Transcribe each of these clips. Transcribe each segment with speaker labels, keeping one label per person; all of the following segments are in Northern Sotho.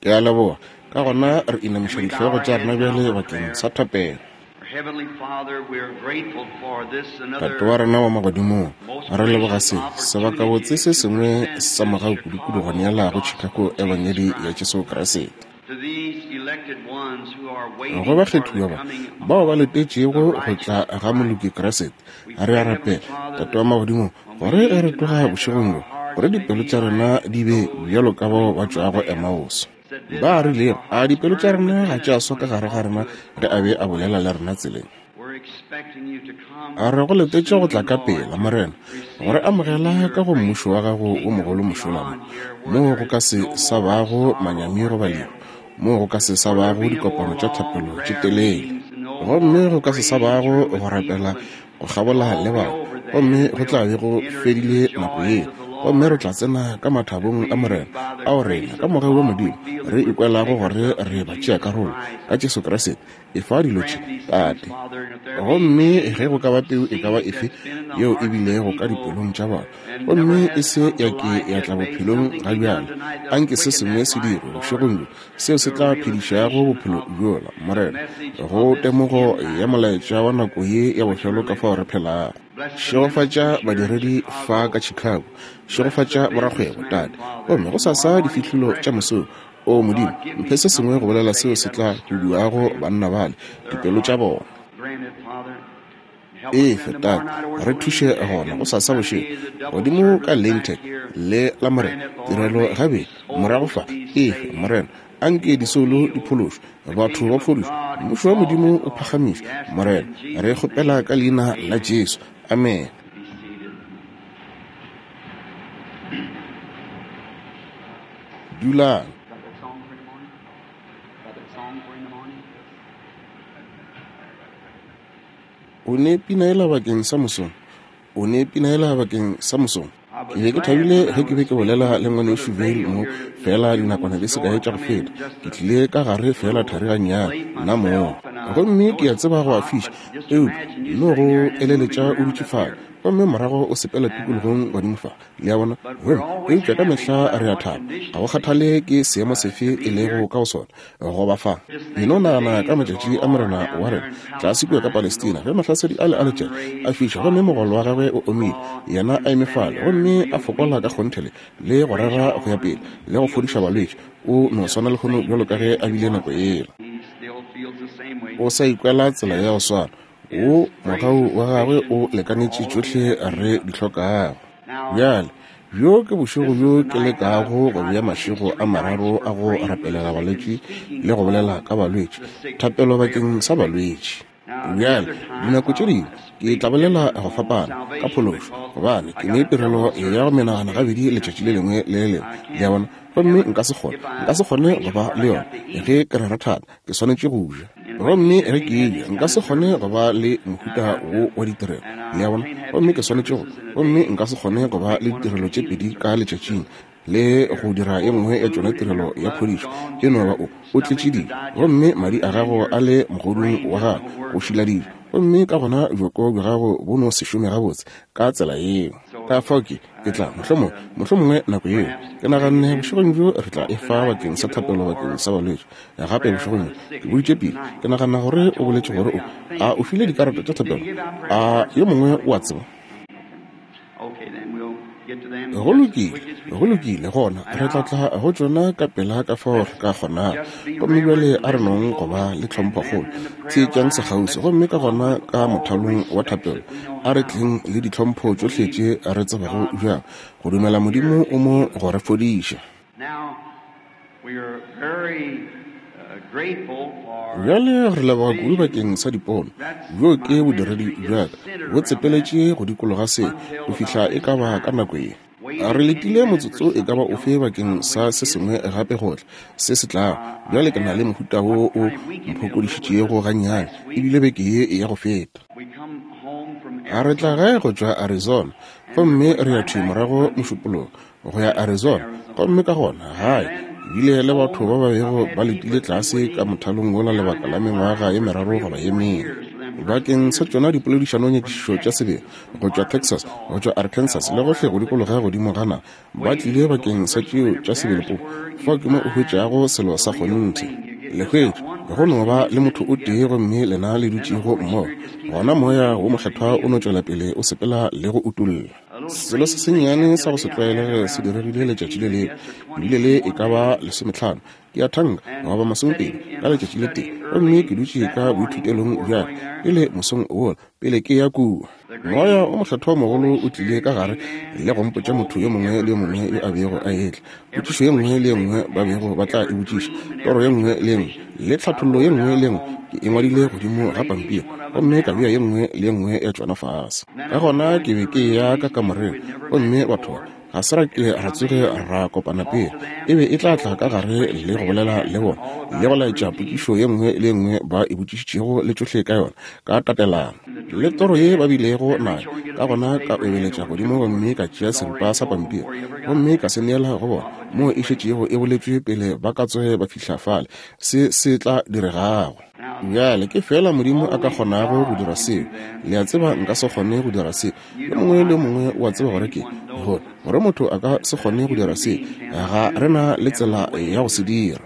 Speaker 1: Ke a leboga. Ka gona re inamiša dihlogo tša rena bjale bakeng sa thapelo. Tate wa rena wa magodimong, re leboga se sebakabotse se sengwe sa mogau kudukudu go neela go Chicago Ebangedi ya Jesu Kriste. Go bakgethiwa ba bao ba letetšego go tla ga moloki Kriste, re a rapela, Tate wa magodimong, gore ge re tloga bošegong bjo, gore dipelo tša rena di be bjalo ka bao ba tšwago Emmaus. Ba rilego, a dipelo tša rena ga tša swa ka gare ga rena ge a be a bolela le rena tseleng? A re go letetše go tla ka pela, Morena, go re amogela ka go mmušo wa gago wo mogolo mošola mo, moo go ka se sa bago manyami goba lehu, moo go ka se sa bago dikopano tša thapelo tše telele, gomme go ka se sa bago go rapela go kgabola le bao, gomme go tla be go fedile nako yeo, gomme re tla tsena ka mathabong a Morena, ao rena, ka mogau wa Modimo, re ikwelago gore re batšeakarolo ka Jesu Kriste. Efa dilo tše, Tate. Gomme ge go ka ba peu e ka ba efe yeo e bilego ka dipelong tša bona, gomme e se ya ke ya tla bophelong ga bjale, anke se sengwe se dirwe bošegong bjo seo se tla phedišago bophelo bjola, Morena, go temogo ya molaetša wa nako ye ya bofelo ka fao re phelago. Šegofatša badiredi fa ka Chicago. Šegofatša borakgwebo, Tate. Gomme gosasa difihlolo tša mosong, O Modimo, mphe se sengwe go bolela seo se tla huduago banna bale dipelo tša bona. Efe, Tate, re thuše gona gosasa bošego, godimo ka Lentec le Lamorena, tirelo gabedi, morago fa. Efe, Morena, a nke disoulo di phološwe, batho ba fodišwe, Mmušo wa Modimo o phagamišwe. Morena, re kgopela ka Leina la Jesu. Amene. Dulang. O ne pina yela bakeng sa mosong? O ne pina yela bakeng sa mosong? Ke be ke thabile ge ke be ke bolela le Ngwanešu Vayle mo feela dinakwana di se kae tša go feta. Ke tlile ka gare feela thari gannyane, nna mong. Gomme ke a tseba go a fiša, eupša nno go eleletša o dutše fale, gomme morago o sepela tikologong godimo fa. Le a bona? Gomme, eupša ka mehla re a thaba, ga go kgathale ke seemo sefe e lego ka go sona, go ba fa. E no nagana ka matšatši a Morena wa rena, tlase kua ka Palestina, ge mahlasedi ale a letšatši a fiša, gomme mogolo wa gagwe o omile, yena a eme fale, gomme a fokola ka kgonthe le, le go rera go ya pele, le go fodiša balwetši. O no swana lehono bjalo ka ge a bile nako yela. O sa ikwela tsela ya go swana. Wo mogau wa gagwe o lekanetše tšohle re di hlokago. Bjale, bjo ke bošego bjo ke lekago go bea mašego a mararo a go rapelela balwetši le go bolela ka balwetši, thapelo bakeng sa balwetši. Bjale, dinako tše dingwe ke tla bolela go fapana ka phološo, gobane ke ne tirelo ya go menagana gabedi letšatši le lengwe le le lengwe, le a bona, gomme nka se kgone, nka se kgone go ba le yona ge ke rera thata. Ke swanetše go ja. Gomme ge ke eja, nka se kgone go ba le mohuta wo wa ditirelo, le a bona. Gomme ke swanetše go, gomme nka se kgone go ba le ditirelo tše pedi ka letšatšing, le go dira ye nngwe ya tšona tirelo ya phodišo. E no ba o, o tletše dijo, gomme madi a gago a le mogodung wa gago, go šila dijo, gomme ka gona bjoko bja gago bo no se šome gabotse ka tsela yeo. Ka fao ke, Ke tla, mohlomongwe, mohlomongwe nako yeo. Ke naganne bošegong bjo re tla e fa bakeng sa thapelo bakeng sa balwetši. Gape bošegong bjo, ke boditše pele, ke nagana gore o boletše gore o, a o file dikarata tša thapelo? A yo mongwe o a tseba? Go lokile, go lokile, gona re tla tla go tšona ka pela ka fao re ka kgonago. Gomme bjale a re nong go ba le tlhomphokgolo. Theetšang sekgauswi, gomme ka gona ka mothalong wa thapelo a re tleng le ditlhompho tšohle tše re tsebago bjang go dumela Modimo o mo go re fodiša. Bjale re leboga kudu bakeng sa dipono. Bjo ke bodiredi bja ka, bo tsepeletše go dikologa se go fihla e ka ba ka nako ye. Re letile motsotso e ka ba ofe bakeng sa se sengwe gape go tla, se se tlago. Bjale ke na le mohuta wo o mphokodišitšego gannyane, e bile beke ye ya go feta. A re tla gae go tšwa Arizona, gomme re ya thwi morago Mošupologo go ya Arizona, gomme ka gona gae. Bile le batho ba ba bego ba letile tlase ka mothalong wola lebaka la mengwaga ye meraro goba ye mene. Bakeng sa tšona dipoledišanonyakišišo tša sebele, go tšwa Texas, go tšwa Arkansas, le gohle go dikologa godimo ga naga, ba tlile bakeng sa tšeo tša sebele po. Fao ke mo o hwetšago selo sa kgonthe. Le hwetša, go no ba le motho o tee gomme lena le dutšego mmogo, gona Moya wo Mokgethwa o no tšwela pele o sepela le go utolla. Selo se sennyane sa go se tlwaelege se diregile letšatši le lengwe, ke bile le e ka ba lesometlhano, ke a thanka, goba masomepedi, ka letšatši le tee, gomme ke dutše ka boithutelong bja ka pele mosong wola, pele ke ya kua. Moya o Mokgethwa mogolo o tlile ka gare le go mpotša motho yo mongwe le yo mongwe yo a bego a etla, potšišo ye nngwe le ye nngwe ba bego ba tla e botšiša, toro ye nngwe le ye nngwe, le tlhathollo ye nngwe le ye nngwe, ke e ngwadile godimo ga pampiri gomme ka bea ye nngwe le ye nngwe ya tšona fase. Ka gona ke be ke eya ka kamoreng, gomme batho ba ga se ra ke ra tsoge ra kopana pele. E be e tla tla ka gare le go bolela le bona, le go laetša potšišo ye nngwe le ye nngwe ba e botšišitšego le tšohle ka yona, ka tatelano, le toro ye ba bilego nayo. Ka gona ka obeletša godimo gomme ka tšea seripa sa pampiri gomme ka se neela go bona, moo e šetšego e boletšwe pele ba ka tsoge ba fihla fale, se se tla diregago. Bjale, ke feela Modimo a ka kgonago go dira seo. Le a tseba nka se kgone go dira se. Yo mongwe le yo mongwe o a tseba gore ke, gore, gore motho a ka se kgone go dira se. Ga re na le tsela ya go se dira.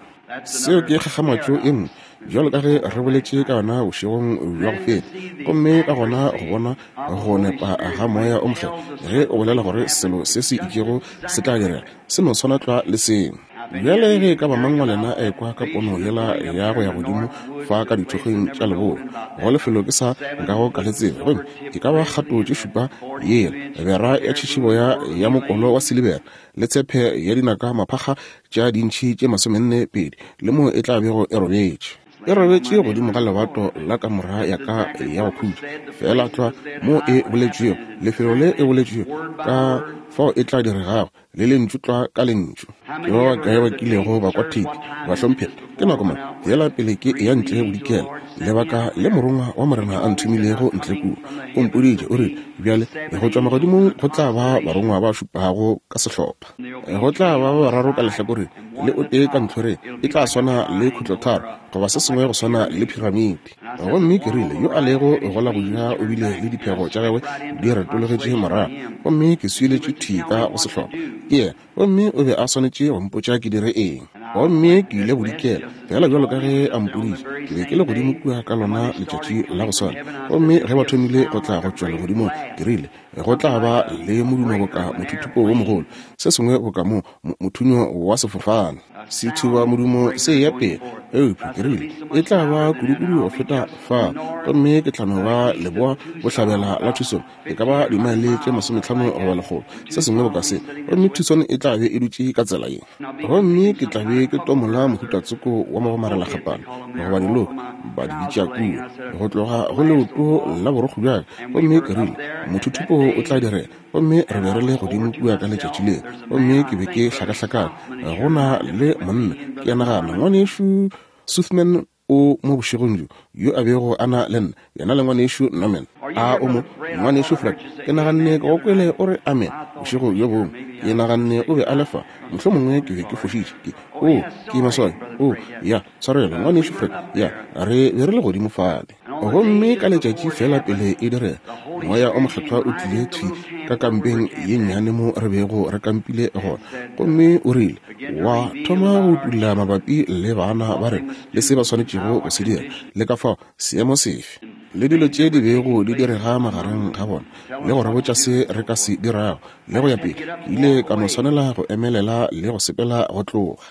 Speaker 1: Seo ke kgakgamatšo e nngwe, bjalo ka ge re boletše ka yona bošegong bja go feta. Gomme ka gona go bona go nepa ga Moya o Mokgethwa ge o bolela gore selo se se itšego se tla direga, se no swana tlwa le seo. Bjale ge e ka ba mang wa lena a ekwa ka pono yela ya go ya godimo fa ka dithokgweng tša leboa, go lefelo ke sa nkago ka le tseba, gomme e ka ba kgato tše šupa yela, bera ya tšhišiboya ya mokolo wa silibera, le tshepe ya dinaka maphakga tša dintšhi tše masomenne pedi, le moo e tla bego e robetše. E robetše godimo ga lebato la kamora ya ka ya go khutša, feela tlwa moo e boletšwego, lefelo le e boletšwego, ka fao e tla diregago, le lentšu tlwa ka lentšu. Ke ba bakae ba kilego ba kwa theipi, bahlomphegi? Ke nako mang yela pele ke eya ntle bodikela, lebaka le Morongwa wa Morena a nthomilego ntle kua, o mpoditše, o rile, Bjale, go tšwa magodimong go tla ba barongwa ba šupago ka sehlopha. Go tla ba ba bararo ka lehlakoreng le o tee ka ntlhoreng, e tla swana le khutlotharo goba se sengwe go swana le phiramiti. Gomme ke rile, Yo a lego go la go ja o bile le diphego tša gagwe di retologetše morago, gomme ke swiletšwe thwi ka go sehlopha ke yena, gomme o be a swanetše go mpotša ke dire eng. Gomme ke ile bodikela, feela bjalo ka ge a mpoditše. Ke be ke le godimo kua ka lona letšatši la go swana. Gomme ge ba thomile go tla go tšwa legodimong, ke rile, Go tla ba le modumo boka mothuthupo wo mogolo, se sengwe boka mo, mo, mothunyo wa sefofane. Sethuba modumo se eya pele, eupša ke rile, e tla ba kudukudu go feta fa, gomme ke tla no ba leboa bohlabela la Tucson, e ka ba dimaele tše masometlhano goba lekgolo, se sengwe boka se, gomme Tucson e tla be e dutše ka tsela ye. Gomme ke tla be ke tomola mohuta tsoko wa magomarelakgapana, goba diloka, ba di bitša kua, go tloga go leoto la borokgo bja ka. Gomme ke rile, Mothuthupo o tla direga. Gomme re be re le godimo kua ka letšatši leo, gomme ke be ke hlakahlakane. Go na le monna, ke a nagana Ngwanešu Sothmann o mo bošegong bjo, yo a bego a na le nna, yena le Ngwanešu Norman. A o mo, Ngwanešu Fred? Ke naganne ke go kwele o re amen bošego bjo bongwe. Ke naganne o be a le fa. Mohlomongwe ke be ke fošitše. Ke, oo, ke maswabi. Oo, ya, tshwarelo, Ngwanešu Fred. Ya, re be re le godimo fale. Gomme ka letšatši feela pele e direga, Moya o Mokgethwa o tlile thwi ka kampeng ye nnyane mo re bego re kampile gona, gomme o rile, wa thoma go utolla mabapi le baana ba rena le se ba swanetšego go se dira, le ka fao seemo sefe, le dilo tše di bego di direga magareng ga bona, le go re botša se re ka se dirago, le go ya pele. Ke ile ka no swanela go emelela le go sepela go tloga.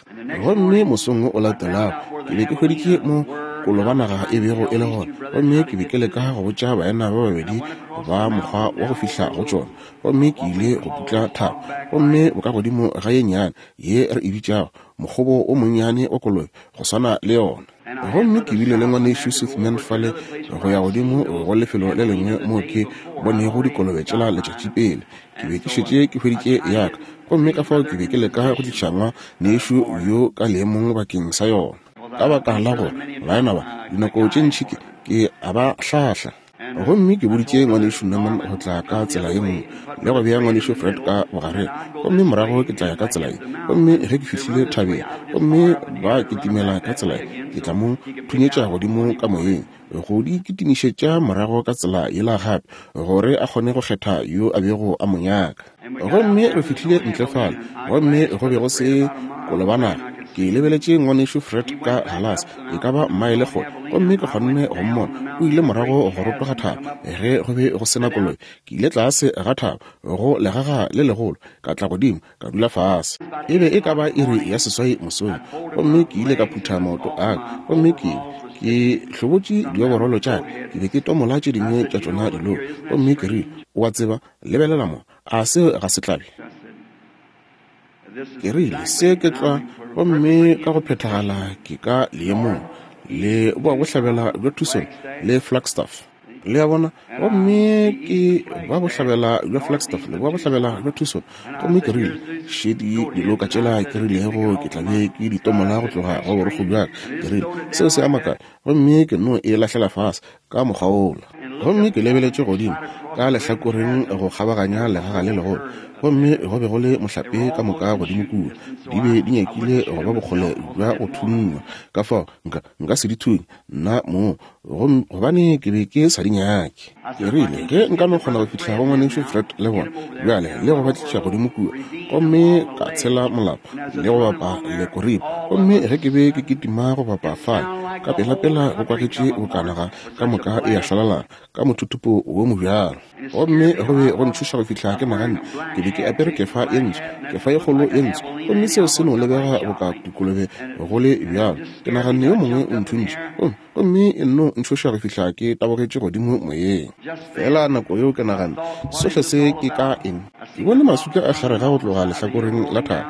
Speaker 1: Gomme mosong wo o latelago, ke be ke hweditše mo kolobanaga e bego e le gona, gomme ke be ke leka go botša baena ba babedi ba mokgwa wa go fihla go tšona. Gomme ke ile go putla thaba, gomme bokagodimo ga ye nnyane ye re e bitšago mokgobo wo monnyane wa kolobe, go swana le yona. Gomme ke bile le Ngwanešu Sothmann fale go ya godimo go lefelo le lengwe moo ke bonego dikolobe tšela letšatši pele. Ke be ke šetše ke hweditše ya ka, gomme ka fao ke be ke leka go tliša ngwanešu yo ka leemong bakeng sa yona. Ka baka la gore baena ba, dinako tše ntši ke, ke a ba hlahla. Gomme ke boditše Ngwanešu Norman go tla ka tsela ye nngwe, le go bea Ngwanešu Fred ka bogareng, gomme morago ke tla ya ka tsela ye. Gomme ge ke fihlile thabeng, gomme ba kitimela ka tsela ye, ke tla mo thunyetša godimo ka moyeng, go di kitimišetša morago ka tsela yela gape, gore a kgone go kgetha yo a bego a mo nyaka. Gomme re fihlile ntle fale, gomme go be go se kolobanaga. Ke lebeletše Ngwanešu Fred ka galase, e ka ba maele kgole, gomme ke kgonne go mmona. O ile morago go rotoga thaba, ge go be go se na koloi. Ke ile tlase ga thaba, go legaga le legolo, ka tla godimo, ka dula fase. E be e ka ba iri ya seswai mosong, gomme ke ile ka phutha maoto a ka, gomme ke ke hlobotše dioborolo tša ka, ke be ke tomola tše dingwe tša tšona dilo, gomme ke rile, O a tseba, lebelela mo, a seo ga se tlabe? Ke rile, Se ke tlwa, gomme ka go phethagala ke ka leemong le boa bohlabela bja Tucson le Flagstaff. Le a bona? Gomme ke ba bohlabela bja Flagstaff le boa bohlabela bja Tucson. Gomme ke rile, Šedi diloka tšela ke rilego ke tla be ke di tomola go tloga go borokgo bja ka. Ke rile, Seo se a makatša. Gomme ke no e lahlela fase ka mokgwa wola. Gomme ke lebeletše godimo ka lehlakoreng go kgabaganya legaga le legolo, gomme go be go le mohlape ka moka godimo kua. Di be di nyakile go ba bokgole bja go thunngwa, ka fao nka, nka se di thunye nna mong, gobane ke be ke sa di nyake. Ke rile, Ge nka no kgona go fihla go Ngwanešu Fred le bona bjale, le go ba tliša godimo kua, gomme ka tshela molapo le go bapa le koripo. Gomme ge ke be ke kitima go bapa fale, ka pelapela go kwagetše boka naga ka moka e a šwalalana ka mothuthupo wo mobjalo. Gomme go be go ntšhoša go fihla ke naganne ke be ke apere kefa ye ntsho, kefa ye kgolo ye ntsho, gomme seo se no lebega boka dikolobe go le bjalo. Ke naganne yo mongwe o nthuntše, gomme gomme e nno ntšhoša go fihla ke tabogetše godimo moyeng. Fela nako yeo ke naganne, Sohle se ke ka eng? Ke bone maswika a kgerega go tloga lehlakoreng la thaba,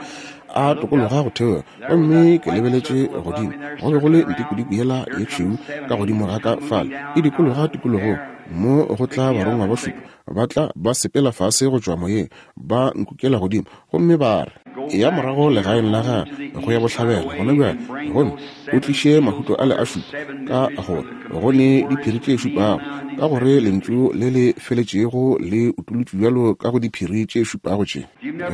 Speaker 1: a tokologa go theoga, gomme ke lebeletše godimo, go be go le ntikodiko yela ye tšhweu ka godimo ga ka fale, e dikologa tikologong, mo go tla barongwa ba šupa, ba tla ba sepela fase go tšwa moyeng, ba nkukela godimo, gomme ba re, Eya morago legaeng la gago go ya bohlabela gona bjale, gomme o tliše mahuto ale a šupa, ka gore go ne diphiri tše šupago, ka gore lentšu le le feletšego le utolotšwe bjalo ka go diphiri tše šupago tše.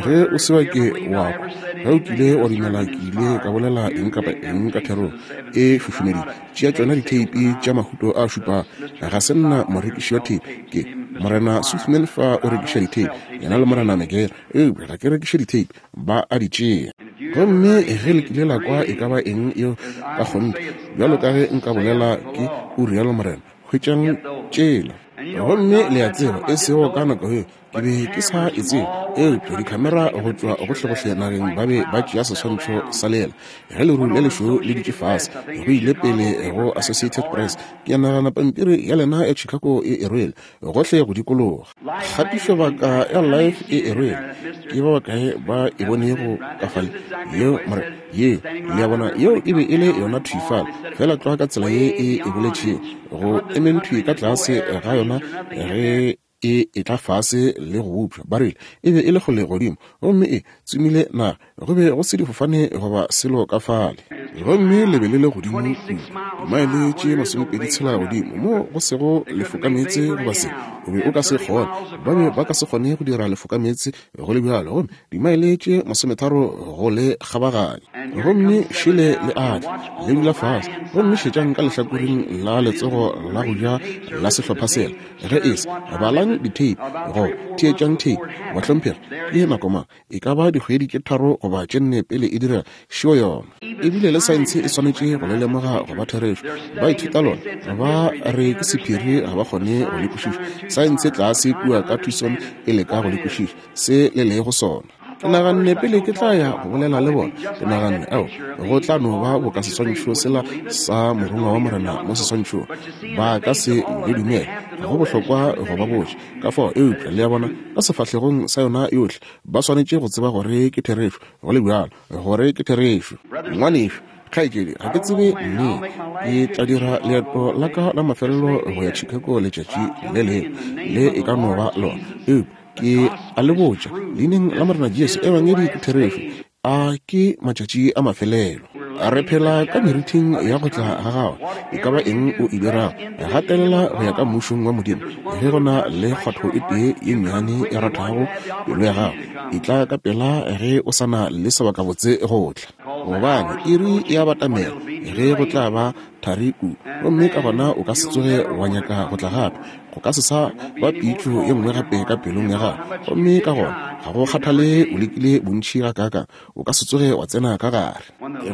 Speaker 1: Ge o se wa ke wa kwa, ge o kile wa dumela ke ile ka bolela eng kapa eng ka therong e šušumeditše, tšea tšona ditheipi tša mahuto a šupago. Ga se nna morekiši wa theipi, ke Morena Sothmann fa o rekiša ditheipi, yena le Morena Megere. Eupša ga ke rekiše ditheipi, ba a di tšea. Gomme ge le kile la kwa e ka ba eng yeo ka kgonthe, bjalo ka ge nka bolela ke o rialo morena, hwetšang tšela. Gomme le a tseba, e sego ka nako yeo, ke be ke sa e tsebe, eupša dikhamera go tšwa gohlegohle nageng ba be ba tšea seswantšho sa lela ge leru le lešweu le dutše fase. Go ile pele go Associated Press. Ke a nagana pampiri ya lena ya Chicago e e rwele gohle go dikologa. Kgatišobaka ya Life e e rwele. Ke ba bakae ba e bonego ka fale? Yeo, more, ye, le a bona, yeo e be e le yona thwi fale, feela tlwa ka tsela ye e e boletšego, go emeng thwi ka tlase ga yona ge e etla fase le go bopša. Ba rile e be e le kgole godimo, gomme e tsomile naga. Go be go se difofane goba selo ka fale. Gomme le be le le godimo kudu, dimaele tše masomepedi tshela godimo, mo go sego lefokameetse goba se. O be o ka se kgone, ba be ba ka se kgone go dira lefokameetse go le bjalo, gomme dimaele tše masometharo go le kgabaganya. Gomme šele le a tla, le dula fase. Gomme šetšang ka lehlakoreng la letsogo la go ja la sehlopha sela, ge e se, balang ditheipi, goba theetšang theipi, bahlomphegi, ke nako mang? E ka ba dikgwedi tše tharo goba tše nne pele e direga, šeo yona. Ebile le saense e swanetše go le lemoga go ba therešo. Ba ithuta lona, ba re ke sephiri, ga ba kgone go le kwešiša. Saense tlase kua ka Tucson e leka go le kwešiša, se le lego sona. Ke naganne pele ke tla ya go bolela le bona, ke naganne, Ao, go tla no ba boka seswantšho sela sa Morongwa wa Morena mo seswantšhong. Ba ka se le dumele. Go bohlokwa go ba botša. Ka fao, eupša, le a bona, ka sefahlegong sa yona yohle, ba swanetše go tseba gore ke therešo, go le bjalo, gore ke therešo. Ngwanešu, kgaetšedi, ga ke tsebe neng ke tla dira leeto la ka la mafelelo go ya Chicago letšatši le lengwe, le e ka no ba lona. Eupša ke a le botša, Leineng la Morena Jesu, Ebangedi ke therešo. A ke matšatši a mafelelo. Re phela ka merithing ya go tla ga Gagwe. E ka ba eng o e dirago, gatelela go ya ka Mmušong wa Modimo. Ge go na le kgwatho e tee ye nnyane e rathago pelo ya gago, etla ka pela ge o sa na le sebakabotse go tla. Gobane iri e a batamela ge go tla ba thari kudu, gomme ka gona o ka se tsoge wa nyaka go tla gape. Go ka se sa ba pitšo ye nngwe gape ka pelong ya gago, gomme ka gona ga go kgathale o lekile bontši gakaakang, o ka se tsoge wa tsena ka gare.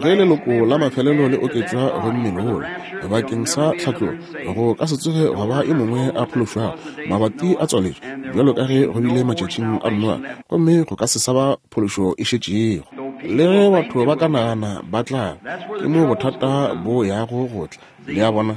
Speaker 1: Ge leloko la mafelelo le oketšwa go mmele wola bakeng sa tlhatlogo, go ka se tsoge gwa ba yo mongwe a phološwago. Mabati a tswaletšwe, bjalo ka ge go bile matšatšing a Noa, gomme go ka se sa ba phološo e šetšego. Le ge batho ba ka nagana ba tla, ke mo bothata bo yago go tla. Le a bona?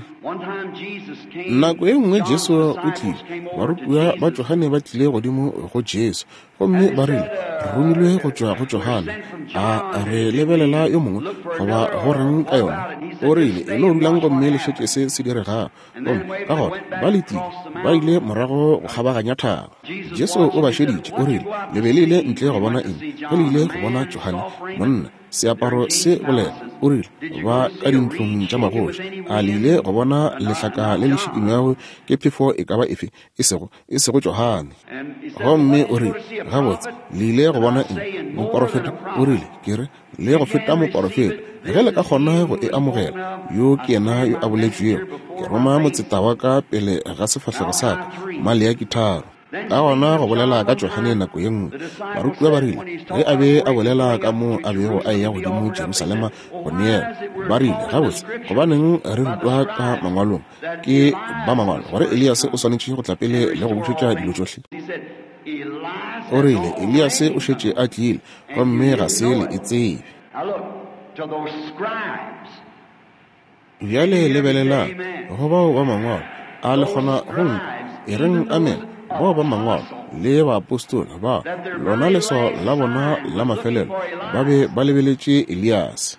Speaker 1: Nako e nngwe Jesu o tlile, barutiwa ba Johane ba tlile godimo go Jesu, gomme ba rile, Re romilwe go tšwa go Johane. A re lebelela yo mongwe, goba go reng ka yona? O rile, E no dulang gomme le šetše se se diregago. Gomme ka gona ba letile, ba ile morago go kgabaganya thaba. Jesu o ba šeditše, o rile, Le be le ile ntle go bona eng ge le ile go bona Johane? Monna, seaparo se bolela, o rile, ba ka dintlong tša magoši. A le ile go bona lehlaka le le šikinywago ke phefo e ka ba efe? E sego, e sego Johane. Gomme o rile, Gabotse, le ile go bona eng? Moporofeta? O rile, Ke re, le go feta moporofeta. Ge le ka kgona go e amogela, yo ke yena yo a boletšwego, Ke roma motseta wa ka pele ga sefahlego sa ka. Maleaki 3. Ka gona go bolela ka Johane nako ye nngwe, barutiwa ba rile, ge a be a bolela ka mo a bego a eya godimo Jerusalema go neela, ba rile, Gabotse, gobaneng re rutwa ka mangwalong ke ba mangwalo gore Eliase o swanetše go tla pele le go bušetša dilo tšohle? O rile, Eliase o šetše a tlile, gomme ga se le e tsebe. Bjale lebelelang, go bao ba mangwalo, a le kgona go nkwa? E reng amen. Bao ba mangwalo le baapostola ba, lona leswao la bona la mafelelo, ba be ba lebeletše Eliase.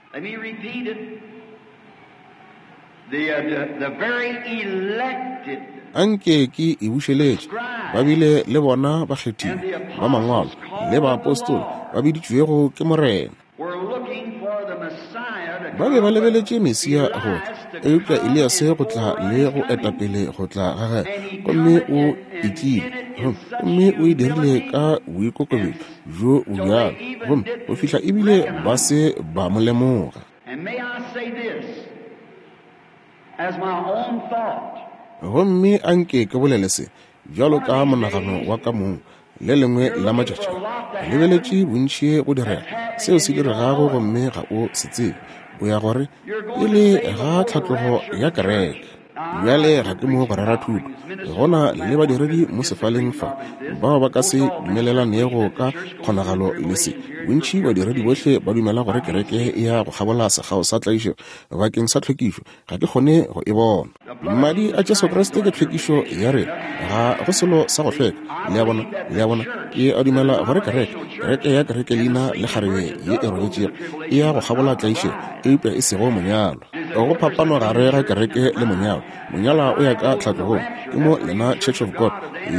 Speaker 1: Anke ke e bušeletše. Ba bile le bona bakgethiwa ba mangwalo le baapostola ba biditšwego ke Morena. Ba be ba lebeletše Mesia go tla, eupša Eliase go tla le go etapele go tla ga gagwe, gomme o e tlile, gomme o e dirile ka boikokobetšo bjo bo bjalo, gomme go fihla ebile ba se ba mo lemoga. Gomme a nke ke bolele se, bjalo ka monagano wa ka mong, le lengwe la matšatši a, re lebeletše bontši go direga, seo se diregago gomme ga o se tsebe. O ya gore, pele ga tlhatlogo ya kereke. Bjale ga ke mo go rera thuto. Go na le badiredi mo sefaleng fa bao ba ka se dumelelanego ka kgonagalo le se. Bontši badiredi bohle ba dumela gore kereke e ya go kgabola sekgao sa tlaišego bakeng sa tlhwekišo. Ga ke kgone go e bona. Madi a Jesu Kriste ke tlhwekišo ya rena. Ga go selo sa go hlweka. Le a bona? Le a bona? Ke a dumela gore kereke, kereke ya kerekelina le kgarebe ye e robetšego e ya go kgabola tlaišego, eupša e sego monyalwa. Go phapano gare ga kereke le monyalwa. Monyalwa o ya ka tlhatlogong. Ke mo lena Church of God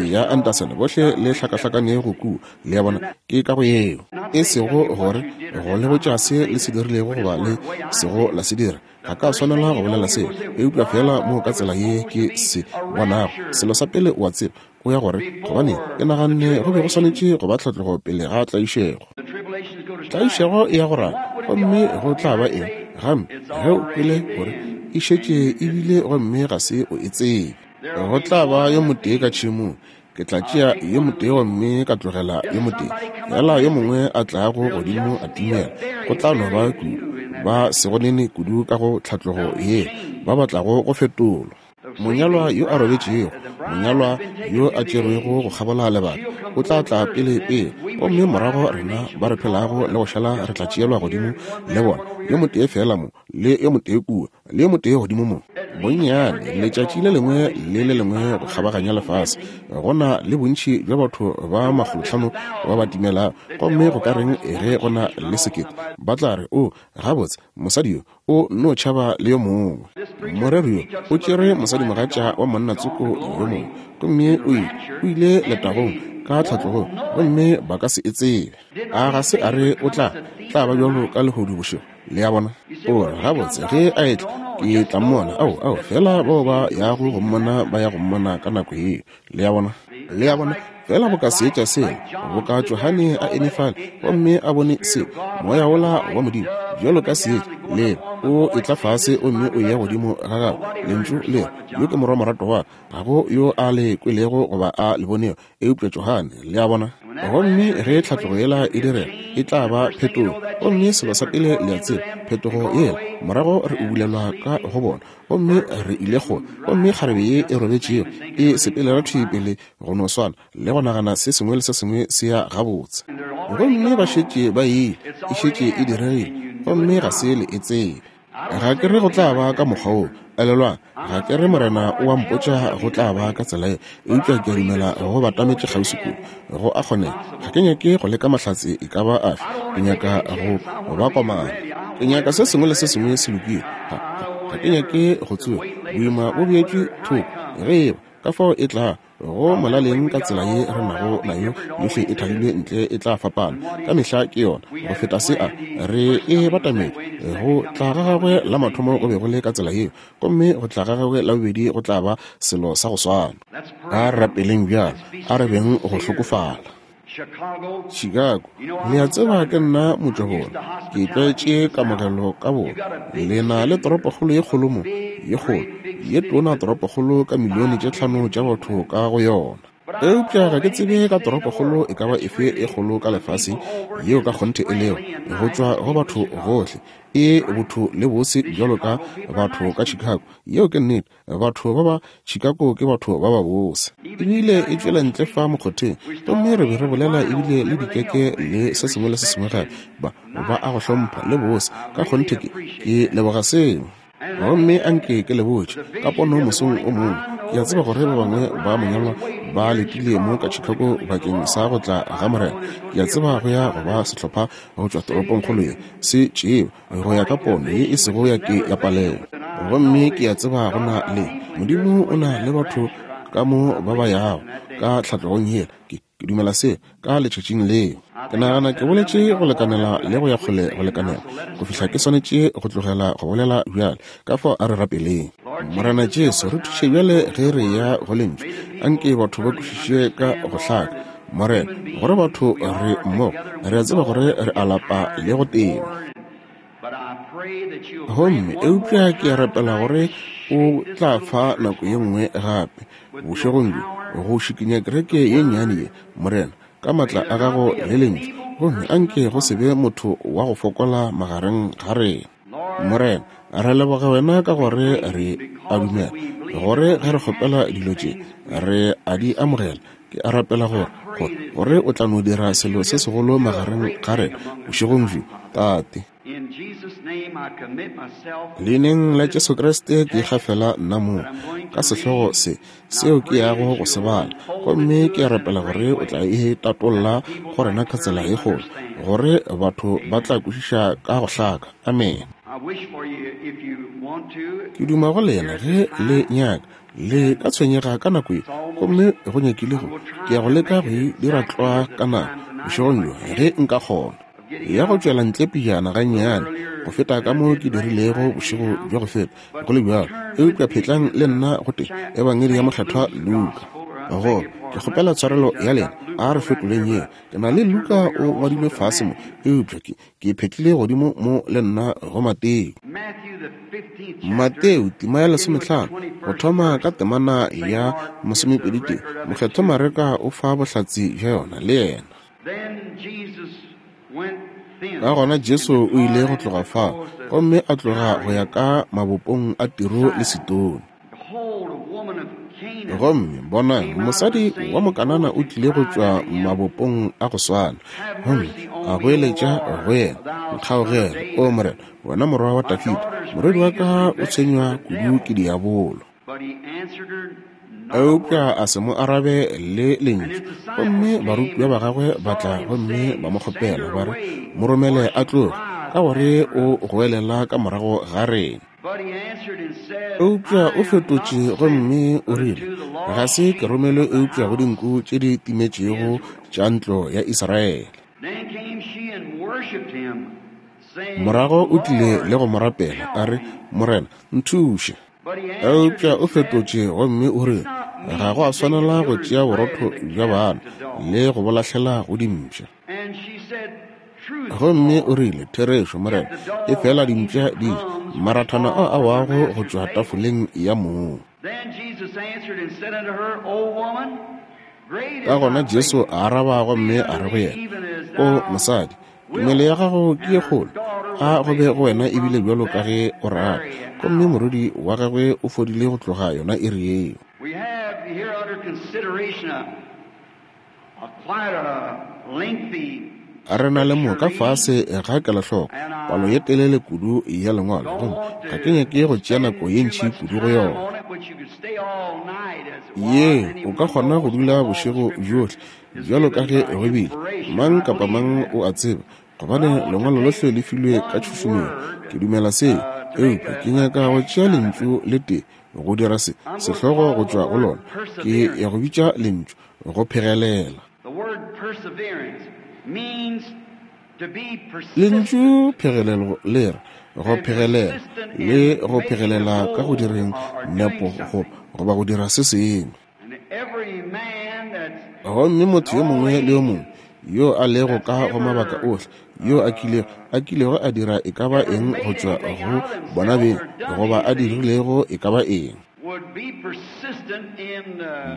Speaker 1: ya Anderson bohle le hlakahlakanego kua. Le a bona, ke ka go yeo. E sego gore go le botša se le se dirilego goba le sego la se dira. Ga ka swanela go bolela seo, eupša feela mo ka tsela ye ke se bonago. Selo sa pele o a tseba, o ya gore, gobane ke naganne go be go swanetše go ba tlhatlogo pele ga tlaišego. Tlaišego e ya go rala, gomme go tla ba eng gamme ge o kwele gore e šetše e bile gomme ga se o e tsebe? Go tla ba yo motee ka tšhemong, ke tla tšea yo motee gomme ka tlogela yo motee, fela yo mongwe a tlago godimo a timela. Go tla no ba kudu ba sego nene kudu ka go tlhatlogo ye ba ba tlago go fetolwa. Monyalwa yo a robetšego, monyalwa yo a tšerwego go kgabola lebaka, o tla tla pele pele, gomme morago rena ba re phelago le go šala re tla tšeelwa godimo le bona, yo motee feela mo, le yo motee kua, le yo motee godimo mo. Bonnyane letšatši le lengwe le le lengwe go kgabaganya lefase, go na le bontši bja batho ba makgolohlano ba ba timelago, gomme go ka reng ge go na le sekete? Ba tla re, O, gabotse, mosadi yo o no tšhaba le yo mongwe. Moreri yo o tšere mosadimogatša wa monna tsoko yo mongwe, gomme o ile, o ile letagong ka tlhatlogong, gomme ba ka se e tsebe. A ga se a re o tla, tla ba bjalo ka lehodu bošego? Le a bona? O re, Gabotse, ge A etla, ke tla Mmona. Ao, ao, feela bao ba yago go Mmona ba ya go Mmona ka nako yeo. Le a bona? Le a bona? Feela boka seetša sela, boka Johane a eme fale gomme a bone se, Moya wola wa Modimo, bjalo ka seetša, le o etla fase gomme o ye godimo ga gagwe, Lentšu le re, Yo ke Morwa moratwa wa Ka, ga go yo a Le kwelego goba a Le bonego, eupša Johane. Le a bona? Gomme ge tlhatlogo yela e direga, e tla ba phetogo. Gomme selo sa pele le a tseba, phetogo yela, morago re ubulelwa ka go bona, gomme re ile kgole. Gomme kgarebe ye e robetšego e sepelela thwi pele go no swana, le go nagana se sengwe le se sengwe se ya gabotse. Gomme ba šetše ba ile, e šetše e diregile, gomme ga se le e tsebe. Ga ke re go tla ba ka mokgwa woo. Elelwang, ga ke re Morena o a mpotša go tla ba ka tsela ye, eupša ke a dumela go batametše kgauswi kudu. Go a kgonega. Ga ke nyake go leka mahlatse e ka ba afe. Ke nyaka go ba komana. Ke nyaka se sengwe le se sengwe se lokile. Ga, ga, ga ke nyake go tsoga. Boima bo beetšwe thoko. Ge eba, ka fao e tla go molaleng ka tsela ye re nago nayo yohle e thalilwe ntle e tla fapana ka mehla ke yona go feta se a re e batametše go tla ga gagwe la mathomo go be go le ka tsela yeo gomme go tla ga gagwe la bobedi go tla ba selo sa go swana a re rapeleng bjalo a re beng go hlokofala Chicago. Le a tseba ke nna motšwabona. Ke tlwaetše kamogelo ka bona. Le na le toropokgolo ye kgolo mo, ye kgolo, ye tona toropokgolo ka milione tše tlhano tša batho ka go yona. Eupša ga ke tsebe ka toropokgolo e ka ba efe e kgolo ka lefaseng yeo ka kgonthe e lego go tšwa go batho gohle e botho le bose bjalo ka batho ka Chicago. Yeo ke nnete. Batho ba ba Chicago ke batho ba babose. Ebile e tšwela ntle fa mokgotheng, gomme re be re bolela ebile le dikeke le se sengwe le se sengwe gape. Ba, ba a go hlompha, le bose. Ka kgonthe ke, ke leboga seo. Gomme a nke ke le botše, ka pono mosong o mongwe, ke a tseba gore ba bangwe ba monyalwa ba letile mo ka Chicago bakeng sa go tla ga Morena. Ke a tseba go ya go ba sehlopha go tšwa toropongkgolo ye, se tšewe go ya ka pono ye e sego ya ke ya palelwa. Gomme ke a tseba go na le Modimo o na le batho ka mo ba ba yago ka tlhatlogong yela. Ke, ke dumela seo ka letšatšing leo. Ke nagana ke boletše go lekanela le go ya kgole go lekanela go fihla ke swanetše go tlogela go bolela bjale. Ka fao a re rapeleng. Morena Jesu, re thuše bjale ge re ya go Lentšu. Anke batho ba kwešiše ka go hlaka, Morena, gore batho re mmogo, re a tseba gore re a lapa le go tena. Gomme, eupša ke a rapela gore O tla fa nako ye nngwe gape, bošegong bjo, go šikinya kereke ye nnyane ye, Morena, ka maatla a Gago le Lentšu, gomme a nke go se be motho wa go fokola magareng ga rena. Morena, re leboga Wena ka gore re a dumela, gore ge re kgopela dilo tše, re a di amogela. Ke a rapela gore, gore, gore O tla no dira selo se segolo magareng ga rena bošegong bjo, Tate. Leineng la Jesu Kriste ke ikgafela nna mong ka sehlogo se seo ke yago go se bala, gomme ke a rapela gore O tla e tatolla go rena ka tsela ye kgolo, gore batho ba tla kwešiša ka go hlaka. Amene. Ke duma go lena ge le nyaka Le ka tshwenyega ka nako ye, gomme go nyakile go, ke ya go leka go e dira tlwa ka nako, bošegong bjo, ge nka kgona. Ya go tšwela ntle pejana gannyane go feta ka mo ke dirilego bošego bja go feta, go le bjalo. Eupša phetlang le nna go te Ebangedi ya Mokgethwa Luka. Go, ke kgopela tshwarelo ya lena, a re fetoleng yeo. Ke na le Luka o ngwadilwe fase mo, eupša ke, Ke phetlile godimo mo le nna go Mateo. Mateo tema ya lesomehlano, go thoma ka temana ya masomepeditee, Mokgethwa Mareka o fa bohlatse bja yona le yena. Ka gona Jesu o ile go tloga fao gomme a tloga go ya ka mabopong a Tiro le Sidone. Gomme bonang, mosadi wa Mokanana o tlile go tšwa mabopong a go swana, gomme a goeletša go yena, Nkgaogele, O Morena, wena morwa wa Dafida, morwedi wa ka o tshwenywa kudu ke diabolo. Eupša a se mo arabe le lentšu. Gomme barutiwa ba gagwe ba tla gomme ba mo kgopela, ba re, Mo romele a tloge, ka gore o goelela ka morago ga rena. Eupša o fetotše gomme o rile, Ga se ke romelwe eupša go dinku tše di timetšego tša ntlo ya Israele. Morago o tlile le go mo rapela, a re, Morena, nthuše. Eupša o fetotše gomme o rile, Ga go a swanela go tšea borotho bja bana le go bo lahlela go dimpša. Gomme o rile, Therešo, Morena, efela dimpša di ja marathana ao a wago go tšwa tafoleng ya mong. Ka gona Jesu a araba gomme a re go yena, O mosadi, tumelo ya gago ke ye kgolo, a go be go wena ebile bjalo ka ge o rata. Gomme morwedi wa gagwe o fodile go tloga yona iri yeo. Re na le mo ka fase ga kelohloko palo ye telele kudu ya Lengwalo, gomme ga ke nyake go tšea nako ye ntši kudu go yona. Ye, o ka kgona go dula bošego bjohle, bjalo ka ge go bile. Mang kapa mang o a tseba, gobane Lengwalo lohle le filwe ka tšhušumetšo. Ke dumela seo. Eupša ke nyaka go tšea lentšu le tee go dira se, sehlogo go tšwa go lona. Ke ya go bitša lentšu, go phegelela. Lentšu phegelelo le re go phegelela le go phegelela ka go direng nepo go, goba go dira se sengwe. Gomme motho yo mongwe le yo mongwe yo a lego ka go mabaka ohle, yo a kilego, a kilego a dira e ka ba eng go tšwa go bona beng, goba a dirilego e ka ba eng,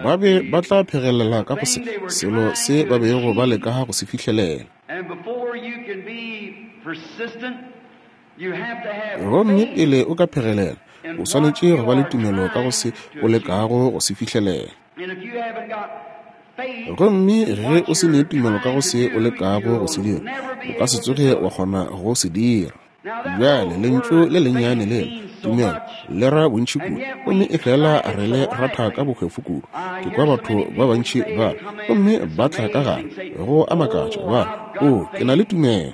Speaker 1: ba be ba tla phegelela ka go se, selo se ba bego ba leka go se fihlelela. Gomme pele o ka phegelela, o swanetše go ba le tumelo ka go se o lekago go se fihlelela. Gomme ge o se ne tumelo ka go se o lekago go se dira, o ka se tsoge wa kgona go se dira. Bjale, lentšu le lennyane lela, tumelo, le ra bontši kudu, gomme efela re le ratha ka bohwefo kudu. Ke kwa batho ba bantši ba re, gomme ba tla ka gare, go a makatša, ba re, Oo, ke na le tumelo.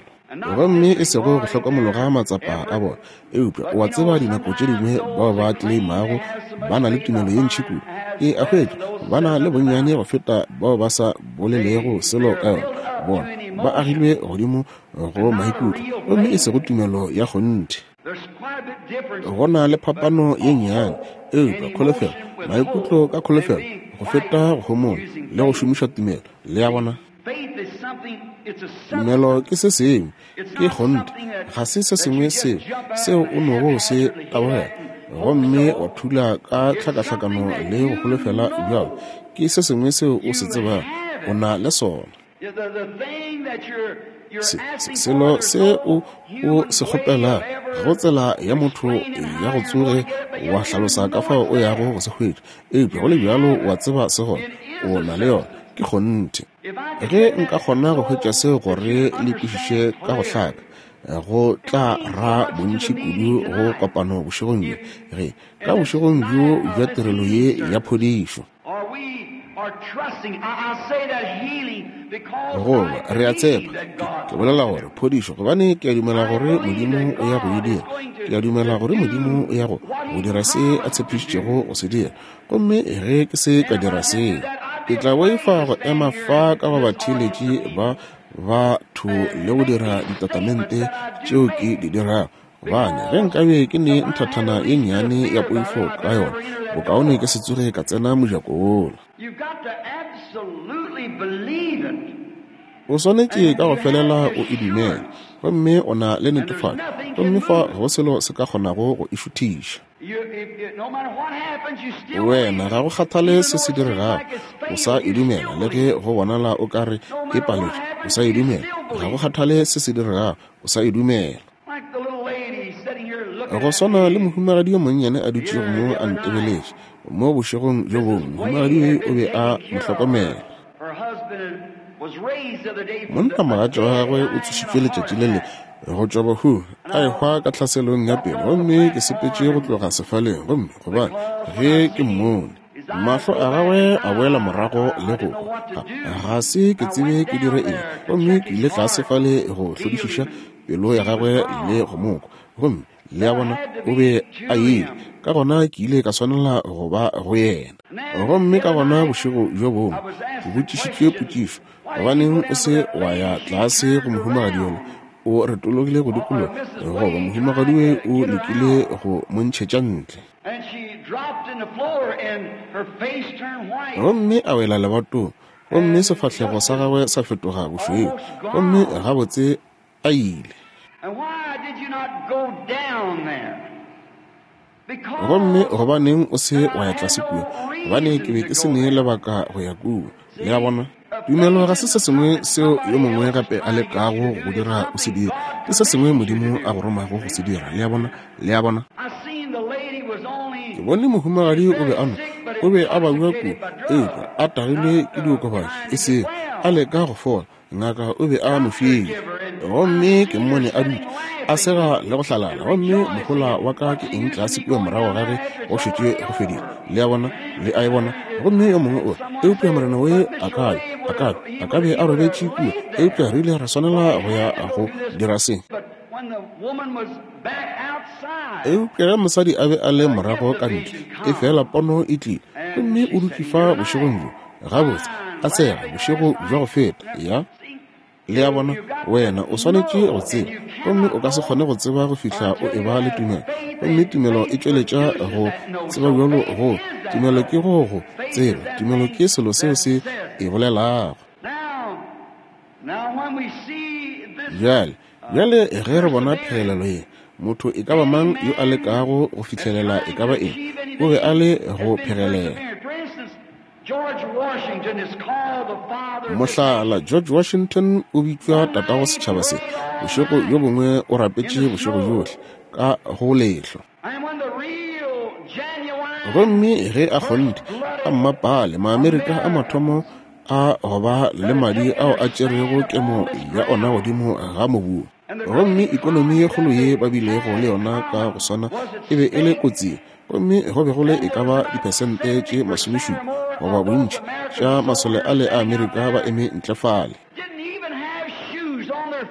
Speaker 1: Gomme e sego go hlokomologa matsapa a bona, eupša o a tseba dinako tše dingwe bao ba tleimago ba na le tumelo ye ntši kudu, ke a hwetša ba na le bonnyane go feta bao ba sa bolelego selo ka yona. Bona ba agilwe godimo go maikutlo, gomme e sego tumelo ya kgonthe. Go na le phapano ye nnyane, eupša kholofelo, maikutlo ka kholofelo, go feta go homola le go šomiša tumelo. Le a bona? Tumelo ke se sengwe, ke kgonthe, ga se se sengwe seo, seo o nogo se tabogela gomme wa thula ka tlhakahlakano le go holofela bjalo. Ke se sengwe seo o se tsebago o na le sona. Se, se, selo se o, o se kgopelago, ga go tsela ya motho ya go tsoge wa hlalosa ka fao o yago go se hwetša, eupša go le bjalo wa tseba se gona, o na le yona, ke kgonthe. Ge nka kgona go hwetša seo gore le kwešiše ka go hlaka, go tla ra bontši kudu go kopano bošegong bjo, ge ka bošegong bjo bja tirelo ye ya phodišo. Goba, re a tshepa, ke, ke bolela gore phodišo, gobane ke a dumela gore Modimo o ya go e dira. Ke a dumela gore Modimo o ya go, go dira se A tshepišitšego go se dira. Gomme ge ke se ka dira seo, ke tla boifa go ema fa ka go batheeletši ba batho le go dira ditatamente tšeo ke di dirago. Gobane ge nkabe ke ne nthathana ye nnyane ya poifo ka yona, bokaone ke se tsoge ka tsena mojako wola. O swanetše ka go felela o e dumele, gomme o na le netefatšo, gomme fa ga go selo se ka kgonago go e šuthiša. Wena, ga go kgathale se se diregago, o sa e dumela, le ge go bonala o ka re e paletšwe, o sa e dumela. Ga go kgathale se se diregago, o sa e dumela. Go swana le mohumagadi yo monnyane a dutšego mo a ntebeletše mo bošegong bjo bongwe, mohumagadi yo o be a mo hlokomela. Monnamogatša wa gagwe o tsošitšwe letšatši le lengwe go tšwa bahung, a ehwa ka tlhaselong ya pelo, gomme ke sepetše go tloga sefaleng, gomme gobane ge ke mmone, mahlo a gagwe a boela morago le go kwa, ga, ga se ke tsebe ke dire eng, gomme ke ile tlase fale go hlodišiša pelo ya gagwe le go mo kwa, gomme le a bona, o be a ile. Ka gona ke ile ka swanela go ba go yena. Gomme ka gona bošego bjo bongwe ke botšišitšwe potšišo, Gobaneng o se wa ya tlase go mohumagadi yola? o retologile go dikologa, goba mohumagadi Way o lekile go mo ntšhetša ntle. Gomme a wela lebatong, gomme sefahlego sa gagwe sa fetoga bošweu, gomme gabotse a ile. Gomme gobaneng o se wa ya tlase kua? Gobane ke be ke se ne lebaka go ya kua. Le a bona? Tumelo ga se se sengwe seo yo mongwe gape a lekago go dira o se dira. Ke se sengwe Modimo a go romago go se dira. Le a bona? Le a bona? Ke bone mohumagadi o be a no, o be a babja kudu, eupša a tagilwe ke diokobatši, e sego a leka go fola. Ngaka o be a mo file. Gomme ke mmone a dutše a sega le go hlalala, gomme mohola wa ka ke eng tlase kua morago ga ge go šetše go fedile. Le a bona? Le a e bona? Gomme yo mongwe o re, Eupša Morena we a ka be, a ka be, a ka be a robetše kua, eupša re ile ra swanela go ya go dira se. Eupša ge mosadi a be a le morago ka ntle, efela pono e tlile, gomme o dutše fa bošegong bjo, gabotse, a sega bošego bja go feta. Ya. Le a bona, wena o swanetše go tseba, gomme o ka se kgone go tseba go fihla o eba le tumelo. Gomme tumelo e tšweletša go tseba bjalo go. Tumelo ke go go tseba. Tumelo ke selo seo se e bolelago. Bjale, bjale ge re bona phegelelo ye, motho e ka ba mang yo a lekago go fihlelela e ka ba eng, o be a le go phegelela. Mohlala, George Washington o bitšwa tatago setšhaba se. Bošego bjo bongwe o rapetše bošego bjohle ka go lehlwa. Gomme ge a kgonthe a mmapale Maamerika a mathomo a go ba le madi ao a tšerego kemo ya ona godimo ga mobu. Gomme ikonomi ye kgolo ye ba bilego le yona ka go swana e be e le kotsing, gomme go be go le e ka ba diphesente tše masomešupa goba bontši tša masole ale a Amerika ba eme ntle fale.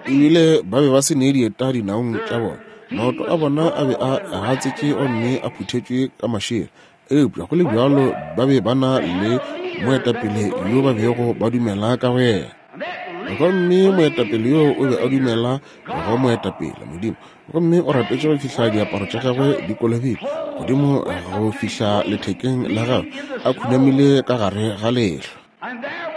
Speaker 1: Ebile ba be ba se ne dieta dinaong tša bona, maoto a bona a be a gatsetše gomme a phuthetšwe ka mašela, eupša go le bjalo ba be ba na le moetapele yo ba bego ba dumela ka go yena. Gomme moetapele yo o be a dumela go moetapele Modimo, gomme o rapetše go fihla diaparo tša gagwe di kolobile godimo go fihla lethekeng la gagwe, a khunamile ka gare ga lehlwa.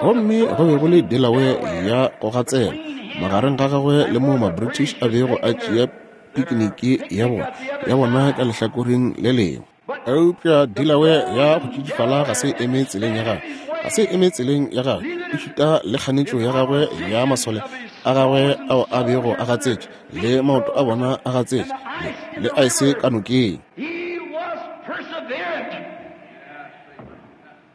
Speaker 1: Gomme go be go le Delaware ya go gatsela magareng ga gagwe le moo ma-British a bego a tšea pikiniki ya bona, ya bona ka lehlakoreng le lengwe. Eupša Delaware ya go tšidifala ga se eme tseleng ya gagwe, ga se eme tseleng ya gagwe, e šita le kganetšo ya gagwe ya masole a gagwe ao a bego a gatsetše, le maoto a bona a gatsetše, le, le aese ka nokeng.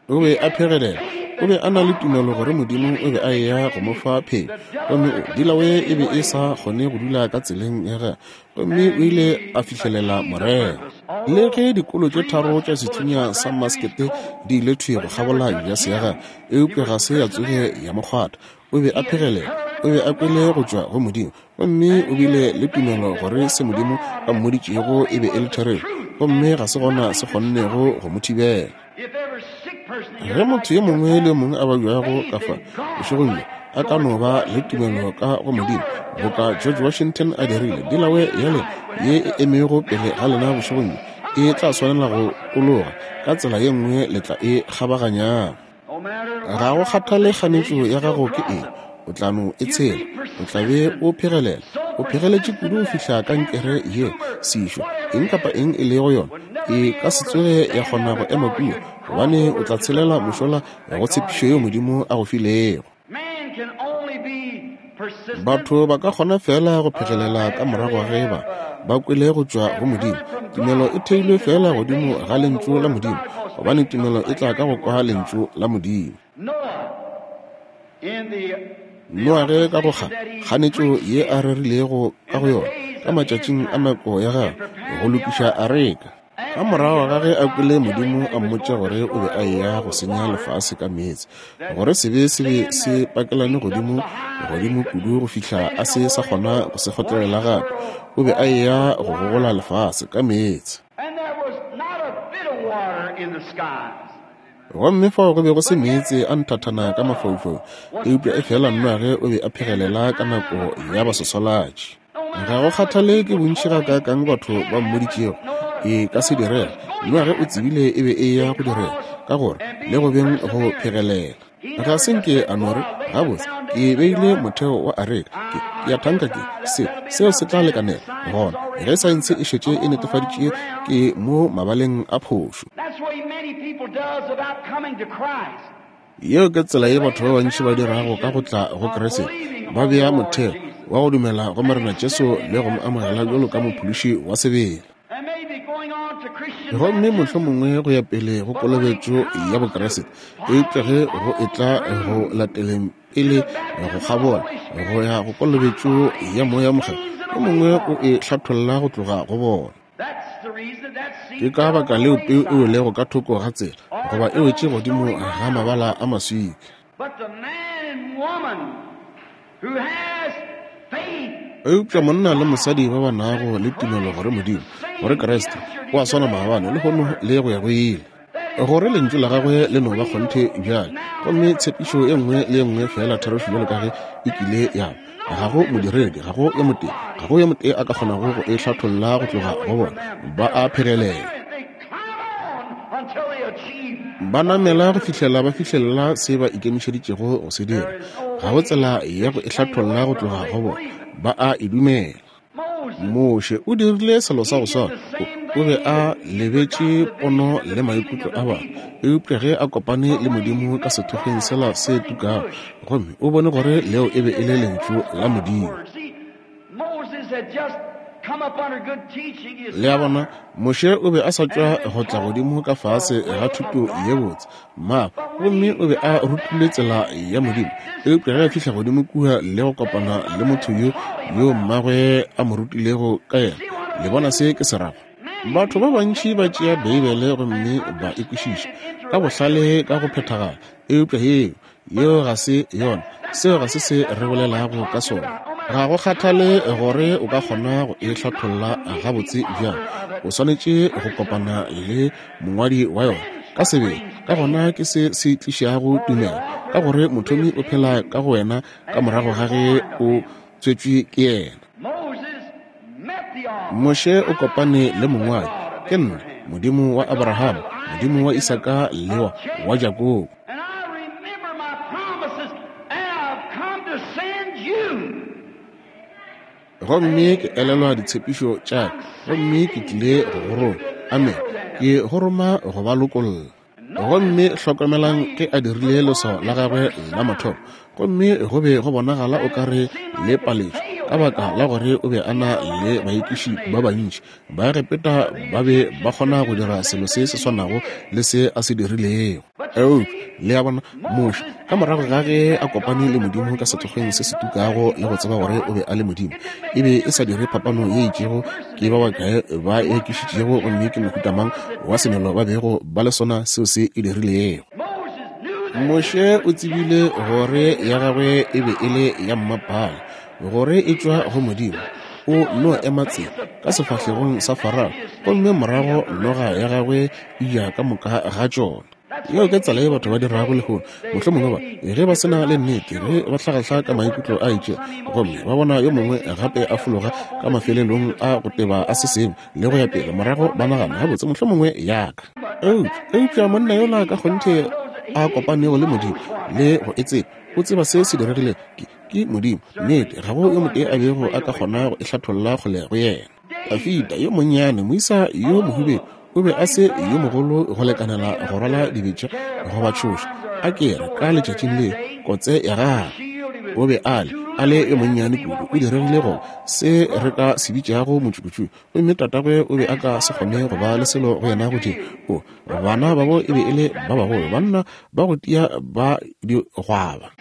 Speaker 1: O be a phegelela. O be a na le tumelo gore Modimo o be a eya go mo fa phenyo. Gomme o, Delaware e be e sa kgone go dula ka tseleng ya gagwe, gomme o ile a fihlelela morero. Le ge dikolo tše tharo tša sethunya sa maskete di ile thwi go kgabola jase ya gagwe, eupša ga se ya tsoge ya mo kgwatha. O be a phegelela. O be a kwele go tšwa go Modimo, gomme o bile le tumelo gore se Modimo a mmoditšego e be e le therešo, gomme ga se gona se kgonnego go mo thibela. Ge motho yo mongwe le yo mongwe a babjago ka fa bošegong bjo a ka no ba le tumelo ka go Modimo boka George Washington a dirile, Delaware ya lena ye e emego pele ga lena bošegong bjo e tla swanela go tologa ka tsela ye nngwe le tla e kgabaganyang. Ga go kgathale kganetšo ya gago ke eng, o tla no e tshela. O tla be o phegelela. O phegeletše kudu go fihla kankere ye, sešo, eng kapa eng e lego yona, e ka se tsoge ya kgona go ema kua, gobane o tla tshelela mošola go tshepišo yeo Modimo a go filego. Batho ba ka kgona feela go phegelela ka morago ge ba ba kwele go tšwa go Modimo. Tumelo e theilwe feela godimo ga Lentšu la Modimo, gobane tumelo e tla ka go kwa Lentšu la Modimo. Noage ka go kga kganetšo ye a rerilego ka go yona ka matšatšing a nako ya gagwe go lokiša areka. Ka morago ga ge a kwele Modimo a mmotša gore o be a eya go senya lefase ka meetse, gore sebe se be se pakelane godimo godimo kudu go fihla a se sa kgona go se kgotlelela gape, o be a eya go gogola lefase ka meetse. Gomme fao go be go se meetse a nthathana ka mafaufau, eupša efela Noage o be a phegelela ka nako ya baswaswalatši. Ga go kgathale ke bontši gakaakang batho ba mmoditšego e ka se direga, Noage o tsebile e be e ya go direga, ka gore le go beng go phegelela. Ga se nke a no re, Gabotse, ke beile motheo wa areka, ke, ke a thanka ke, se, seo se tla lekanela. Gona, ge saense e šetše e netefaditše, ke mo mabaleng a phošo. Yeo ke tsela ye batho ba bantši ba dirago ka go tla go Kriste, ba bea motheo wa go dumela go Morena Jesu le go mo amogela bjalo ka Mophološi wa sebele. Gomme mohlomongwe go ya pele go kolobetšo ya Bokriste, eupša ge go etla go lateleng pele go kgabola go ya go kolobetšo ya Moya Mokgethwa, yo mongwe o e hlatholla go tloga go bona. Ke ka baka leo peu e welego ka thoko ga tsela, goba e wetše godimo ga mabala a maswika. Eupša monna le mosadi ba ba nago le tumelo gore Modimo, gore Kriste o a swana maabane, lehono le go ya go ile, gore Lentšu la Gagwe le no ba kgonthe bjale, gomme tshepišo e nngwe le e nngwe feela therešo bjalo ka ge e kile ya ba, ga go modiredi, ga go yo motee, ga go yo motee a ka kgonago go e hlatholla go tloga go bona. Ba a phegelela. Ba namela go fihlela ba fihlelela se ba ikemišeditšego go se dira. Ga go tsela ya go e hlatholla go tloga go bona. Ba a e dumela. Moshe o dirile selo sa go swana. O, o be a lebetše pono le maikutlo a batho. Eupša ge a kopane le Modimo ka sethokgweng sela se tukago, gomme o bone gore leo e be e le Lentšu la Modimo. Le a bona, Moshe o be a sa tšwa go tla godimo ka fase ga thuto ye botse, mmagwe, gomme o be a rutilwe tsela ya Modimo. Eupša ge a fihla godimo kua le go kopana le motho yo, yo mmagwe a mo rutilego ka yena, le bona se ke se rago? Batho ba bantši ba tšea Beibele gomme ba e kwešiša ka bohlale ka go phethagala, eupša yeo, Yeo ga se yona. Seo ga se se re bolelago ka sona. Ga go kgathale gore o ka kgona go e hlatholla gabotse bjang, o swanetše go kopana le mongwadi wa yona ka sebele. Ka gona ke se se tlišago tumelo, ka gore mothomi o phela ka go wena ka morago ga ge o tswetšwe ke yena. Moshe o kopane le mongwadi, Ke nna Modimo wa Abrahama, Modimo wa Isaka le wa, wa Jakobo.
Speaker 2: And I remember my promises, and I've come to send you.
Speaker 1: Gomme ke elelwa ditshepišo tša ka, gomme ke tlile go go roma. Amen. Ke go roma go ba lokolla. Gomme hlokomelang ge a dirile leswao la gagwe la mathomo, gomme go be go bonagala o ka re le paletšwe, ka baka la gore o be a na le baekiši ba bantši. Baegepeta ba be ba kgona go dira selo se se swanago le se a se dirilego. Eupša, le a bona, Moshe, ka morago ga ge a kopane le Modimo ka sethokgweng se se tukago le go tseba gore o be a le Modimo, e be e sa dire phapano ye itšego ke ba bakae ba ekišitšego gomme ke mohuta mang wa semelo ba bego ba le sona seo se e dirilego. Moshe o tsebile gore ya gagwe e be e le ya mmapale, gore e tšwa go Modimo. O no ema tsela ka sefahlegong sa Farao, gomme morago noga ya gagwe e ja ka moka ga tšona. Yeo ke tsela ye batho ba dirago lehono. Mohlomongwe ba, ge ba se na le nnete, ge ba hlagahla ka maikutlo a itšego, gomme ba bona yo mongwe gape a fologa ka mafelelong a go teba a se sengwe, le go ya pele, morago ba nagana, Gabotse, mohlomongwe ya ka. Eupša, eupša monna yola ka kgonthe a kopanego le Modimo, le go e tseba, o tseba se se diregilego. Ke, ke Modimo. Nnete, ga go yo motee a bego a ka kgona go e hlatholla kgole go yena. Dafida yo monnyane, moisa yo mohubedu, o be a se yo mogolo go lekanela go rwala dibetša goba tšhoša, a ke re, ka letšatšing leo, kotse ya gagwe. O be a le, a le yo monnyane kudu, o diregile go se re ka se bitšago motšukutšuku, gomme tatagwe o be a ka se kgone go ba le selo go yena go dira. O, bana babo e be e le ba bagolo, banna ba go tia ba digwaba.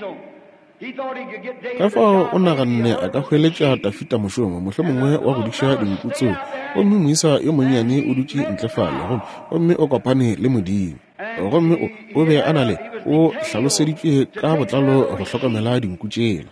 Speaker 1: Ka fao o naganne a ka hweletša Dafida mošomo, mohlomongwe wa go diša dinku tseo. Gomme moisa yo monnyane o dutše ntle fale, gomme, gomme o kopane le Modimo. Gomme o, o be a na le, o hlaloseditšwe ka botlalo go hlokomela dinku tšela.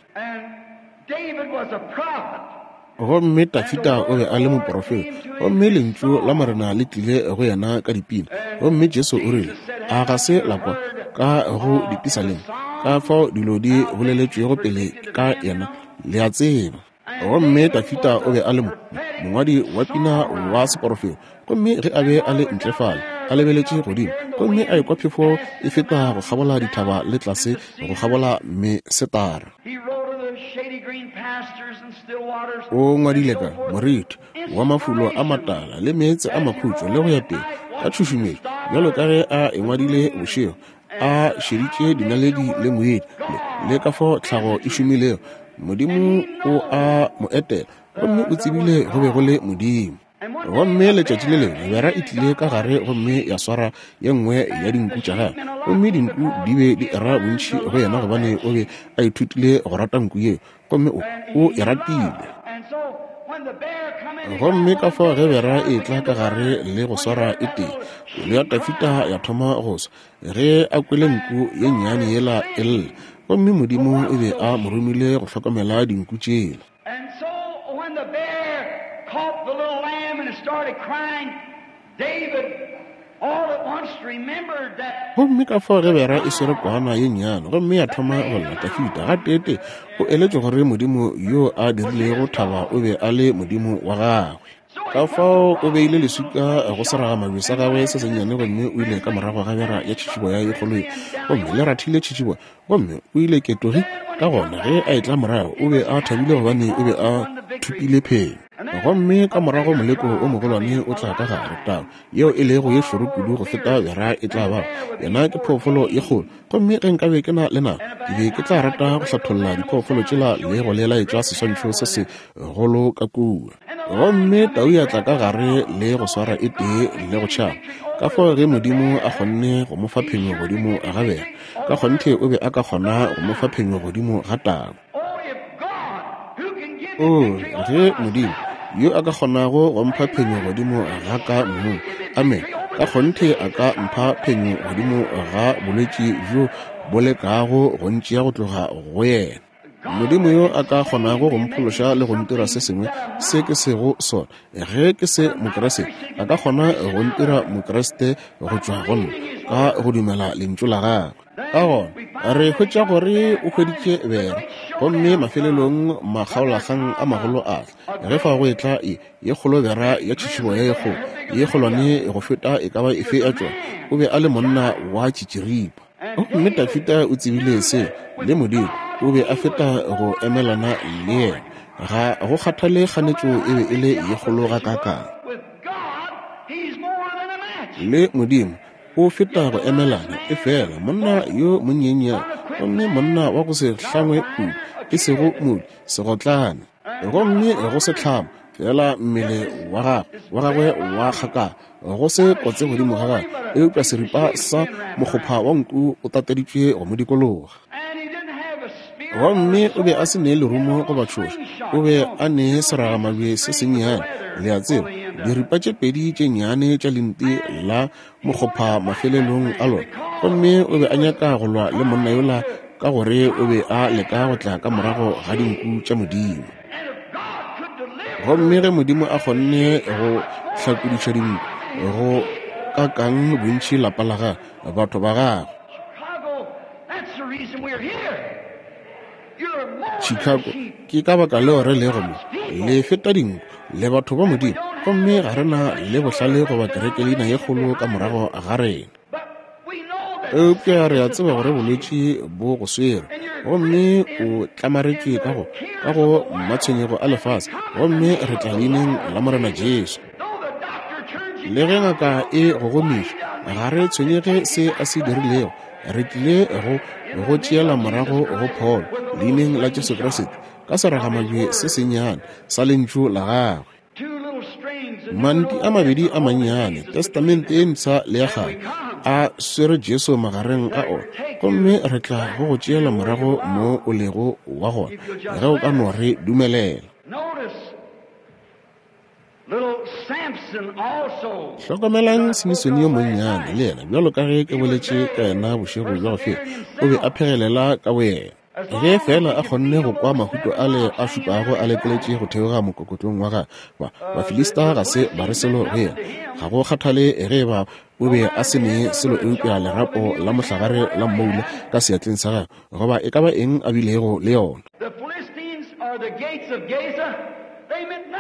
Speaker 1: Gomme Dafida o be a le moporofeta, gomme Lentšu la Morena le tlile go yena ka dipina. Gomme Jesu o rile, A ga se la kwa ka go dipisaleng ka fao dilo di boleletšwego pele ka yena? Le a tseba. Gomme Dafida o be a le mo, mongwadi wa pina wa seporofeto. Gomme ge a be a le ntle fale, a lebeletše godimo, gomme a ekwa phefo e feta go kgabola dithaba le tlase go kgabola mesetara. O ngwadile ka moriti wa mafulo a matala le meetse a makhutšo le go ya pele, ka tšhušumetšo, bjalo ka ge a e ngwadile bošego, a šeditše dinaledi le moedi le, le ka fao tlhago e šomilego. Modimo o a mo etela, gomme o tsebile go be go le Modimo. Gomme letšatši le lengwe bera e tlile ka gare gomme ya swara ye nngwe ya dinku tša gagwe, gomme dinku di be di era bontši go yena gobane o be a ithutile go rata nku yeo, gomme o, o e ratile. Gomme ka fao ge bera e tla ka gare le go swara e tee, pelo ya Dafida ya thoma go swa ge a kwele nku ye nnyane yela e lla, gomme Modimo o be a mo romile go hlokomela dinku tšela.
Speaker 2: And so when the bear caught the little lamb and it started crying, David all at once remembered that
Speaker 1: Gomme ka fao ge bera e swere kwana ye nnyane gomme ya thoma go lla, Dafida gateetee o eletšwe gore Modimo yo a dirilego thaba o be a le Modimo wa gagwe. Ka fao o beile leswika go seragamabje sa gagwe se sennyane gomme o ile ka morago ga bera ya tšhitšiboya ye kgolo ye, gomme le rathile tšhitšiboya, gomme o ile ketogi. Ka gona ge a etla morago o be a thabile gobane o be a thopile phenyo. Gomme ka morago moleko o mogolwane o tla ka gare, tau yeo e lego ye šoro kudu go feta bera e tla bago. Yena ke phoofolo ye kgolo. Gomme ge nkabe ke na le nako, ke be ke tla rata go hlatholla diphoofolo tšela le go le laetša seswantšho se segolo ka kua. Gomme tau ya tla ka gare le go swara e tee le go tšhaba. Ka fao ge Modimo a kgonne go mo fa phenyo godimo ga bera, ka kgonthe o be a ka kgona go mo fa phenyo godimo ga tau. Oo, ge Modimo, yo a ka kgonago go mpha phenyo godimo ga ka mong, amene, ka kgonthe a ka mpha phenyo godimo ga bolwetši bjo bo lekago go ntšea go tloga go yena. Modimo yo a ka kgonago go mphološa le go ntira se sengwe se ke sego sona, ge ke se Mokriste, a ka kgona go ntira Mokriste go tšwa go nna, ka go dumela Lentšu la Gagwe. Ka gona re hwetša gore o hweditše bera, gomme mafelelong makgaolakgang a magolo a tla ge fa go etla ye, ye kgolo bera ya tšhitšhiboya ye kgolo, ye kgolwane go feta e ka ba efe ya tšona. O be a le monna wa tšitširipa. Gomme Dafida o tsebile se, le Modimo o be a feta go emelana le yena. Ga go kgathale kganetšo e be e le ye kgolo gakaakang. Le Modimo o feta go emelana, efela monna yo monyenyane, gomme monna wa go se hlangwe kudu, e sego modu, segotlane, gomme go se hlama, fela mmele wa gagwe, wa gagwe wa kgakala, go se kotse godimo ga gagwe, eupša seripa sa mokgopha wa nku o tateditšwe go mo dikologa. Gomme o be a se ne lerumo goba tšhoša, o be a ne seragamabje se sennyane, le a tseba, diripa tše pedi tše nnyane tša lenti la mokgopha mafelelong a lona. Gomme o be a nyaka go lwa le monna yola ka gore o be a leka go tla ka morago ga dinku tša Modimo. Gomme ge Modimo a kgonne go hlakodiša dinku, go kakang bontši lapa la gagwe, batho ba gagwe. Chicago, ke ka baka leo re lego mo. Le feta dinku, le batho ba Modimo, gomme ga re na le bohlale goba kerekeleina ye kgolo ka morago ga rena. Eupša re a tseba gore bolwetši bo go swere, gomme o tlamaretšwe ka go, ka go matshwenyego a lefase, gomme re tla leineng la Morena Jesu. Le ge ngaka e go gomiša, ga re tshwenyege se a se dirilego, re tlile go go tšeela morago go pholo leineng la Jesu Kriste ka seragamabje se sennyane sa Lentšu la Gagwe. Manti a mabedi a mannyane, Testamente e Mpsha le ya Kgale, a swere Jesu magareng a ona, gomme re tla go go tšeela morago mo o lego wa gona, ge o ka no re dumelela. Hlokomelang Simisone yo monnyane, le yena, bjalo ka ge ke boletše ka yena bošego bja go feta, o be a phegelela ka boyena. Ge feela a kgonne go kwa mahuto ale a šupago a lekeletše go theoga mokokotlong wa gagwe, ba, Bafilista ga se ba re selo go yena. Ga go kgathale ge eba o be a se ne selo eupša lerapo la mohlagare la mmoula ka seatleng sa gagwe, goba e ka ba eng a bilego le yona.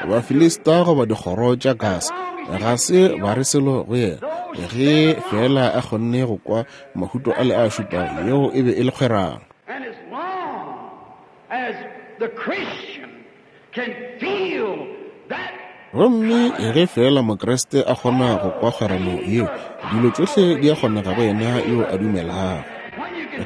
Speaker 1: Bafilista goba dikgoro tša Gasa ga se ba re selo go yena. Ge feela a kgonne go kwa mahuto ale a šupago, yeo e be e le kgwerano.
Speaker 2: And as long as the Christian can feel that
Speaker 1: Gomme ge feela Mokriste a kgona go kwa kgwerano yeo, dilo tšohle di a kgonega go yena yo a dumelago.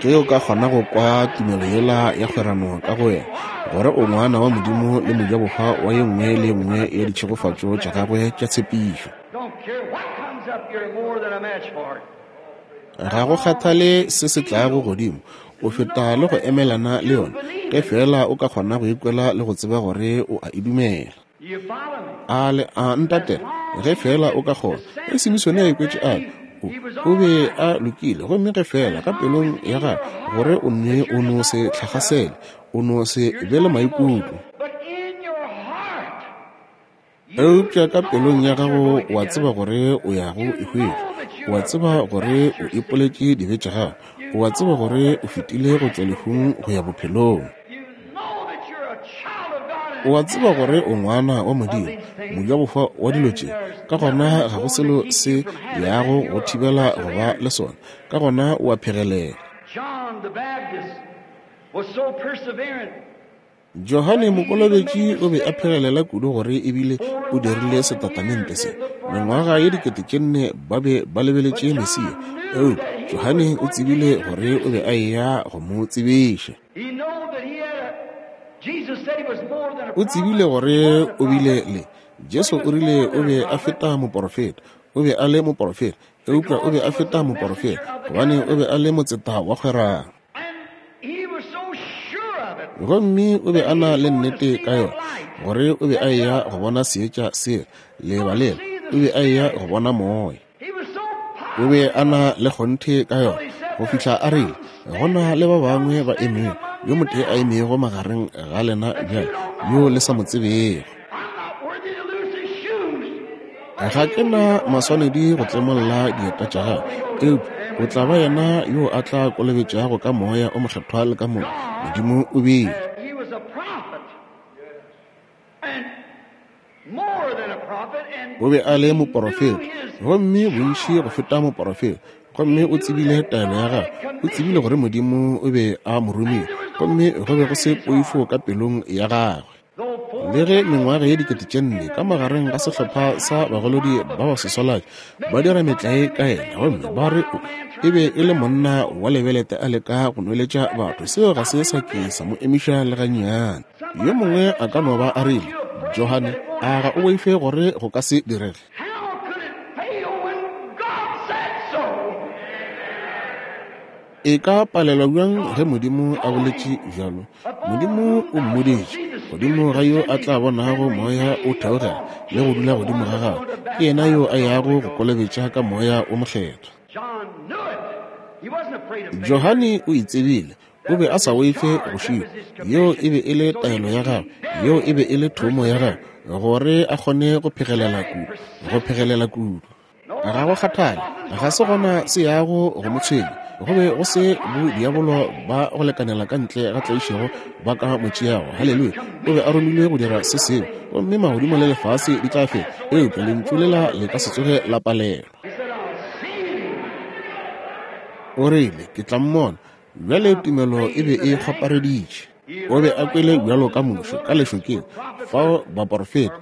Speaker 1: Ge o ka kgona go kwa tumelo yela ya kgwerano ka go wena, gore o ngwana wa Modimo le mojabohwa wa ye nngwe le ye nngwe ya ditšhegofatšo tša gagwe tša tshepišo.
Speaker 2: Don't care what comes up, you're more than a match for it.
Speaker 1: Ga go kgathale se se tlago godimo, o feta le go emelana le yona, ge feela o ka kgona go ikwela le go tseba gore o a e dumela.
Speaker 2: You follow me?
Speaker 1: A le a ntatela, ge feela o ka kgona. Ge Simisone a ikwetše a re, o, o be a lokile, gomme ge feela ka pelong ya gagwe gore o ne o no se tlhakgasele, o no se be le maikutlo.
Speaker 2: But in your heart,
Speaker 1: Eupša ka pelong ya gago o a tseba gore o ya go e hwetša. O a tseba gore o ipoletše dibe tša gago. O a tseba gore o fetile go tšwa lehung go ya bophelong.
Speaker 2: you know that you're a child of God
Speaker 1: O a tseba gore o ngwana wa Modimo, mojabohwa wa dilo tše. Ka gona ga go selo se yago go thibela go ba le sona. Ka gona o a phegelela.
Speaker 2: John the Baptist was so perseverant.
Speaker 1: Johane Mokolobetši o be a phegelela kudu gore ebile o dirile setatamente se. Mengwaga ye 4000 ba be ba lebeletše Mesia, eupša Johane o tsebile gore o be a eya go mo tsebiša.
Speaker 2: He knew that he had a, Jesus said he was more than a
Speaker 1: O tsebile gore o bile le Jesu o rile o be a feta moporofeta. O be a le moporofeta, eupša o be a feta moporofeta gobane o be a le motseta wa kgwerano.
Speaker 2: And he was so sure of it.
Speaker 1: Gomme o be a na le nnete ka yona gore o be a eya go bona seetša sela, leeba lela, o be a eya go bona moya.
Speaker 2: He was so
Speaker 1: O be a na le kgonthe ka yona go fihla a rile, go na le ba bangwe ba emego, yo motee a emego magareng ga lena bjale, yo le sa mo tsebego.
Speaker 2: I'm not worthy to loose his shoes.
Speaker 1: Ga ke na maswanedi go tlemolla dieta tša gagwe, eupša o tla ba yena yo a tla kolobetšago ka Moya o Mokgethwa le ka mollo. Modimo o bile.
Speaker 2: He was a prophet. And more than a prophet. And
Speaker 1: O be a le moporofeta, gomme bontši go feta moporofeta. Gomme o tsebile taelo ya gagwe. O tsebile gore Modimo o be a mo romile, gomme go be go se poifo ka pelong ya gagwe.
Speaker 2: though four
Speaker 1: Le ge mengwaga ye 4000 ka magareng ga sehlopha sa bagolodi ba baswaswalatši ba dira metlae ka yena, gomme ba re o e be e le monna wa lebelete a leka go nweletša batho, seo ga se sa ke sa mo emiša le gannyane. Yo mongwe a ka no ba a rile, Johane, a ga o boife gore go ka se direge?
Speaker 2: How could it fail when God said so?
Speaker 1: E ka palelwa bjang ge Modimo a boletše bjalo? Modimo o mmoditše, godimo ga yo a tla bonago Moya o theogela le go dula godimo ga gagwe, ke yena yo a yago go kolobetša ka Moya o Mokgethwa.
Speaker 2: John knew it. He wasn't afraid of failure.
Speaker 1: Johane o e tsebile, o be a sa boife go šitwa. Yeo e be e le taelo ya gagwe, yeo e be e le thomo ya gagwe, gore a kgone go phegelela kudu, go phegelela kudu. Ga go kgathale, ga se gona se yago go mo tshwenya. Go be go se bo diabolo ba go lekanela ka ntle ga tlaišego ba ka mo tšeago. Haleluya! O be a romilwe go dira se sengwe, gomme magodimo le lefase di tla feta, eupša lentšu lela le ka se tsoge la palelwa.
Speaker 2: He said, I'll see him.
Speaker 1: O rile, ke tla mmona. Bjale tumelo e be e kgwapareditše. O be a kwele bjalo ka Moshe ka lešokeng, fao baporofeta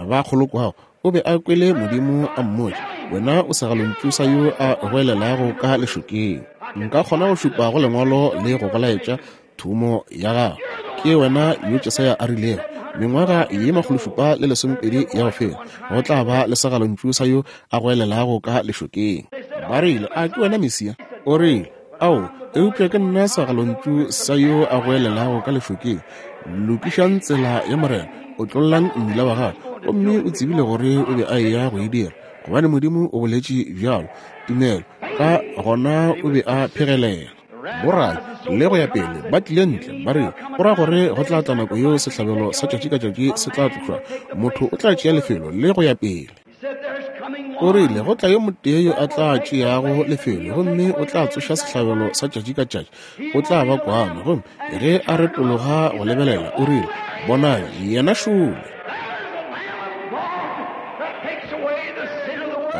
Speaker 1: ba kgolokwago. O be a kwele Modimo a mmotša, wena o segalontšu sa yo a goelelago ka lešokeng. Nka kgona go šupa go lengwalo le go go laetša thomo ya gago. Ke wena yo Jesaya a rilego, mengwaga ye 720 ya go feta, go tla ba le segalontšu sa yo a goelelago ka lešokeng. Ba rile, a ke wena Mesia? O rile, ao, eupša ke nna segalontšu sa yo a goelelago ka lešokeng. Lokišang tsela ya Morena, otlollang mmila wa gagwe. Gomme o tsebile gore o be a eya go e dira, gobane Modimo o boletše bjalo. Tumelo, ka gona o be a phegelela. Borabi le go ya pele ba tlile ntle, ba rile, Go ra gore go tla tla nako yeo sehlabelo sa tšatši ka tšatši se tla tlošwa, motho o tla tšea lefelo, le go ya pele. O rile, Go tla yo motee yo a tla tšeago lefelo, gomme o tla tsoša sehlabelo sa tšatši ka tšatši. O tla ba kwano. Gomme ge a retologa go lebelela, o rile, Bonang, yena šole.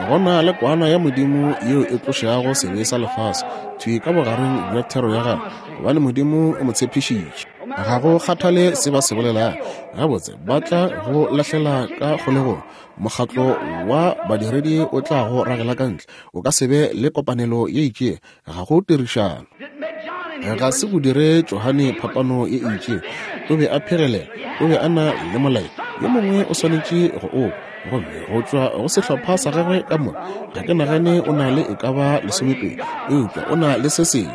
Speaker 1: Go na le kwana ya Modimo yeo e tlošago sebe sa lefase, thwi ka bogareng bja thero ya gagwe, gobane Modimo o mo tshepišitše. Ga go kgathale se ba se bolelago, gabotse ba tla go lahlela ka kgolegong. Mokgatlo wa badiredi o tla go ragela ka ntle. O ka se be le kopanelo ye itšego, ga go tirišano. Ga se go dire Johane phapano ye e itšego. O be a phegelela, o be a na le molaetša. Yo mongwe o swanetše go o kwa. Gomme go tšwa go sehlopha sa gagwe ka moka, ga ke nagane o na le e ka ba lesomepedi, eupša o na le se sengwe.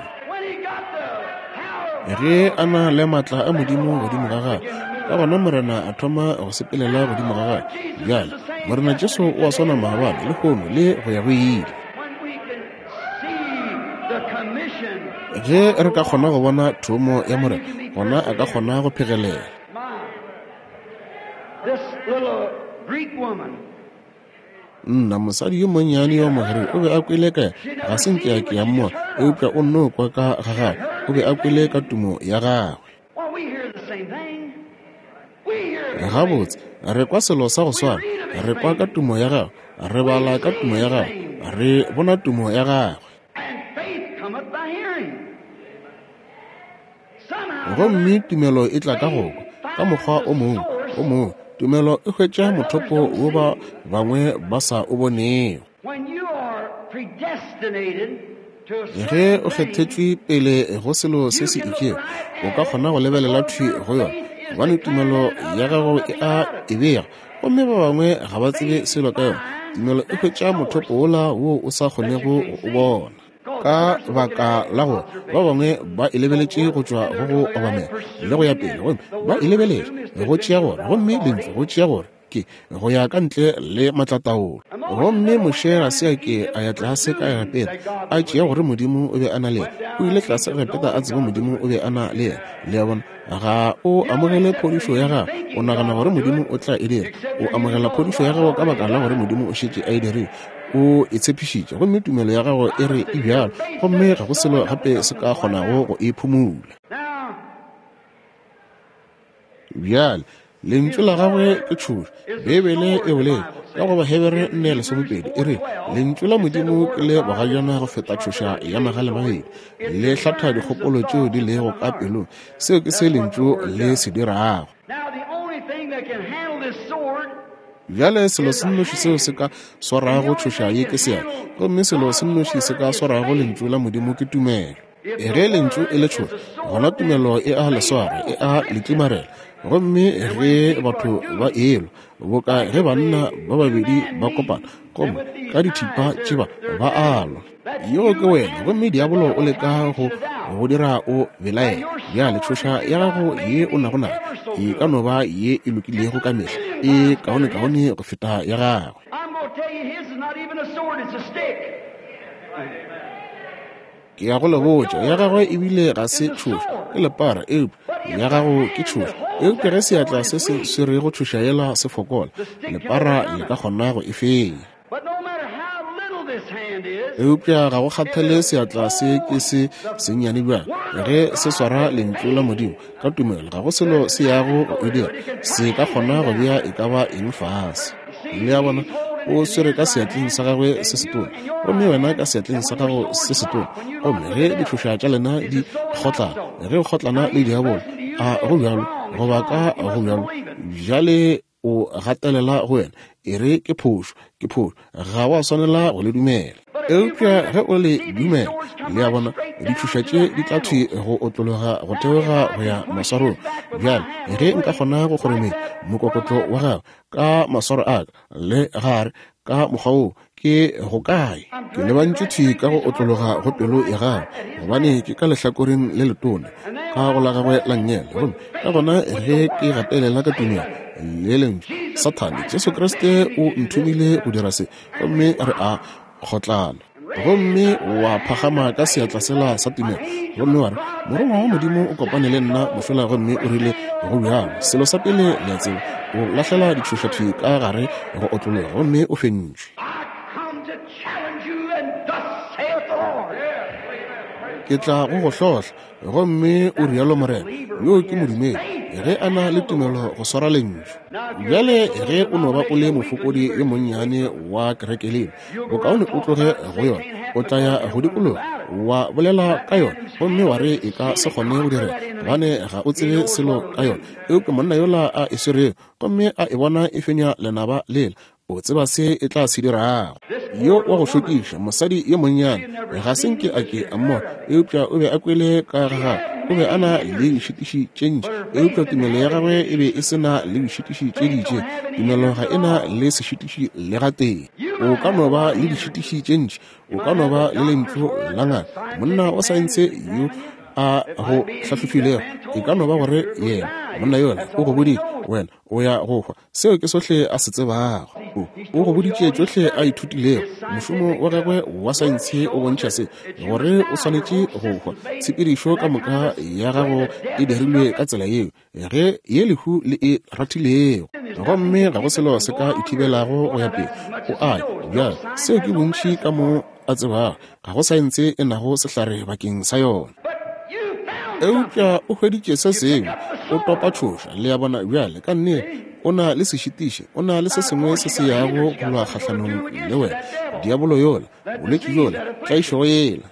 Speaker 1: Ge a na le maatla a Modimo godimo ga gagwe, ka gona Morena a thoma go sepelela godimo ga gagwe. Bjale, Morena Jesu o a swana maabane, lehono, le go ya go ile. Ge re ka kgona go bona thomo ya Morena, gona a ka kgona go phegelela. Nna, mosadi yo monnyane yo Mogerike o be a kwele ka yena, ga se nke a ke a mmona, eupša o nno kwa ka ga gagwe, o be a kwele ka tumo ya gagwe. Gabotse, re kwa selo sa go swana, re kwa ka tumo ya gagwe, re bala ka tumo ya gagwe, re bona tumo ya gagwe. Gomme tumelo e tla ka go kwa, ka mokgwa o mongwe, o mongwe. Tumelo e hwetša mothopo wo ba bangwe ba sa o bonego. Ge o kgethetšwe pele go selo se se itšego, o ka kgona go lebelela thwi go yona, gobane tumelo ya gago e a e bega, gomme ba bangwe ga ba tsebe selo ka yona. Tumelo e hwetša mothopo wola wo o sa kgonego go o bona. Ka baka la gore ba bangwe ba e lebeletše go tšwa go go obamela le go ya pele, gomme ba e lebeletše go tšea gore, gomme lentšu go tšea gore ke go ya ka ntle le maatlataolo. Gomme Moshe ga se a ke a ya tlase ka Egepeta a tšea gore Modimo o be a na le yena. O ile tlase Egepeta a tseba Modimo o be a na le yena. Le a bona? Ga o amogele phodišo ya gago o nagana gore Modimo o tla e dira. O amogela phodišo ya gago ka baka la gore Modimo o šetše a e dirile. O e tshepišitše, gomme tumelo ya gago e re e bjalo, gomme ga go selo gape se ka kgonago go e phumula. Bjale, Lentšu la gagwe ke tšhoša. Beibele e boletše ka go Bahebere 4:12, e re, Lentšu la Modimo ke le bogajana go feta tšhoša ya magalemabedi, le hlatha dikgopolo tšeo di lego ka pelong. Seo ke se Lentšu le se dirago. Bjale selo se nnoši seo se ka swarago tšhoša ye ke seatla, gomme selo se nnoši se ka swarago Lentšu la Modimo ke tumelo. Ge Lentšu e le tšhoša, gona tumelo e a le swara, e a le tlimarela. Gomme ge batho ba elwa, boka ge banna ba babedi ba kopana, gomme ka dithipa tšeba ba a lwa, yoo ke wena, gomme diabolo o leka go go dira o belaela. Bjale tšhoša ya gago ye o nago nayo e ka no ba ye e lokilego ka mehla, e kaonekaone go feta ya gagwe. Ke ya go le botša, ya gagwe ebile ga se tšhoša, ke lepara, eupša ya gago ke tšhoša. Eupša ge seatla se se swerego tšhoša yela se fokola, lepara le ka kgona go e fenya. Eupša ga go kgathale seatla se ke se sennyane bjang, ge se swara Lentšu la Modimo ka tumelo, ga go selo se yago go e dira, se ka kgona go bea e ka ba eng fase. Le a bona? O swere ka seatleng sa gagwe se setona, gomme wena ka seatleng sa gago se setona. Gomme ge ditšhoša tša lena di kgotlana, ge o kgotlana le diabolo, a go bjalo goba ka go bjalo, bjale o gatelela go wena, e re ke phošo, ke phošo, ga wa swanela go le dumela. Eupša ge o le dumela, le a bona, ditšhoša tše di tla thwi go otlologa go theoga go ya maswarong. Bjale, ge nka kgona go kgorometša mokokotlo wa gago ka maswaro a ka le gare ka mokgwa wo, ke go kae? Ke lebantšwe thwi ka go otlologa go pelo ya gagwe, gobane ke ka lehlakoreng le letona ka go la gagwe la nngele. Gomme ka gona ge ke gatelela ka tumelo le lentšu, Sathane, Jesu Kriste o nthomile go dira se, gomme re a kgotlana. Gomme wa phagama ka seatla sela sa tumelo, gomme wa re, Morongwa wa Modimo o kopane le nna mošola gomme o rile go bjalo. Selo sa pele le a tseba, o lahlela ditšhoša thwi ka gare go otlologa, gomme o fentšwe. Ke tla go go hlohla, gomme o rialo Morena. Yo ke modumedi, ge a na le tumelo go swara Lentšu. Bjale ge o no ba o le mofokodi yo monnyane wa kerekeleng, bokaone o tloge go yona. O tla ya go dikologa, wa bolela ka yona, gomme wa re e ka se kgone go direga, gobane ga o tsebe selo ka yona. Eupša monna yola a e swerego, gomme a e bona e fenya lenaba lela, o tseba se e tla se dirago. Yo wa go šokiša, mosadi yo monnyane, ga se nke a ke a mmona, eupša o be a kwele ka ga gagwe. O be a na le dišitiši tše ntši, eupša tumelo ya gagwe e be e se na le dišitiši tše di itšego. Tumelo ga e na le sešitiši le gatee. O ka no ba le dišitiši tše ntši, o ka no ba le lentšu la ngaka, monna wa saense yo a go hlahlofilego, e ka no ba gore yena monna yola o go boditše, wena o ya go hwa. Seo ke sohle a se tsebago. O, o go boditše tšohle a ithutilego. Mošomo wa gagwe wa saense o bontšha se, gore o swanetše go hwa. Tshepedišo ka moka ya gago e dirilwe ka tsela yeo, ge ye lehu le e rathilego. Gomme ga go selo se ka e thibelago go ya pele. O a ya. Bjale, seo ke bontši ka mo a tsebago. Ga go saense e nago sehlare bakeng sa yona. Eupša o hweditše se sengwe, o topa tšhoša, le a bona. Bjale, ka nnete, o na le sešitiši, o na le se sengwe se se yago go lwa kgahlanong le wena, diabolo yola, bolwetši bjola, tlaišego yela.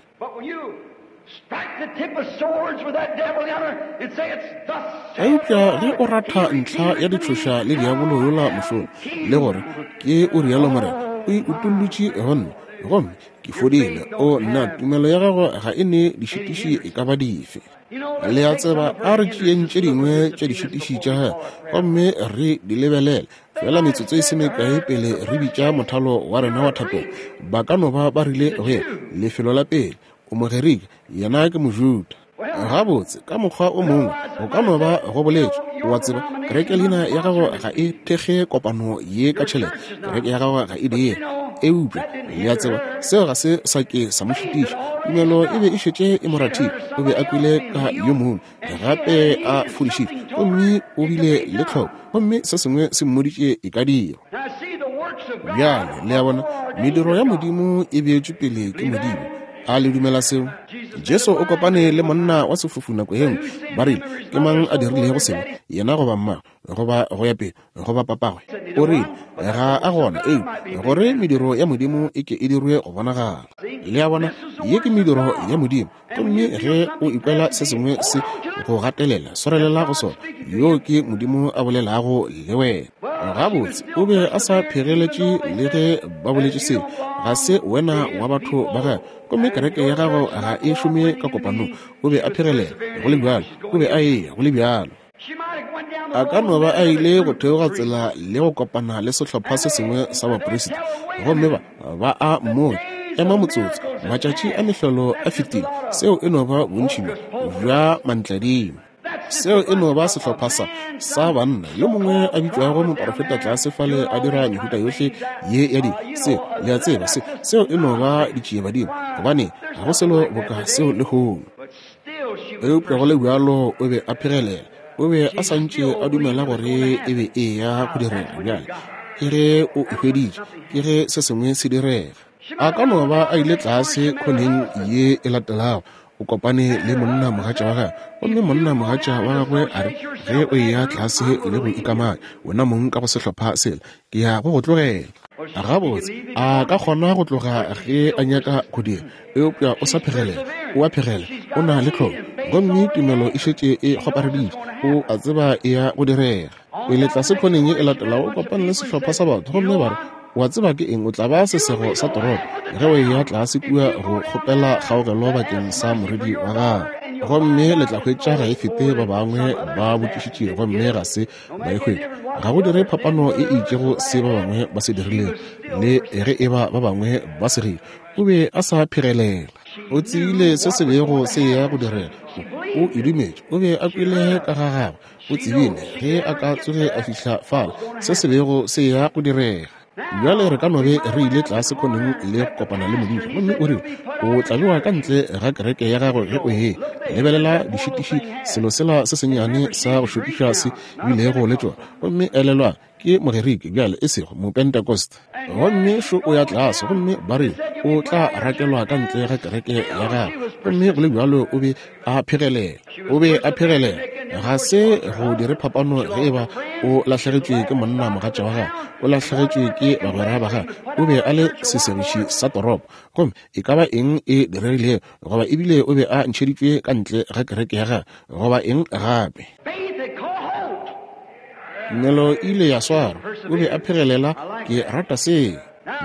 Speaker 1: Eupša ge o ratha ntlha ya ditšhoša le diabolo yola mošola, le gore ke o rialo Morena, o e utollotše go nna, gomme ke fodile. O nna, tumelo ya gago ga e ne dišitiši e ka ba dife. Le a tseba, a re tšeeng tše dingwe tša dišitiši tša gagwe gomme re di lebelele fela metsotso e se mekae pele re bitša mothalo wa rena wa thapelo. Ba ka no ba ba rile go yena, lefelo la pele, o Mogerika, yena ke Mojuda. Gabotse, ka mokgwa o mongwe go ka no ba go boletšwe, o a tseba, kereke leina ya gago ga e thekge kopano ye ka tšhelete, kereke ya gago ga e dire. Eupša, le a tseba, seo ga se sa ke sa mo šitiša. Tumelo e be e šetše e mo rathile. O be a kwele ka yo mongwe gape a fodišitšwe, gomme o bile le tlhoko, gomme se sengwe se mmoditše e ka dirwa. Bjale, le a bona, mediro ya Modimo e beetšwe pele ke Modimo. A le dumela seo? Jesu o kopane le monna wa sefofu nako ye nngwe. Ba rile, Ke mang a dirilego sebe, yena goba mmagwe, goba go ya pele, goba papagwe? O rile, Ga a gona, eupša gore mediro ya Modimo e ke e dirwe go bonagala. Le a bona, ye ke mediro ya Modimo. Gomme ge o ikwela se sengwe se go gatelela, swarelela go sona. Yoo ke Modimo a bolelago le wena. Gabotse, o be a sa phegeletše le ge ba boletše seo. Ga se wena wa batho ba gagwe, gomme kereke ya gago ga e šome ka kopanong. O be a phegelela, go le bjalo. O be a eya, go le bjalo. A ka no ba a ile go theoga tsela le go kopana le sehlopha se sengwe sa baprista, gomme ba ba a mmotša, Ema motsotso, matšatši a mehlolo a fetile. Seo e no ba bontši bjo bja mantladima. Seo e no ba sehlopha sa, sa banna, yo mongwe a bitšwago moprofeta tlase fale a dira mehuta yohle ye ya dilo. Seo, le a tseba, se, seo e no ba ditšiebadimo, gobane ga go selo boka seo lehono. Eupša go le bjalo o be a phegelela. O be a sa ntše a dumela gore e be e eya go direga. Bjale ke ge o e hweditše, ke ge se sengwe se direga. A ka no ba a ile tlase khoneng ye e latelago, o kopane le monna mogatša wa gagwe, gomme monna mogatša wa gagwe a re, Ge o eya tlase le go ikamanya wena mong ka go sehlopha sela, ke ya go go tlogela. Gabotse, a ka kgona go tloga ge a nyaka go dira, eupša o sa phegelela. O a phegela, o na le tlholo, gomme tumelo e šetše e kgwapareditše. O a tseba e ya go direga. Pele tlase khoneng ye e latelago, o kopane le sehlopha sa batho, gomme ba re, O a tseba ke eng, o tla ba sesego sa toropo ge o eya tlase kua go kgopela kgaogelo bakeng sa morwedi wa gago. Gomme le tla hwetša ga e fete ba bangwe ba botšišitše gomme ga se ba e hwetša. Ga go dire phapano e itšego se ba bangwe ba se dirilego, le ge e ba ba bangwe ba segile. O be a sa phegelela. O tsebile se se bego se eya go direga. O, o e dumetše. O be a kwele ka ga gagwe. O tsebile ge a ka tsoge a fihla fale, se se bego se eya go direga. Bjale re ka no be re ile tlase khoneng le go kopana le modiša, gomme o rile, O tla bewa ka ntle ga kereke ya gago ge o e lebelela dišitiši, selo sela se sennyane sa go šokiša se bilego le tšona. Gomme elelwang, ke Mogerike bjale, e sego Mopentecost. Gomme šo o ya tlase, gomme ba rile o tla rakelwa ka ntle ga kereke ya gagwe. Gomme go le bjalo o be a phegelela, o be a phegelela. Ga se go dire phapano ge e ba o lahlegetšwe ke monna mogatša wa gagwe, o lahlegetšwe ke bagwera ba gagwe, o be a le sesegiši sa toropo. Gomme e ka ba eng e diregilego, goba ebile o be a ntšheditšwe ka ntle ga kereke ya gagwe, goba eng gape. Tumelo e ile ya swarwa. O be a phegelela, Ke rata seo.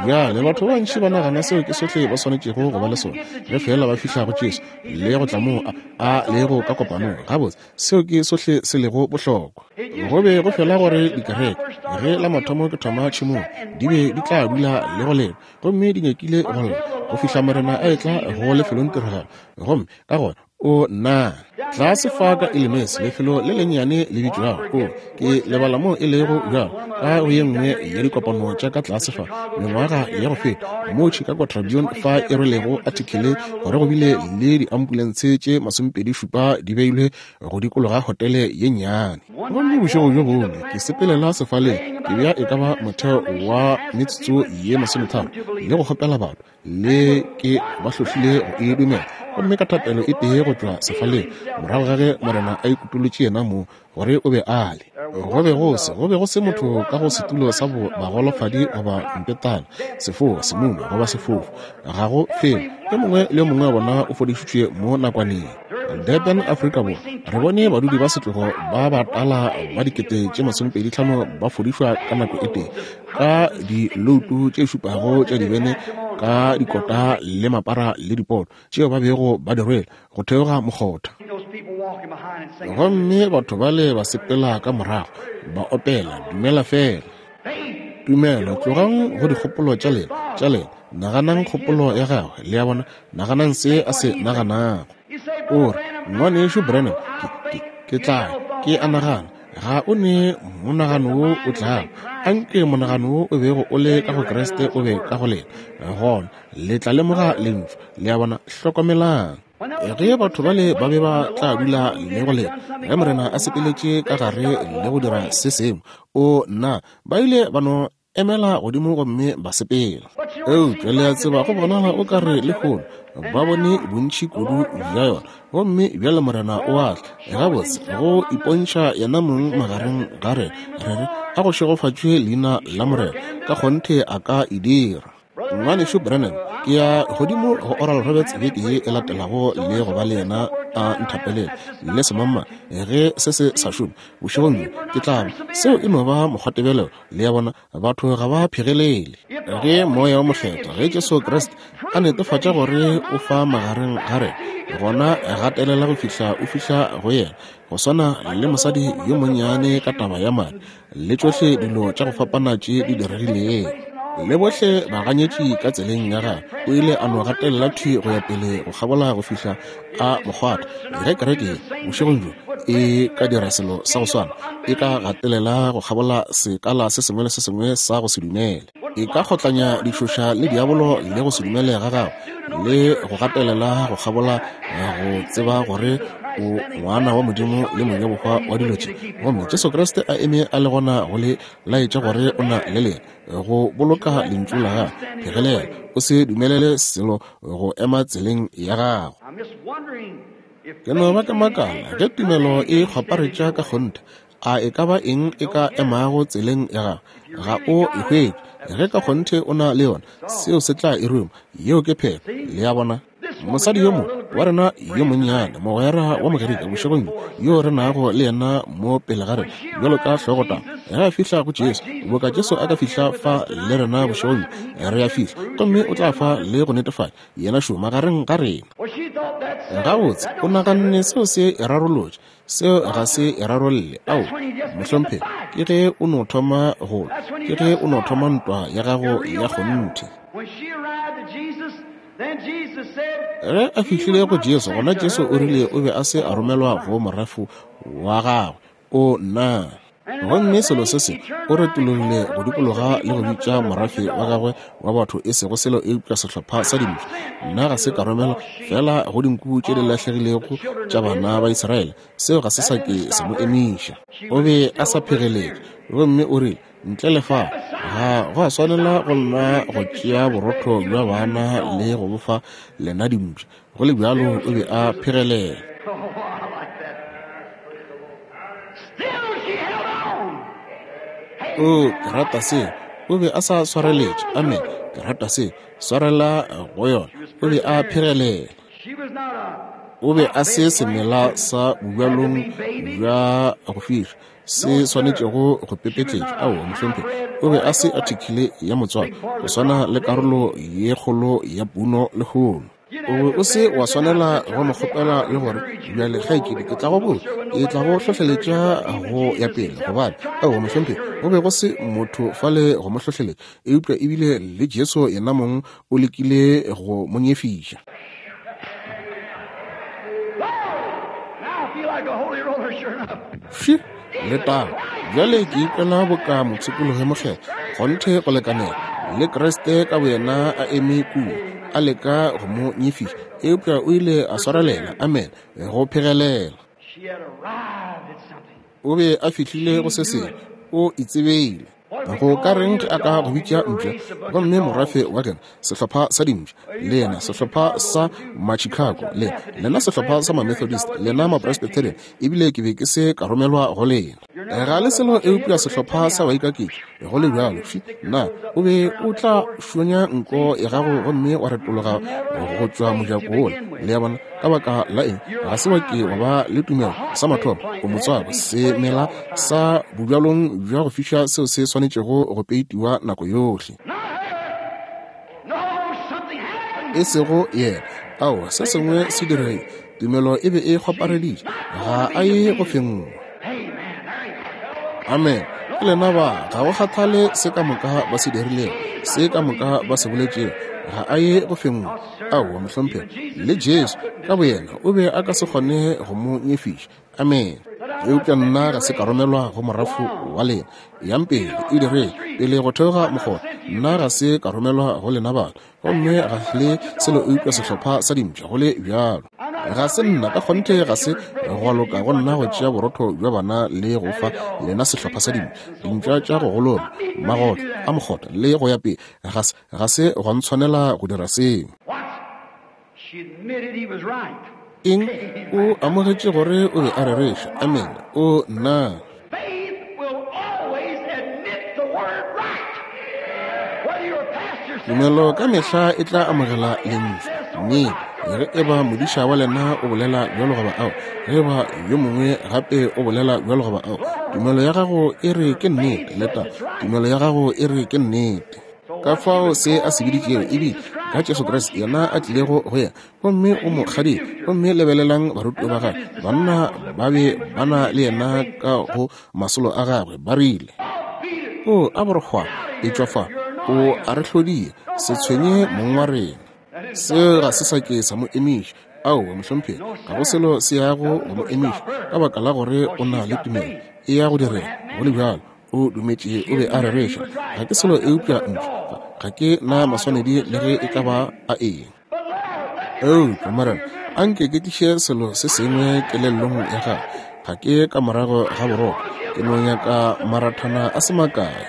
Speaker 1: Bjale, batho ba bantši ba nagana seo ke sohle ba swanetšego go ba le sona, ge feela ba fihla go Jesu le go tla moo a, a lego ka kopanong. Gabotse, seo ke sohle se lego bohlokwa. Go be go fela gore dikereke, ge la mathomo ke thoma tšhemong, di be di tla dula le go leta, gomme di nyakile go lla, go fihla Morena a etla go lefelongtiragalo. Gomme ka gona O nna tlase fa ka Illinois, lefelo le lennyane le bitšwago, o, ke lebala moo e lego bjalo, ka go ye nngwe ya dikopano tša ka tlase fa mengwaga ya go feta, moo Chicago Tribune fa e rwelego athikele gore go bile le diambulentshe tše masomepedi šupa di beilwe go dikologa hotele ye nnyane. Gomme bošego bjo bongwe ke sepelela sefaleng, ke bea e ka ba motheo wa metsotso ye masometharo le go kgopela batho, le ke ba hlohlile go e dumela, gomme ka thapelo e tee go tšwa sefaleng, morago ga ge Morena a ikutolotše yena mong gore o be a le. Go be go se, go be go se motho ka go setulo sa bagolofadi goba mpetana, sefoa, semuma goba sefofu, ga go felo. Yo mongwe le yo mongwe wa bona o fodišitšwe mo nakwaneng. Durban, Afrika Borwa, re bone badudi ba setlogo ba batala ba 25,000 ba fodišwa ka nako e tee, ka diloutu tše šupago tša dibene, ka dikota le mapara le dipoto tšeo ba bego ba di rwele go theoga mokgotha. Gomme batho bale ba sepela ka morago ba opela, Dumela Feela. Tumelo, tlogang go dikgopolo tša lena, tša lena, naganang kgopolo ya gagwe, le a bona, naganang se a se naganago. O re, Ngwanešu Branham, ke, ke, ke tla, ke a nagana, ga o ne monagano wo o tlago. Anke monagano wo o bego o le ka go Kriste o be ka go lena, gona le tla lemoga Lentšu. Le a bona? Hlokomelang. Ge batho bale ba be ba tla dula le go leta, ge Morena a sepeletše ka gare le go dira se sengwe, o nna, ba ile ba no emela godimo gomme ba sepela. Eupša le a tseba, go bonala o ka re lehono ba bone bontši kudu bja yona, gomme bjale Morena o a tla, gabotse, go ipontšha yena mong magareng ga rena, re re, A go šegofatšwe leina la Morena, ka kgonthe a ka e dira. Ngwanešu Branham, ke ya godimo go Oral Roberts beke ye e latelago le go ba le yena a nthapelele le semamma ge se se sa šome bošegong bjo ke tla ba. Seo e no ba mokgwatebelelo, le a bona, batho ga ba phegelele. Ge Moya wo Mokgethwa, ge Jesu Kriste a netefatša gore o fa magareng ga rena, gona gatelela go fihla o fihla go yena, go swana le mosadi yo monnyane ka taba ya madi le tšohle dilo tša go fapana tše di diregilego, le bohle baganyetši ka tseleng ya gagwe, o ile a no gatelela thwi go ya pele go kgabola go fihla a mo kgwatha. Ge kereke ye bošegong bjo e ka dira selo sa go swana, e ka gatelela go kgabola sekala se sengwe le se sengwe sa go se dumele, e ka kgotlanya ditšhoša le diabolo le go se dumele ga gago, le go gatelela go kgabola go tseba gore o ngwana wa Modimo le monyabohwa wa dilo tše, gomme Jesu Kriste a eme a le gona go le laetša gore o na le lena, go boloka lentšu la gagwe. Phegelela, o se dumelele selo go ema tseleng ya gago. Ke no ba ke makala ge tumelo e kgwaparetša ka kgonthe, a e ka ba eng e ka emago tseleng ya gago? Ga o e hwetše. Ge ka kgonthe o na le yona, seo se tla e ruma. Yeo ke phetho. Le a bona? Mosadi yo mongwe wa rena yo monnyane, mogwera wa Mogerika bošegong bjo, yo re nago le yena mo pele ga rena bjalo ka hlogotaba, ge a fihla go Jesu, boka Jesu a ka fihla fa le rena bošegong bjo, re a fihla, gomme o tla fa le go netefatša yena šo magareng ga rena. Gabotse, o naganne seo se e rarolotše. Seo ga se e rarolle. Ao, mohlomphegi, ke ge o no thoma go lwa. Ke ge o no thoma ntwa ya gago ya kgonthe. Ge a fihlile go Jesu, gona Jesu o rile o be a se a romelwa go morafo wa gagwe. O, nna! Gomme selo se sengwe, o retologile go dikologa le go bitša morafe wa gagwe wa batho e sego selo eupša sehlopha sa dimpša. Nna ga se ka romelwa feela go dinku tše di lahlegilego tša bana ba Israele. Seo ga se sa ke sa mo emiša. O be a sa phegeletše. Gomme o rile, Ntle le fao, ga go a swanela go nna go tšea borotho bja bana le go bo fa lena dimpša. Go le bjalo, o be a phegelela. Oo, ke rata seo. O be a sa swareletše. Amene. Ke rata seo. Swarela go yona. O be a phegelela. O be a se semela sa bobjalong bja go fiša se swanetšego go pepetletšwa. Aowa, mohlomphegi. O be a se athikile ya motswalo, go swana le karolo ye kgolo ya puno lehono. O be o se wa swanela go mo kgopela le gore, Bjale, kgaetšedi, ke tla go botša, ke tla go hlohleletša go ya pele, gobane, aowa, mohlomphegi, go be go se motho fale go mo hlohleletša, eupša ebile le Jesu Yenamong o lekile go mo nyefiša. Fše! Letago! Bjale ke ikwela boka mopshikologi mokgethwa, kgonthe go lekanela, le Kriste ka boyena a eme kua, a leka go mo nyefiša, eupša o ile a swarelela, amene, go phegelela. O be a fihlile go se sengwe, o itsebeile. Go ka reng ge a ka go bitša mpša, gomme morafe wa gena, sehlopha sa dimpša, lena sehlopha sa ma-Chicago, le lena sehlopha sa ma-Methodist, lena ma-Presbyterian, ebile ke be ke se ka romelwa go lena. Ga le selo eupša sehlopha sa baikaketši. Go le bjalo, fši, na o be o tla šonya nko ya gago gomme wa retologa go tšwa mojako wola? Le a bona? Ka baka la eng? Ga se wa ke wa ba le tumelo sa mathomo, o motswako, semela sa bobjalong bja go fiša seo se swanetšego go peitiwa nako yohle. E sego yena. Aowa, se sengwe se diregile. Tumelo e be e kgwapareditše. Ga a ye go fenngwa. Amen. Ke lena ba, ga go kgathale se ka moka ba se dirilego, se ka moka ba se boletšego, ga a ye go fenngwa. Aowa, mohlomphegi. Le Jesu ka boyena o be a ka se kgone go mo nyefiša. Amene. Eupša nna ga se ka romelwa go morafo wa lena. Yang pele, e direng pele go theoga mokgotha. Nna ga se ka romelwa go lena batho, gomme ga le selo eupša sehlopha sa dimpša, go le bjalo. Ga se nna, ka kgonthe ga se gwa loka go nna go tšea borotho bja bana le go fa lena sehlopha sa dimpša, dimpša tša go gololwa, magotlo a mokgotha le go ya pele. Ga se, ga se gwa ntshwanela go dira seo. Eng? O amogetše gore o be a rereša. Amene. O, nna! Tumelo ka mehla e tla amogela Lentšu. Nnete. Ge eba modiša wa lena o bolela bjalo goba ao, ge eba yo mongwe gape o bolela bjalo goba ao, tumelo ya gago e re ke nnete. Leta, tumelo ya gago e re ke nnete. Ka fao se a se biditšego e bile ka Jesu Kriste, yena a tlilego go yena, gomme o mo kgadile. Gomme lebelelang barutiwa ba gagwe, banna ba be ba na le yena ka go masolo a gagwe, ba rile, O a borokgwa, etšwa fa, o a re hlodie, se tshwenye mong wa rena. Seo ga se sa ke sa mo emiša. Aowa, mohlomphegi, ga go selo se yago go mo emiša, ka baka la gore o na le tumelo. E ya go direga, go le bjalo. O dumetše o be a rereša. Ga ke selo eupša ntšhu. Ga ke na maswanedi le ge e ka ba a eng. Eupša, Morena, a nke ke tliše selo se sengwe kelellong ya gago. Ga ke ka morago ga boroko. Ke no nyaka marathana a se makae.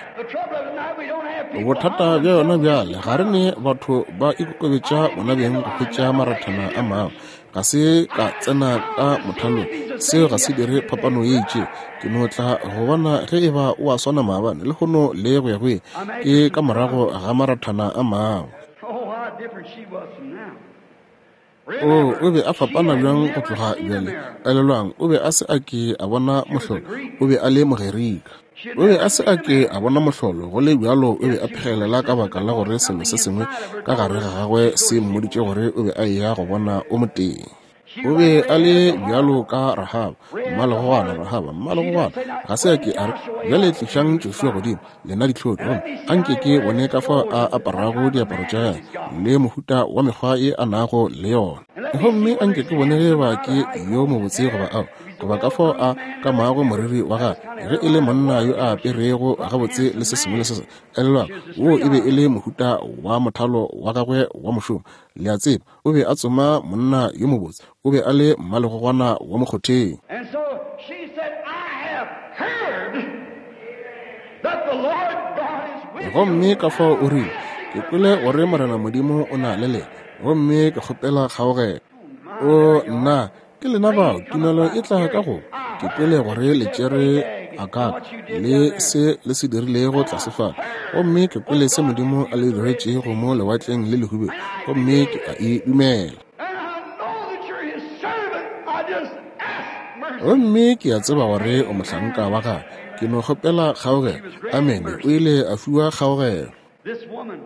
Speaker 1: Bothata bja yona bjale, ga re ne batho ba ikokobetša bona beng go hwetša marathana a mangwe. Ga se ka tsena ka mothalong, seo ga se dire phapano ye itšego. Ke no tla go bona ge e ba o a swana maabane, lehono le go ya go ile. Ke ka morago ga marathana a mangwe. Oo, o be a fapana bjang go tloga bjale. Elelwang, o be a se a ke a bona mohlolo. O be a le Mogerika. O be a se a ke a bona mohlolo, go le bjalo o be a phegelela ka baka la gore selo se sengwe ka gare ga gagwe se mmoditše gore o be a eya go bona o motee. O be a le bjalo ka Rahaba. Mmalegogwana, Rahaba, mmalegogwana, ga se a ke a re, Bjale tlišang Joshua godimo, lena dihlodi, gomme a nke ke bone ka fao a aparago diaparo tša gagwe le mohuta wa mekgwa ye a nago le yona. Gomme a nke ke bone ge eba ke yo mobotse goba ao, goba ka fao a kamago moriri wa gagwe, ge e le monna yo a aperego gabotse le se sengwe le se sengwe. Elelwang, woo e be e le mohuta wa mothalo wa gagwe wa mošomo. Le a tseba, o be a tsoma monna yo mobotse. O be a le mmalegogwana wa mokgotheng. Gomme ka fao o rile, Ke kwele gore Morena Modimo o na le lena, gomme ke kgopela kgaogelo. O, nna, ke lena bao, tumelo e tla ka go. Ke kwele gore le tšere Agag le se le se dirilego tlase fale, gomme ke kwele se Modimo a le diretšego mo Lewatleng le Lehubedu, gomme ke a e dumela. Gomme ke a tseba gore o mohlanka wa gagwe. Ke no kgopela kgaogelo. Amene. O ile a fiwa kgaogelo.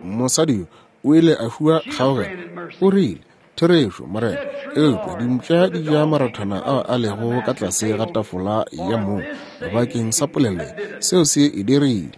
Speaker 1: Mosadi yo o ile a fiwa kgaogelo. O rile, Therešo, Morena, eupša dimpša di ja marathana ao a lego ka tlase ga tafola ya mong. Bakeng sa polelo ye, seo se e dirile.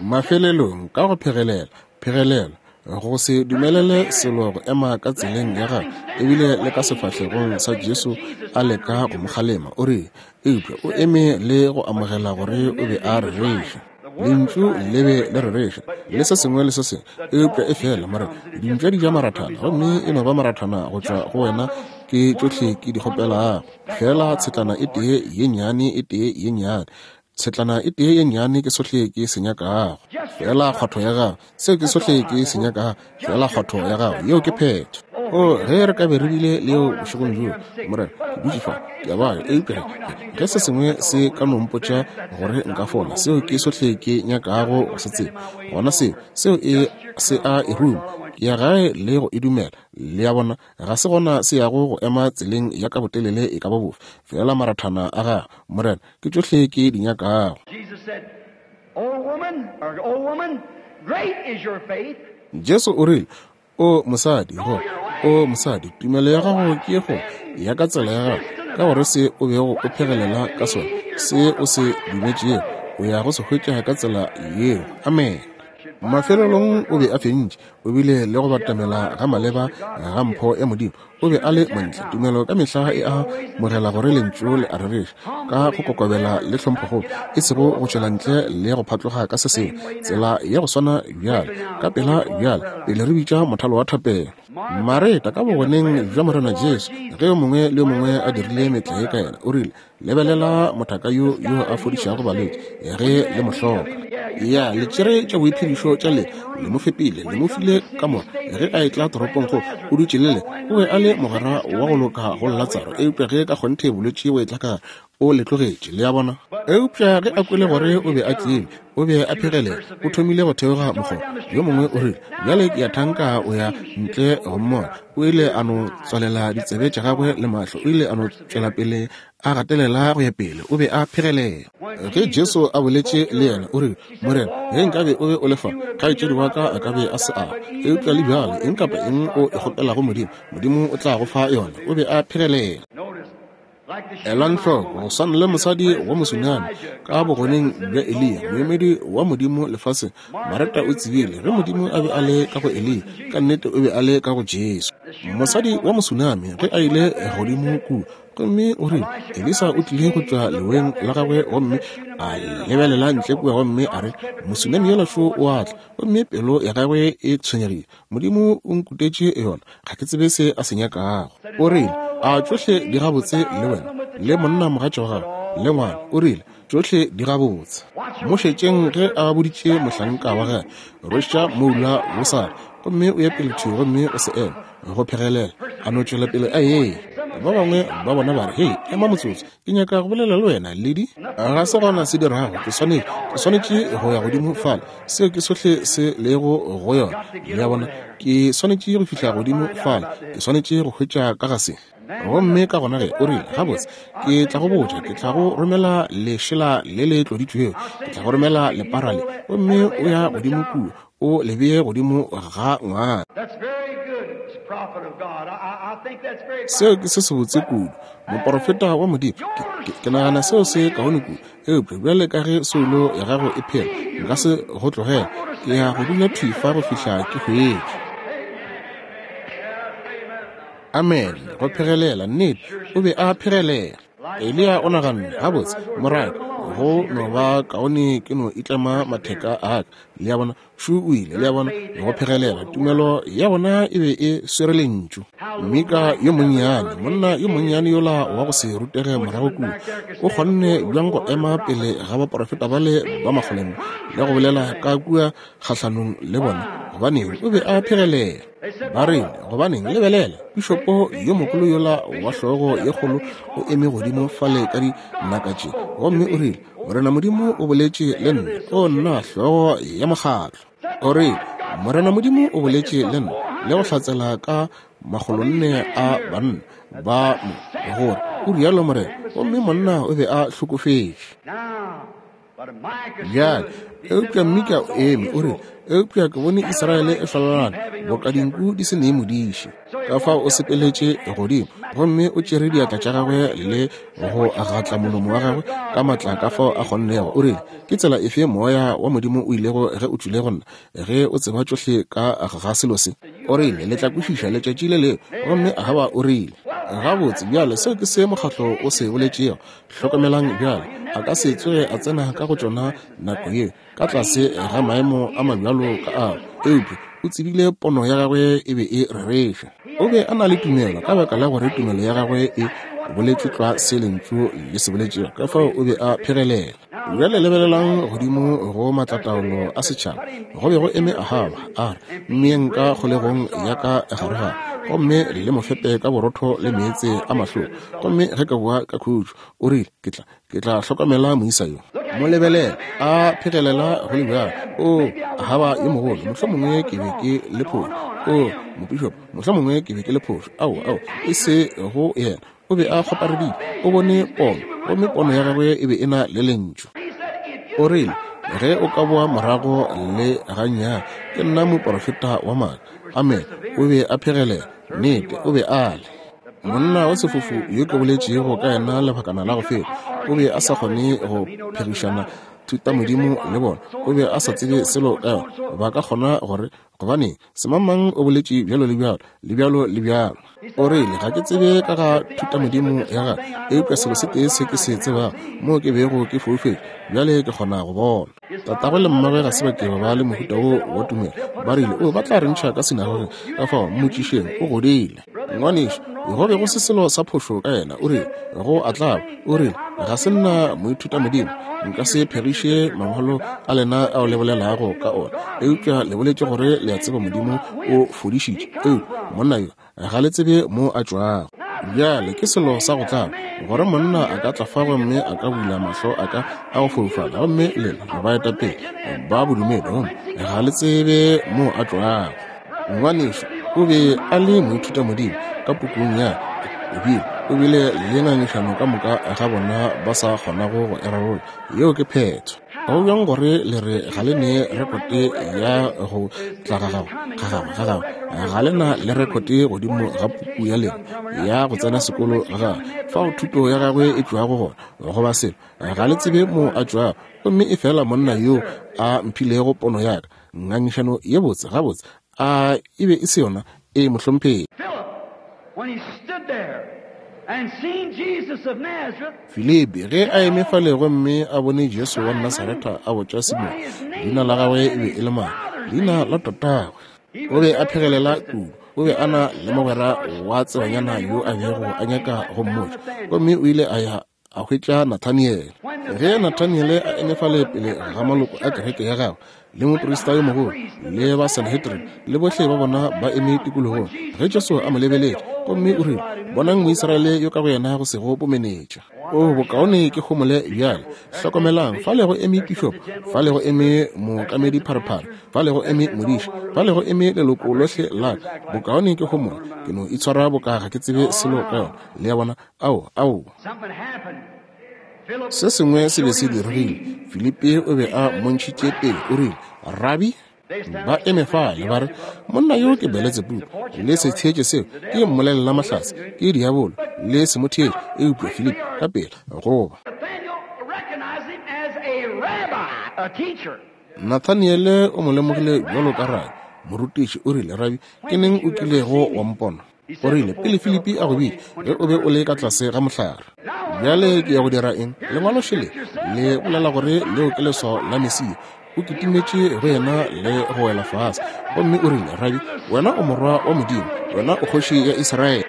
Speaker 1: Mafelelong, ka go phegelela, phegelela, go se dumelele selo go ema ka tseleng ya gagwe, ebile le ka sefahlegong sa Jesu a leka go mo kgalema, o rile, eupša o eme le go amogela gore o be a rereša. Lentšu le be le rereša, le se sengwe le se sengwe, eupša efela, Morena, dimpša di ja marathana, gomme e no ba marathana go tšwa go wena, ke tšohle ke di kgopelago, feela tshetlana e tee ye nnyane, e tee ye nnyane. Tshetlana e tee ye nnyane ke sohle ke se nyakago. Feela kgwatho ya gago, seo ke sohle ke se nyakago, feela kgwatho ya gago, yeo ke phetho. O, ge re ka be re bile le yeo bošegong bjo, Morena, ke dutše fa, ke a babja, eupša ge, ge se sengwe se ka no mpotša gore nka fola, seo ke sohle ke nyakago go se tseba, gona seo, seo e, se a e ruma. Ke ya gae le go e dumela, le a bona, Ga se gona se yago go ema tseleng ya ka botelele e ka ba bofe, feela marathana a gago, Morena, ke tšohle ke di nyakago. Jesu o rile, O mosadi, go, o mosadi, tumelo ya gago ke ye kgolo, ya ka tsela ya gago, ka gore se o bego o phegelela ka sona, se o se dumetšego, o ya go se hwetša ka tsela yeo. Amene. Mafelelong o be a fentše. O bile le go batamela ga maleba ga mpho ya Modimo. O be a le montle. Tumelo ka mehla e a mogela gore Lentšu le a rereša, ka go kokobela le tlhomphokgolo, e sego go tšwela ntle le go phatloga ka se sengwe. Tsela ya go swana bjale, ka pela bjale, pele re bitša mothalo wa thapelo. Mareta, ka bogoneng bja Morena Jesu, ge yo mongwe le yo mongwe a dirile metlae ka yena, o rile, Lebelela mothaka yo yo a fodišago balwetši ge le mo hloka. Ya, le tšere tša boiphedišo tša lena, le mo fepile, le mo file kamora ge a etla toropong go o dutše le le. O be a le mogwera wa go loka go Latsaro, eupša ge ka kgonthe bolwetši bo etla ka gare, o le tlogetše. Le a bona? Eupša ge a kwele gore o be a tlile, o be a phegelela, o thomile go theoga mokgoba. Yo mongwe o rile, Bjale ke a thanka o ya ntle go mmona. O ile a no tswalela ditsebe tša gagwe le mahlo, o ile a no tšwela pele a gatelela go ya pele, o be a phegelela. Ge Jesu a boletše le yena, o rile, Morena, ge nkabe o be o le fa, kgaetšedi wa ka a ka be a se a. Eupša le bjale, eng kapa eng o e kgopelago Modimo, Modimo o tla go fa yona. O be a phegelela. Elang hloko, go swana le mosadi wa Mosunami ka bogoneng bja Eliya, moemedi wa Modimo lefaseng, Mareta o tsebile ge Modimo a be a le ka go Eliya, ka nnete o be a le ka go Jesu. Mosadi wa Mosunami ge a ile godimo kua, gomme o rile, Elisa o tlile go tšwa leweng la gagwe gomme a lebelela ntle kua gomme a re, Mosunami yola šo o a tla, gomme pelo ya gagwe e tshwenyegile. Modimo o nkutetše yona, ga ke tsebe se a se nyakago. O rile, A tšohle di gabotse le wena, le monna mogatša wa gago, le ngwana? O rile, Tšohle di gabotse. Mo šetšeng ge a boditše mohlanka wa gagwe, Rweša moula wo sale, gomme o ye pele thwi gomme o se eme, go phegelela, a no tšwela pele a eya. Ba bangwe ba bona ba re, Hei, ema motsotso, ke nyaka go bolela le wena, Lady. Ga se gona se dirago, ke swanetše, ke swanetše go ya godimo fale. Seo ke sohle se lego go yona. Le a bona? Ke swanetše go fihla godimo fale, ke swanetše go hwetša ka ga se. Gomme ka gona ge o rile, Gabotse, ke tla go botša, ke tla go romela lešela le le tloditšwego, ke tla go romela lepara le, gomme o ya godimo kua, o le bee godimo ga ngwana. Seo ke se sebotse kudu, moporofeta wa Modimo. Ke nagana seo se kaone kudu. Eupša bjale ka ge soulo ya gago e phela, nka se go tlogela. Ke ya go dula thwi fa go fihla ke hwetša. Amen. Go phegelela, nnete, o be a phegelela. Eliya o naganne, Gabotse, moraka, go no ba kaone ke no itlema matheka a ka. Le a bona? Šo o ile, le a bona, go phegelela. Tumelo ya bona e be e swere Lentšu. Mika yo monnyane, monna yo monnyane yola wa go se rutege morago kua, o kgonne bjang go ema pele ga baprofeta bale ba makgolonne le go bolela ka kua kgahlanong le bona? Gobaneng, o be a phegelela. Ba rile, Gobaneng, lebelela, pišopo yo mogolo yola wa hlogo ye kgolo o eme godimo fale ka dinaka tše, gomme o rile, Morena Modimo o boletše le nna. O nna hlogo ya mokgatlo. O rile, Morena Modimo o boletše le nna le go hlatsela ka makgolonne a banna ba mo, gore o rialo Morena, gomme monna o be a hlokofetše. Bjale, eupša Mika o eme, o rile, Eupša ke bone Israele e hlalana boka dinku di se ne modiši. Ka fao o sepeletše godimo gomme o tšere diatla tša gagwe le go gatla molomo wa gagwe ka matla ka fao a kgonnego. O rile, Ke tsela efe Moya wa Modimo o ilego ge o tšwile go nna, ge o tseba tšohle ka ga selo se? O rile, Le tla kwešiša letšatši le lengwe. Gomme Ahaba o rile, Gabotse, bjale, seo ke se mokgatlo o se boletšego. Hlokomelang bjale, a ka se tsoge a tsena ka go tšona nako ye, ka tlase ga maemo a mabjalo ka ao. Eupša o tsebile pono ya gagwe e be e rereša. O be a na le tumelo ka baka la gore tumelo ya gagwe e boletše tlwa se Lentšu le se boletšego, ka fao o be a phegelela. Bjale lebelelang godimo go maatlataolo a setšhaba. Go be go eme Ahaba, a re, Mmeeng ka kgolegong ya ka garegare, gomme le mo fepe ka borotho le meetse a mahloko. Gomme ge ka boa ka khutšo, o rile, ke tla, ke tla hlokomela moisa yo. Mo lebelela, a phegelela go le bjalo. O, Ahaba yo mogolo, mohlomongwe ke be ke le phošo. O, mopišopo, mohlomongwe ke be ke le phošo. Aowa, aowa, e se go yena. O be a kgoparedile. O bone pono, gomme pono ya gagwe e be e na le Lentšu. O rile, Ge o ka boa morago le gannyane, ke nna moprofeta wa maaka. Amen. O be a phegelela. Nnete, o be a le. Monna wa sefofu yo ke boletšego ka yena lebakana la go feta, o be a sa kgone go phegišana thutamodimo le bona. O be a sa tsebe selo ka yona. Ba ka kgona gore, gobaneng, semangmang o boletše bjalo le bjalo, le bjalo le bjalo. O rile, Ga ke tsebe ka ga thutamodimo ya gagwe, eupša selo se tee se ke se tsebago, moo ke bego ke foufetše, bjale ke kgona go bona. Tatagwe le mmagwe ga se ba ke ba ba le mohuta woo wa tumelo. Ba rile, O, ba tla re ntšha ka sinagogeng, ka fao mmotšišeng, o godile. Ngwanešu, go be go se selo sa phošo ka yena. O rile, Go a tlaba. O rile, Ga se nna moithutamodimo. Nka se phegiše mangwalo a lena ao le bolelago ka ona. Eupša le boletše gore le a tseba Modimo o fodišitše. Eupša monna yo, ga le tsebe mo a tšwago. Bjale ke selo sa go tlaba gore monna a ka tla fa gomme a ka bula mahlo a ka a go foufala, gomme lena baetapele ba bodumedi gomme ga le tsebe mo a tšwago. Ngwanešu o be a le moithutamodimo ka pukung ya ebile o bile le ngangišano ka moka ga bona ba sa kgonago go e rarolla. Yeo ke phetho. Go bjang gore le re ga le ne rekote ya go tla ga gagwe, ga gagwe, ga gagwe? Ga le na le rekote godimo ga puku ya lena ya go tsena sekolo ga gagwe, fao thuto ya gagwe e tšwago gona, goba selo. Ga le tsebe mo a tšwago. Gomme efela monna yo a mphilego pono ya ka, Ngangišano ye botse, gabotse, a e be e se yona? Ee, mohlomphegi. Filipi, ge a eme fale gomme a bone Jesu wa Nasaretha a botša Simone leina la gagwe e be e le mang, leina la tatagwe. O be a phegelela kudu. O be a na le mogwera wa tsebanyana yo a bego a nyaka go mmotša, gomme o ile a ya a hwetša Nathaniele. Ge Nathaniele a eme fale pele ga maloko a kereke ya gagwe, le moprista yo mogolo, le ba Sanhedrin, le bohle ba bona ba eme tikologong, ge Jesu a mo lebeletše, gomme o rile, Bonang Moisraele yo ka go yena go sego bomenetša. O, bokaone ke homole bjale. Hlokomelang, fale go eme pišopo, fale go eme mookamedi pharephare, fale go eme modiši, fale go eme leloko lohle la ka. Bokaone ke homole, ke no itshwara boka ga ke tsebe selo ka yona. Le a bona? Ao, aowa. Se sengwe se be se diregile. Filipi o be a mmontšhitše pele. O rile, Rabi. Ba eme fale ba re, Monna yo ke Beletsebubu, le se theetše seo, ke mmolelelamahlatse, ke diabolo, le se mo theetše. Eupša Filipi ka pela goba. Nathaniele o mo lemogile bjalo ka rabi, morutiši. O rile, Rabi, ke neng o kilego wa mpona? O rile, Pele Filipi a go bitša, ge o be o le ka tlase ga mohlare. Bjale ke ya go dira eng? Lengwalo šele le bolela gore leo ke leswao la Mesia. O kitimetše go yena le go wela fase, gomme o rile, Rabi, wena o Morwa wa Modimo, wena o Kgoši ya Israele.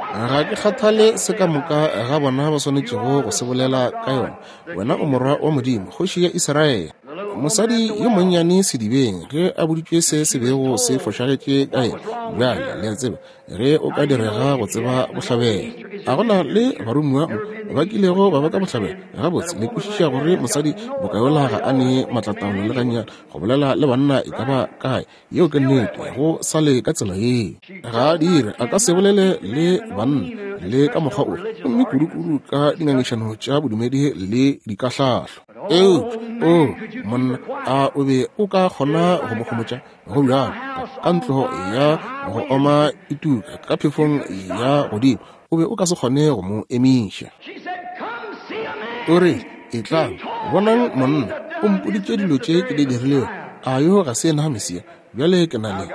Speaker 1: Ga ke kgathale se ka moka ga bona ba swanetšego go se bolela ka yona. Wena o Morwa wa Modimo, Kgoši ya Israele. Mosadi yo monnyane sedibeng, ge a boditšwe se se bego se fošagetše ka yena, bjale, le a tseba, ge o ka direga go tseba bohlabela. A go na le baromiwa mo ba kilego ba ba ka bohlabela? Gabotse, le kwešiša gore mosadi bokayola ga a ne maatlataolo le gannyane go bolela le banna e ka ba kae. Yeo ke nnete, go sa le ka tsela yeo. Ga a dire, a ka se bolele le banna le ka mokgwa o, gomme kudu-kudu ka dingangišano tša bodumedi le dikahlahlo. Eupša, o monna, a o be o ka kgona go mo homotša? Go bjalo ka ntlo ya go oma e tuka ka phefong ya godimo, o be o ka se kgone go mo emiša. O re, Etlang, bonang monna, o mpoditše dilo tše ke di dirilego. A yo ga se yena Mesia? Bjale ke na le,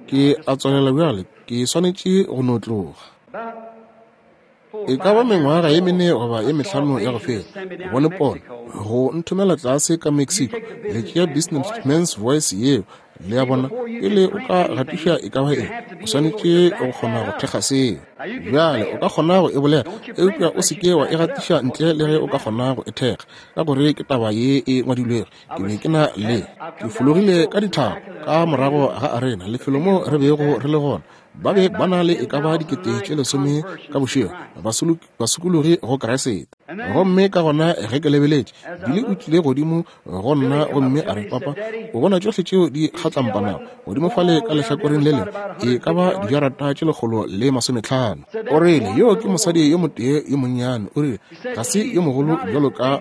Speaker 1: ke a tswalela bjale, ke swanetše go no tloga. E ka ba mengwaga ye mene goba ye mehlano ya go feta, ke bone pono go nthomela tlase ka Mexico. Le tšea Business Men's Voice yeo, le a bona, pele o ka gatiša e ka ba eng, o swanetše go kgona go thekga seo. Bjale o ka kgona go e bolela, eupša o se ke wa e gatiša ntle le ge o ka kgona go e thekga, ka gore ke taba ye e ngwadilwego. Ke be ke na le, ke fologile ka dithaba ka morago ga arena, lefelo mo re bego re le gona. Ba be ba na le e ka ba 10,000 ka bošego, basokologi go Kriste. Gomme ka gona ge ke lebeletše, Billy o tlile godimo go nna gomme a re, Papa, o bona tšohle tšeo di kgatlampanago godimo fale ka lehlakoreng le lengwe, e ka ba dijarata tše 150. O rile, Yoo ke mosadi yo motee yo monnyane. O rile, Ga se yo mogolo bjalo ka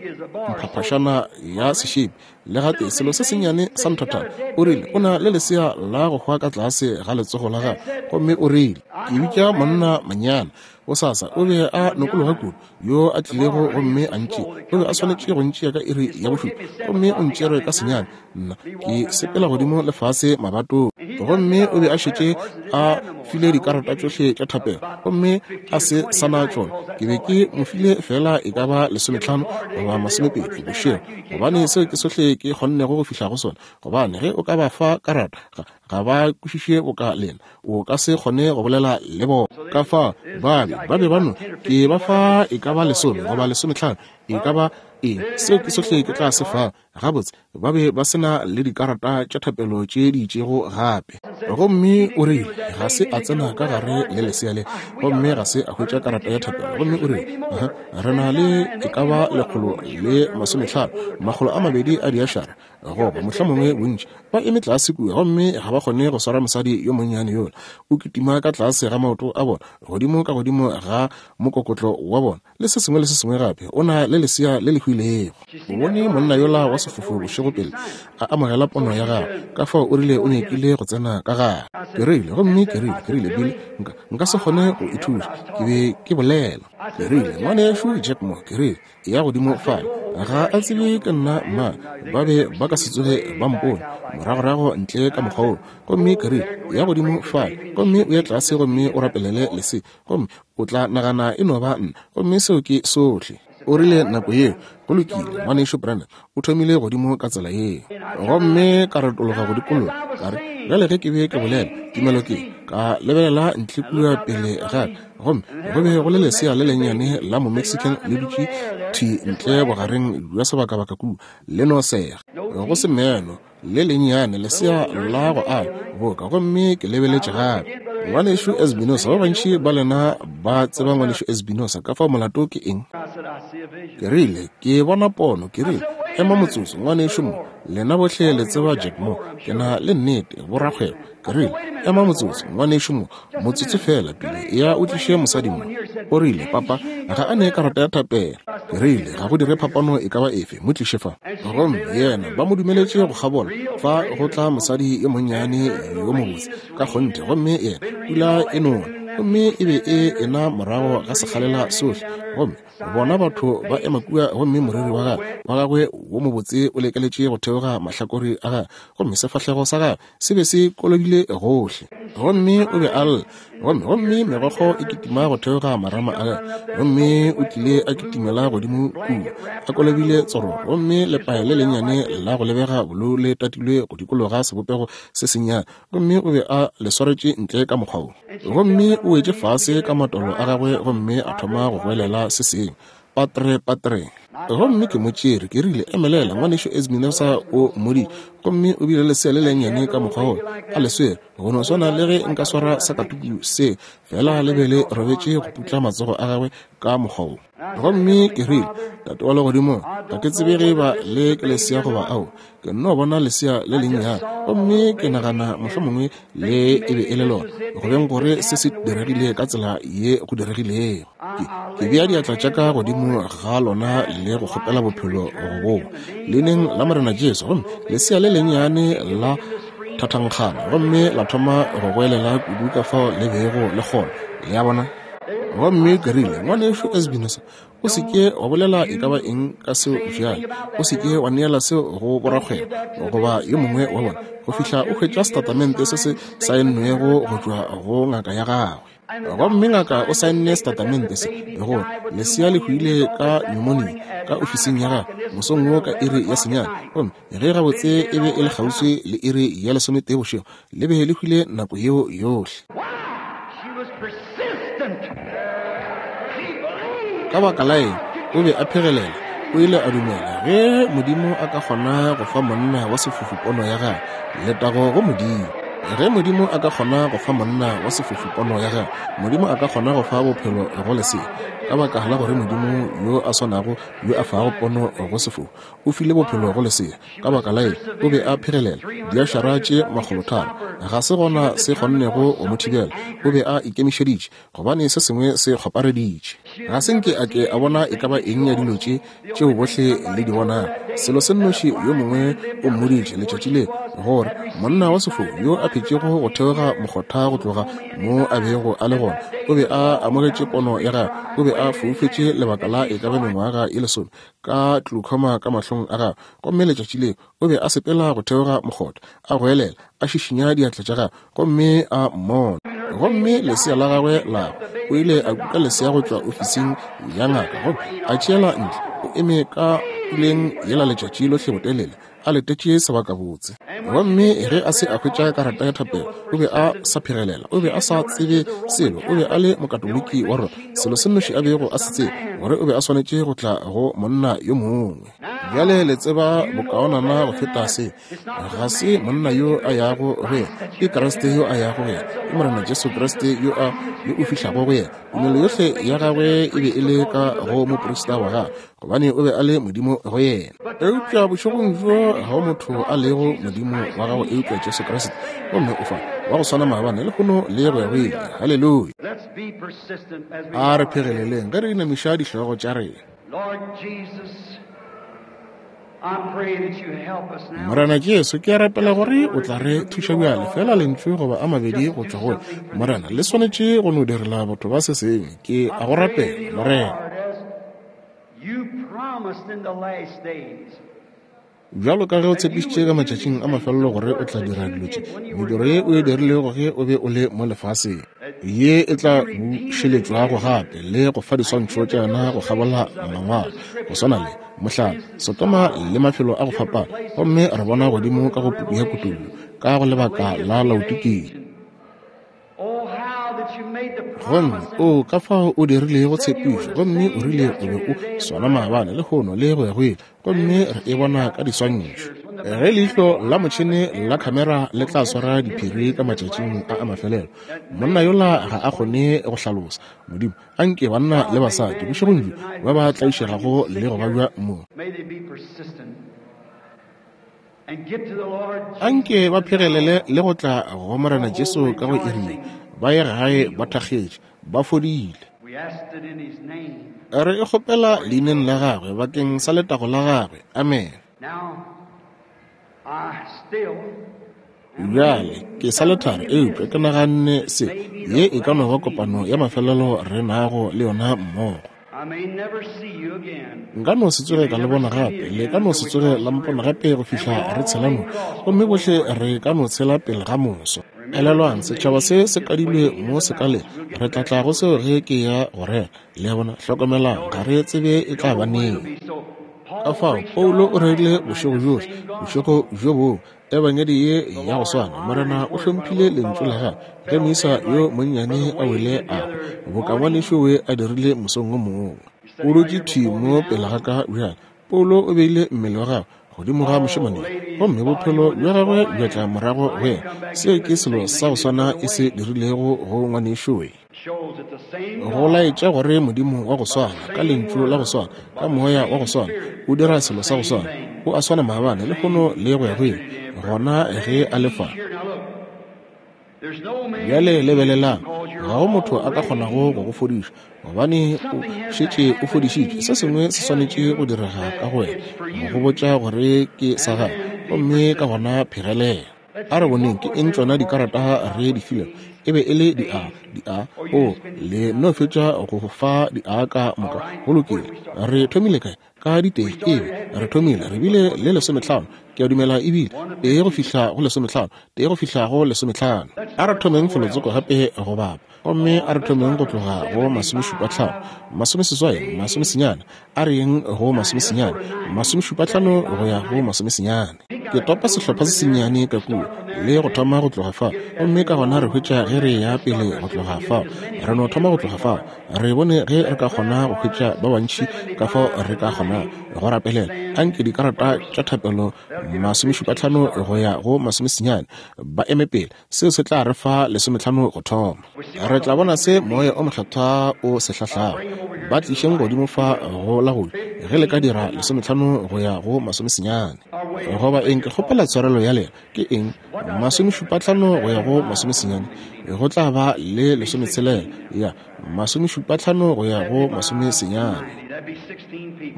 Speaker 1: mphaphašana ya sešepi, le gatee selo se sennyane sa nthathana. O rile, O na le lesea la go hwa ka tlase ga letsogo la gagwe. Gomme o rile, Ke bitša monna manyana bosasa. O be a nokologa kudu, yo a tlilego gomme a ntšea. O be a swanetše go ntšea ka iri ya bošupa, gomme o ntšere ka senyane. Nna ke sepela godimo le fase mabatong. Gomme o be a šetše a file dikarata tšohle tša thapelo, gomme a se sa na tšona. Ke be ke mo file feela e ka ba 15 goba 20 bošego, gobane seo ke sohle ke kgonnego go fihla go sona. Gobane ge o ka ba fa karata, ga, ga ba kwešiše boka lena, o ka se kgone go bolela le bona. Ka fao ba be, ba be ba no, ke ba fa e ka ba 10 goba 15, e ka ba eng, seo ke sohle ke tla se fa. Gabotse, ba be ba se na le dikarata tša thapelo tše di itšego gape. Gomme o rile ga se a tsena ka gare le lesea le, gomme ga se a hwetša karata ya thapelo. Gomme o rile, Aha, re na le e ka ba 150, 200 a diašara, goba mohlomongwe bontši, ba eme tlase kua, gomme ga ba kgone go swara mosadi yo monnyane yola. O kitima ka tlase ga maoto a bona, godimo ka godimo ga mokokotlo wa bona, le se sengwe le se sengwe gape. O na le lesea le le hwilego. O bone monna yola wa sefofu bošego pele a amogela pono ya gagwe, ka fao o rile o nyakile go tsena ka gare. Ke rile, gomme ke rile, ke rile, Billy, nka, nka se kgone go e thuša. Ke be ke bolela. Ke rile, Ngwanešu Jack Moore, ke rile, eya godimo fale. Ga a tsebe ke nna mang. Ba be ba ka se tsoge ba mpone moragorago ntle ka mokgwa woo. Gomme ke rile, Eya godimo fale, gomme o ye tlase gomme o rapelele lesea, gomme o tla nagana e no ba nna, gomme seo ke sohle. O rile nako yeo, Go lokile, Ngwanešu Branham, o thomile godimo ka tsela yeo. Gomme ka retologa go dikologa, ka re, Bjale ge ke be ke bolela, tumelo ke, ka lebelela ntle kua pele ga ka, gomme go be go le lesea le lennyane la Momexican le dutše thwi ntle bogareng bja sebakabaka kua, le no sega, go se meno, le lennyane lesea la go ala boka. Gomme ke lebeletše gape, Ngwanešu Espinosa, ba bantši ba lena ba tseba Ngwanešu Espinosa, ka fao molato ke eng. Ke rile, Ke bona pono. Ke rile, Ema motsotso, Ngwanešu Mo. Lena bohle le tseba Jack Moore, ke na le nnete, borakgwebo. Ke rile, Ema motsotso, Ngwanešu Mo, motsotso feela pele, eya o tliše mosadi mo. O rile, Papa, ga a ne karata ya thapelo. Ke rile, Ga go dire phapano e ka ba efe, mo tliše fa. Gomme yena, ba mo dumeletše go kgabola, fa go tla mosadi yo monnyane yo mobotse ka kgonthe, gomme yena, pula e nona, gomme e be e ena morago ga sekgalela sohle, gomme bona batho ba ema kua, gomme moriri wa gagwe, wa gagwe wo mobotse o lekeletše go theoga mahlakore a gagwe, gomme sefahlego sa gagwe se be se kolobile gohle, gomme o be a lla, gomme, gomme megokgo e kitima go theoga marama a gagwe, gomme o tlile a kitimela godimo kua, a kolobile tsoro, gomme lepae le lennyane la go lebega bolou le tatilwe go dikologa sebopego se sennyane, gomme o be a le swaretše ntle ka mokgwa wo. Gomme o wetše fase ka matolo a gagwe gomme a thoma go goelela se sengwe, Patre, patre. Gomme ke mo tšere, ke rile, Emelela, Ngwanešu Espinosa o mmoditše. Gomme o bile lesea le lennyane ka mokgwa wola, a le swere, go no swana le ge nka swara sakatuku se, feela le be le robetše go putla matsogo a gagwe ka mokgwa wo. Gomme ke rile, Tate wa Legodimong, ga ke tsebe ge eba le ke lesea goba ao. Ke nno bona lesea le lennyane, gomme ke nagana mohlomongwe le e be e le lona, go beng gore se se diregile ka tsela ye go diregilego. Ke, ke bea diatla tša ka godimo ga lona le go kgopela bophelo go bowa leineng la Morena Jesu. Gomme lesea le lennyane la thathankgana gomme la thoma go goelela kudu ka fao le bego le kgona. Le a bona? Gomme ke rile, Ngwanešu Espinosa, o se ke wa bolela e ka ba eng ka seo bjale. O se ke wa neela seo go borakgwebo goba yo mongwe wa bona go fihla o hwetša setatamente se se saennwego go tšwa go ngaka ya gagwe. Gomme ngaka o saenne setatamente se, gore lesea le hwile ka pneumonia ka ofising ya gagwe mosong wo ka iri ya senyane, gomme ge gabotse e be e le kgauswi le iri ya lesometee bošego, le be le hwile nako yeo yohle. Ka baka la eng? O be a phegelela. O ile a dumela ge Modimo a ka kgona go fa monna wa sefofu pono ya gagwe, letago go Modimo. Ge Modimo a ka kgona go fa monna wa sefofu pono ya gagwe, Modimo a ka kgona go fa bophelo go lesea, ka baka la gore Modimo yo a swanago yo a fago pono go sefofu o file bophelo go lesea. Ka baka la eng? O be a phegelela diašara tše makgolotharo. Ga se gona se kgonnego go mo thibela. O be a ikemišeditše, gobane se sengwe se kgopareditše. Ga se nke a ke a bona e ka ba eng ya dilo tše tšeo bohle le di bonago. Selo se nnoši yo mongwe o mmoditše letšatši le, gore monna wa sefou yo a phetšego go theoga mokgotha go tloga mo a bego a le gona, o be a amogetše pono ya gagwe. O be a foufetše lebaka la e ka ba mengwaga ye lesome, ka glaucoma ka mahlong a gagwe. Gomme letšatši leo o be a sepela go theoga mokgotha, a goelela, a šišinya diatla tša gagwe, gomme a mmona. Gomme lesea la gagwe la hwa. O ile a kuka lesea go tšwa ofising ya ngaka gomme a tšeela ntle. O eme ka puleng yela letšatši lohle botelele, a letetše sebakabotse. Gomme ge a se a hwetša karata ya thapelo, o be a sa phegelela. O be a sa tsebe selo. O be a le Mokatoliki wa rona. Selo se nnoši a bego a se tseba, gore o be a swanetše go tla go monna yo mongwe. Bjale le tseba bokaonana go feta se. Ga se monna yo a yago go yena, ke Kriste yo a yago go yena. Ke Morena Jesu Kriste yo a yo o fihlago go yena. Tumelo yohle ya gagwe e be e le ka go moprista wa gagwe, gobane o be a le Modimo go yena. Eupša bošegong bjo ga go motho a lego Modimo wa gago eupša Jesu Kriste, gomme o fa wa go swana maabane, lehono le go ya go ile. Haleluya! A re phegeleleng ge re inamiša dihlogo tša rena. Morena Jesu, ke a rapela gore o tla re thuša bjale, feela lentšu goba a mabedi go tšwa go wena. Morena, le swanetše go no direla batho ba se sengwe. Ke a go rapela, Morena. Bjalo ka ge o tshepišitše ka matšatšing a mafelelo gore o tla dira dilo tše, mediro ye o e dirilego ge o be o le mo lefaseng, ye e tla bušeletšwago gape le go fa diswantšho tša yona go kgabola Mangwalo, go swana le, mohlala, Sodoma le mafelo a go fapana, gomme re bona godimo ka go Puku ya Kutollo, ka go lebaka la Laodikia. Gomme, oo, ka fao o dirilego tshepišo, gomme o rile o be o swana maabane, lehono, le go ya go ile. Gomme re e bona ka diswantšho. Ge leihlo la motšhene la khamera le tla swara diphiri ka matšatšing a a mafelelo, monna yola ga a kgone go hlalosa. Modimo, a nke banna le basadi bošegong bjo ba ba tlaišegago le go babja mo, Anke ba phegelele le go tla go Morena Jesu ka go iri ye, ba ye gae ba thakgetše, ba fodile. Re e kgopela Leineng la Gagwe, bakeng sa letago la Gagwe. Amene. Bjale, ke sa le thari, eupša ke naganne se, ye e ka no ba kopano ya mafelelo re nago le yona mmogo. Nka no se tsoge ka le bona gape, le ka no se tsoge la mpona gape go fihla re tshela no, gomme bohle re ka no tshela pele ga moso. Elelwang, setšhaba se se kadilwe mo sekaleng, re tla tla go seo ge ke ya go rera. Le a bona? Hlokomelang, ga re tsebe e tla ba neng. Ka fao, Paulo o rerile bošego bjohle, bošego bjo bongwe, Ebangedi ye ya go swana. Morena o hlomphile Lentšu la Gagwe ge moisa yo monnyane a wele a hwa, boka ngwanešu we a dirile mosong wo mongwe. O dutše thwi mo pele ga ka bjale. Paulo o beile mmele wa gagwe godimo ga mošemane yo, gomme bophelo bja gagwe bja tla morago go yena. Seo ke selo sa go swana e se dirilego go ngwanešu we. Go laetša gore Modimo wa go swana, ka Lentšu la go swana, ka Moya wa go swana, o dira selo sa go swana. O a swana maabane, lehono, le go ya go ile, gona ge A le fa. Bjale lebelelang, ga go motho a ka kgonago go go fodiša, gobane o šetše o fodišitšwe. Se sengwe se swanetše go direga ka go wena, go go botša gore ke sa gago, gomme ka gona phegelela. A re boneng ke eng tšona dikarata re di filego. E be e le di A, di A. O, le no fetša go fa di A ka moka. Go lokile. Re thomile kae? Ka ditee. Ee, re thomile. Re bile le lesometlhano, ke a dumela e bile, tee go fihla go lesometlhano, tee go fihla go lesometlhano. A re thomeng felotsoko gape go bapa. Gomme a re thomeng go tloga go masomešupatlhano, masomeseswai, masomesenyane, a re yeng go masomesenyane, masomešupatlhano go ya go masomesenyane. Ke topa sehlopha se sennyane ka kua, le go thoma go tloga fao, gomme ka gona re hwetša ge re eya pele go tloga fao. Re no thoma go tloga fao, re bone ge re ka kgona go hwetša ba bantši ka fao re ka kgona go rapelela. Anke dikarata tša thapelo masomešupatlhano go ya go masomesenyane ba eme pele. Seo se tla re fa lesometlhano go thoma. Re tla bona se Moya o Mokgethwa o se hlahlago. Ba tlišeng godimo fa go la go ja, ge le ka dira lesometlhano go ya go masomesenyane. Goba eng, ke kgopela tshwarelo ya lena, ke eng, masomešupatlhano go ya go masomesenyane, go tla ba le lesometshelela, ya, masomešupatlhano go ya go masomesenyane.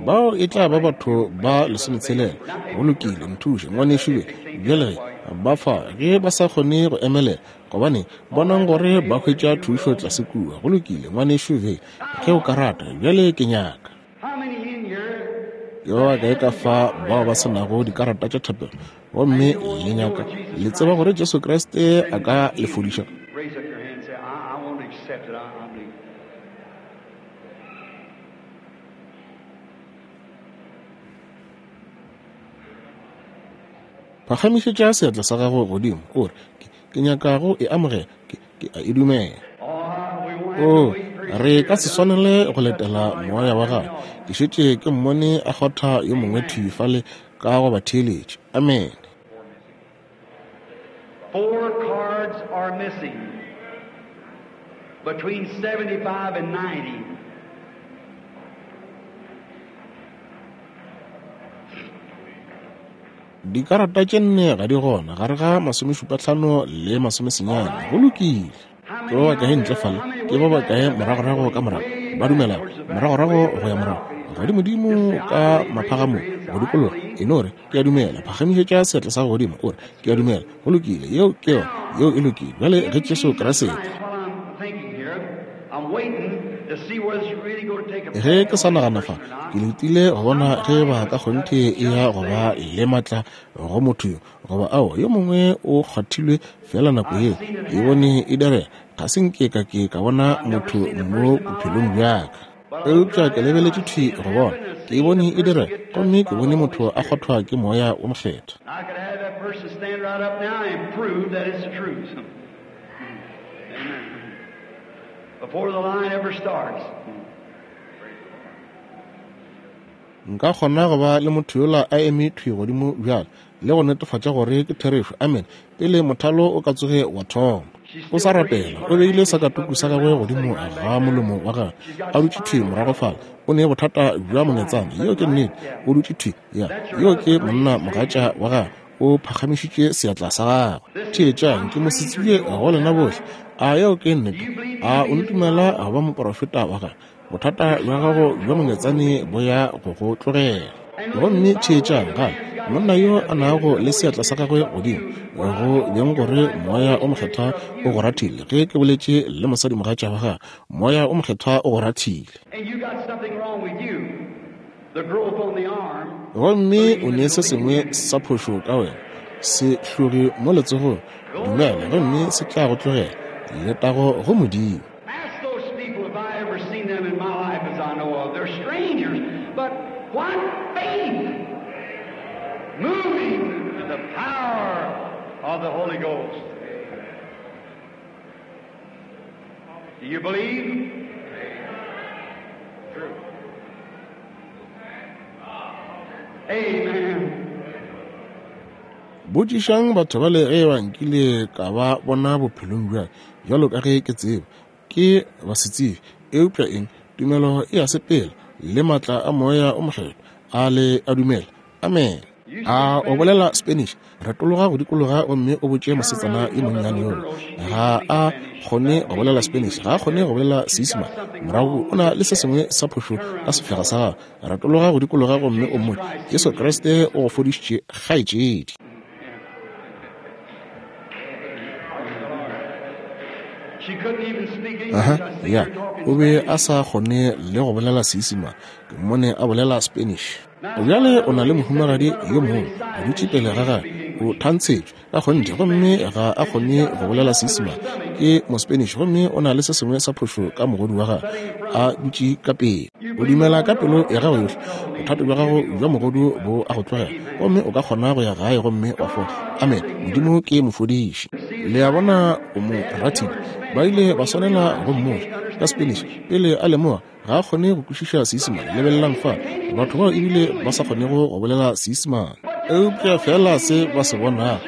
Speaker 1: Bao e tla ba batho ba lesometshelela. Go lokile, nthuše, ngwanešu. Bjale ge ba fa, ge ba sa kgone go emelela, gobane bonang gore ba hwetša thušo tlase kua. Go lokile, ngwanešu Bill, ge o ka rata. Bjale ke nyaka. Ke ba bakae ka fa bao ba se nago dikarata tša thapelo, gomme le nyaka, le tseba gore Jesu Kriste a ka le fodiša? Phagamišetša seatla sa gago godimo, o re, Ke, ke nyaka go e amogela. Ke, ke a e dumela. Oo, re ka se swanele go letela moya wa gagwe. Ke šetše ke mmone a kgotha yo mongwe thwi fale ka go ba theeletša. Amene.
Speaker 2: Four cards are missing between 75 and 90.
Speaker 1: Dikarata tše nne ga di gona gare ga masomešupatlhano le masomesenyane. Go lokile. Ke ba bakae ntle fale? Ke ba bakae moragorago ka morago ba dumelago? Moragorago go ya morago, godimodimo ka maphagamong, go dikologa. E no re, Ke a dumela. Phagamišetša seatla sa gago godimo, o re, Ke a dumela. Go lokile. Yeo ke yona. Yeo e lokile. Bjale ge Jesu Kriste. Ge ke sa nagana fa, ke letile go bona ge ba ka kgonthe e ya go ba le maatla go motho yo, goba ao, yo mongwe o kgwathilwe feela nako yeo. Ke bone e direga. Ga se nke ka ke ka bona motho mo bophelong bja ka. Eupša ke lebeletše thwi go bona, ke e bone e direga, gomme ke bone motho a kgwathwa ke Moya wo Mokgethwa. Nka kgona go ba le motho yola a eme thwi godimo bjale le go netefatša gore ke therešo, amene, pele mothalo o ka tsoge wa thoma. O sa rapela, o beile sakatuku sa gagwe godimo ga molomo wa gagwe, a dutše thwi morago fale. O ne bothata bja mongetsana, yeo ke nnete, o dutše thwi, ya, yoo ke monna mogatša wa gagwe. O phagamišitše seatla sa gagwe. Theetšang, ke mosetsebje go lena bohle. A yeo ke nnete? A o ntumela go ba moprofeta wa gagwe? Bothata bja gago bja mongetsane bo ya go go tlogela. Gomme theetšang gape, monna yo a nago le seatla sa gagwe godimo, go beng gore Moya o Mokgethwa o go rathile. Ge ke boletše le mosadimogatša wa gagwe, Moya o Mokgethwa o go rathile. Gomme o ne se sengwe sa phošo ka wena, se hlogi mo letsogong, dumela gomme se tla go tlogela. Letago go Modimo.
Speaker 2: Ask those people if I ever seen them in my life as I know of. They're strangers, but what faith moving in the power of the Holy Ghost. Do you believe? True. Amen.
Speaker 1: Botšišang batho bale ge eba nkile ka ba bona bophelong bja bjalo ka ge ke tseba, ke basetsebje. Eupša eng? Tumelo e a sepela le maatla a Moya o Mokgethwa. A le a dumela? Amen. A o bolela Spanish? Retologa go dikologa gomme o botše mosetsana yo monnyane yola. Ga a kgone go bolela Spanish, ga a kgone go bolela Seisemane. Morago o na le se sengwe sa phošo ka sefega sa gagwe. Retologa go dikologa gomme o mmotše, Jesu Kriste o go fodišitše, kgaetšedi.
Speaker 2: She couldn't even speak English.
Speaker 1: Aha,
Speaker 2: I see
Speaker 1: ya,
Speaker 2: her talking
Speaker 1: o be
Speaker 2: Spanish.
Speaker 1: a sa kgone le go bolela Seisemane. Ke mmone a bolela Spanish. Bjale o na le mohumagadi yo mongwe a dutše pele ga gagwe, o thantshetšwe ka kgonthe, gomme ga a kgone go bolela Seisemane. Ke Mospanish, gomme o na le se sengwe sa phošo ka mogodu wa gagwe a dutše ka pele. O dumela ka pelo ya gago yohle, bothata bja gago bja mogodu bo a go tlogela, gomme o ka kgona go ya gae gomme wa fola. Amen. Modimo ke mofodiši. Le a bona, o mo rathile. Ba ile ba swanela go mmotša ka Spanish pele a lemoga ga a kgone go kwešiša Seisemane. Lebelelang fa, batho bao ebile ba sa kgonego go bolela Seisemane, eupša feela se ba se bonago,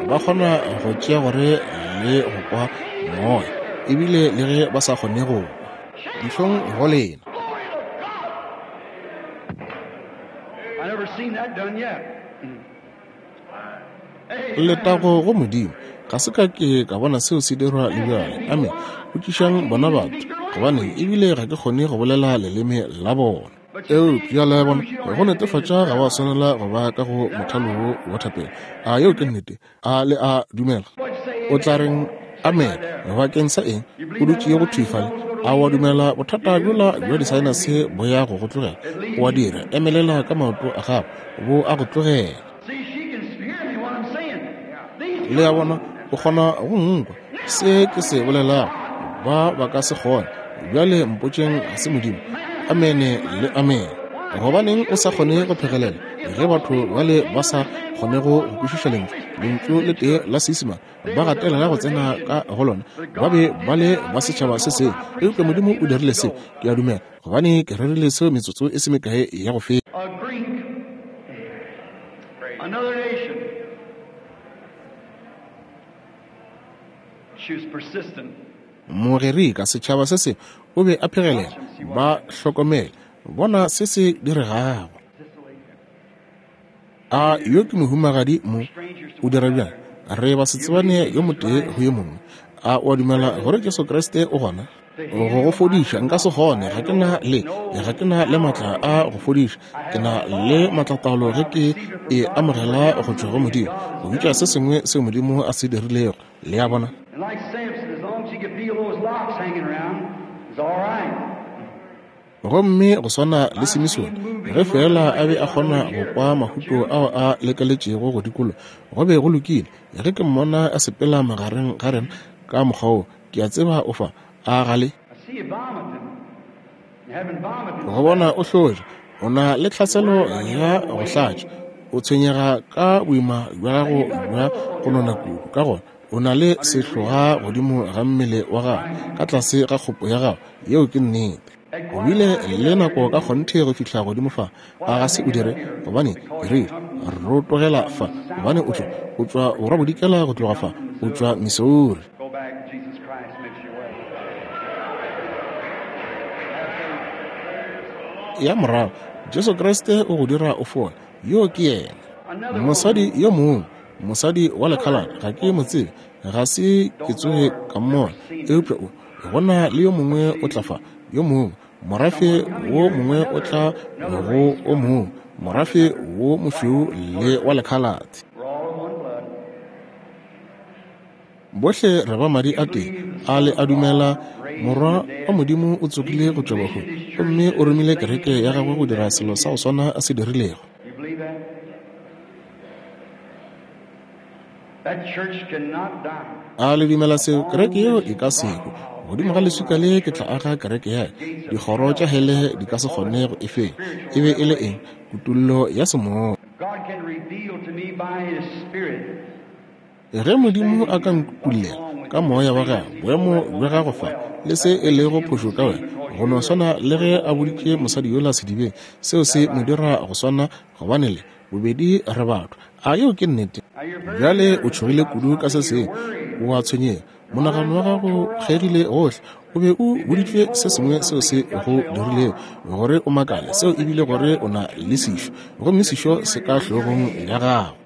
Speaker 1: ba kgona go tšea gore le go kwa moya, ebile le ge ba sa kgone go kwa. Dihlong go lena.
Speaker 2: Glory to God. I never seen that done yet.
Speaker 1: Letago go Modimo. Ga se ka ke ka bona seo se dirwa le bjale. Amen. Botšišang bona batho, gobane ebile ga ke kgone go bolela leleme la bona. Eupša le a bona, go netefatša ga wa swanela go ba ka go mothalo wo wa thapelo. A yeo ke nnete? A le a dumela? O tla reng amen bakeng sa eng? O dutše go thwi fale. A wa dumela bothata bjola bja disaenase bo ya go go tlogela? O a dira. Emelela ka maoto a gago, bo a go tlogela.
Speaker 2: See, she can hear me what I'm saying. These
Speaker 1: Le a bona, o kgona go nkwa se ke se bolelago. Ba ba ka se kgone. Bjale mpotšeng ga se Modimo. Amene le amen. Gobaneng o sa kgone go phegelela ge batho bale ba sa kgonego go kwešiša lentšu, lentšu le tee la Seisemane, ba gatelela go tsena ka go lona, ba be ba le ba setšhaba se sengwe. Eupša Modimo o dirile seo, ke a dumela, gobane ke rerile seo metsotso e se mekae ya go feta.
Speaker 2: a Greek, another nation. She was persistent.
Speaker 1: Mogerika, setšhaba se sengwe, o be a phegelela. Ba hlokomele, bona se se diregago. A yo ke mohumagadi mo? O dira bjang? Re basetsebane yo motee go yo mongwe. A o a dumela gore Jesu Kriste o gona go go fodiša? Nka se kgone, ga ke na le, ga ke na le maatla a go fodiša. Ke na le maatlataolo ge ke e amogela go tšwa go Modimo, go bitša se sengwe seo Modimo a se dirilego. Le a bona?
Speaker 2: And like Samson, as long as he could feel those locks hanging around, it's all right.
Speaker 1: Gomme go swana le Simisone, ge feela a be a kgona go kwa mahuto ao a lekeletšego go dikologa, go be go lokile. Ge ke mmona a sepela magareng ga rena ka mokgwa wo, ke a tseba o fa. A ga le?
Speaker 2: I see you vomiting. And having vomited.
Speaker 1: Go bona o hlotša, o na le tlhaselo ya go hlatša, o tshwenyega ka boima bja gago bja go nona kudu. Ka gona o na le sehloga godimo ga mmele wa gago, ka tlase ga kgopo ya gago. Yeo ke nnete. O bile le nako ka kgonthe go fihla godimo fa. A ga se o dire? Gobane ke rile, rotogela fa, gobane o tšwa, o tšwa borwa-bodikela go tloga fa, o tšwa Missouri.
Speaker 2: Go back, Jesus Christ makes you well.
Speaker 1: Ya morago, Jesu Kriste o go dira o fole. Yo ke yena. Mosadi yo mongwe, mosadi wa lekhalate, ga ke mo tsebe, ga se ke tsoge ka mmona, eupša o gona le yo mongwe o tla fa, yo mongwe, morafe wo mongwe o tla go o mongwe, morafe wo mošweu le wa lekhalate. Bohle re ba madi a tee, a le a dumela Morwa wa Modimo o tsogile go tšwa bahung gomme o romile kereke ya gagwe go dira selo sa go swana a se dirilego. A le dumela seo? Kereke yeo e ka se hwe. Godimo ga leswika le ke tla aga kereke ya ka, dikgoro tša hele di ka se kgone go e fenya. E be e le eng? Kutollo ya semoya. Ge Modimo a ka nkutollela ka Moya wa Gagwe boemo bja gago fa le se e lego phošo ka wena, go no swana le ge a boditše mosadi yola sedibeng, seo se mo dira go swana, gobane le bobedi re batho. A yeo ke nnete? Bjale o tšhogile kudu ka se sengwe, o a tshwenyega, monagano wa gago kgegile gohle. O be o boditšwe se sengwe seo se go dirilego gore o makale, seo e bile gore o na le sešo, gomme sešo se ka hlogong ya gago.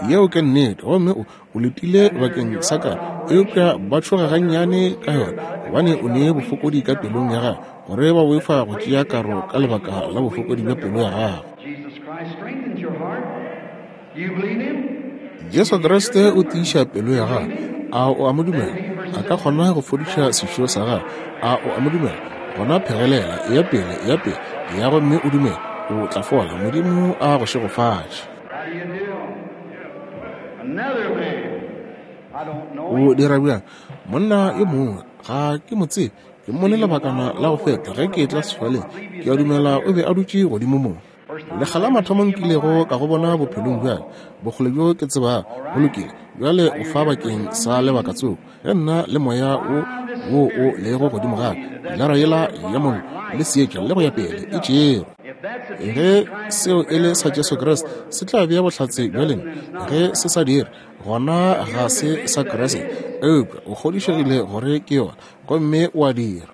Speaker 1: Yeo ke nnete. Gomme o, o letile bakeng sa ka, eupša ba tšhoga gannyane ka yona, gobane o ne bofokodi ka pelong ya gago, gore ba boifa go tšea karo ka lebaka la bofokodi bja pelo ya gago. Jesu Kriste o tiiša pelo ya gago. A o a mo dumela? A ka kgona go fodiša sešo sa gago. A o a mo dumela? Gona phegelela, eya pele, eya pele, eya gomme o dumele, o tla fola. Modimo a go šegofatše. O dira bjang? Monna yo mongwe, ga ke mo tsebe, ke mmone lebakana la go feta ge ke etla sefaleng, ke a dumela o be a dutše godimo mo. Lekga la mathomo nkilego ka go bona bophelong bja ka, bokgole bjo ke tsebago. Go lokile, bjale o fa bakeng sa lebaka tsoko. Ge nna le moya wo wo o lego godimo ga ka, pilara yela ya mollo le seetša le go ya pele e tšerwe. Ge seo e le sa Jesu Kriste, se tla bea bohlatse bja lena. Ge se sa dire, gona ga se sa Kriste. Eupša o kgodišegile gore ke yona, gomme o a dira.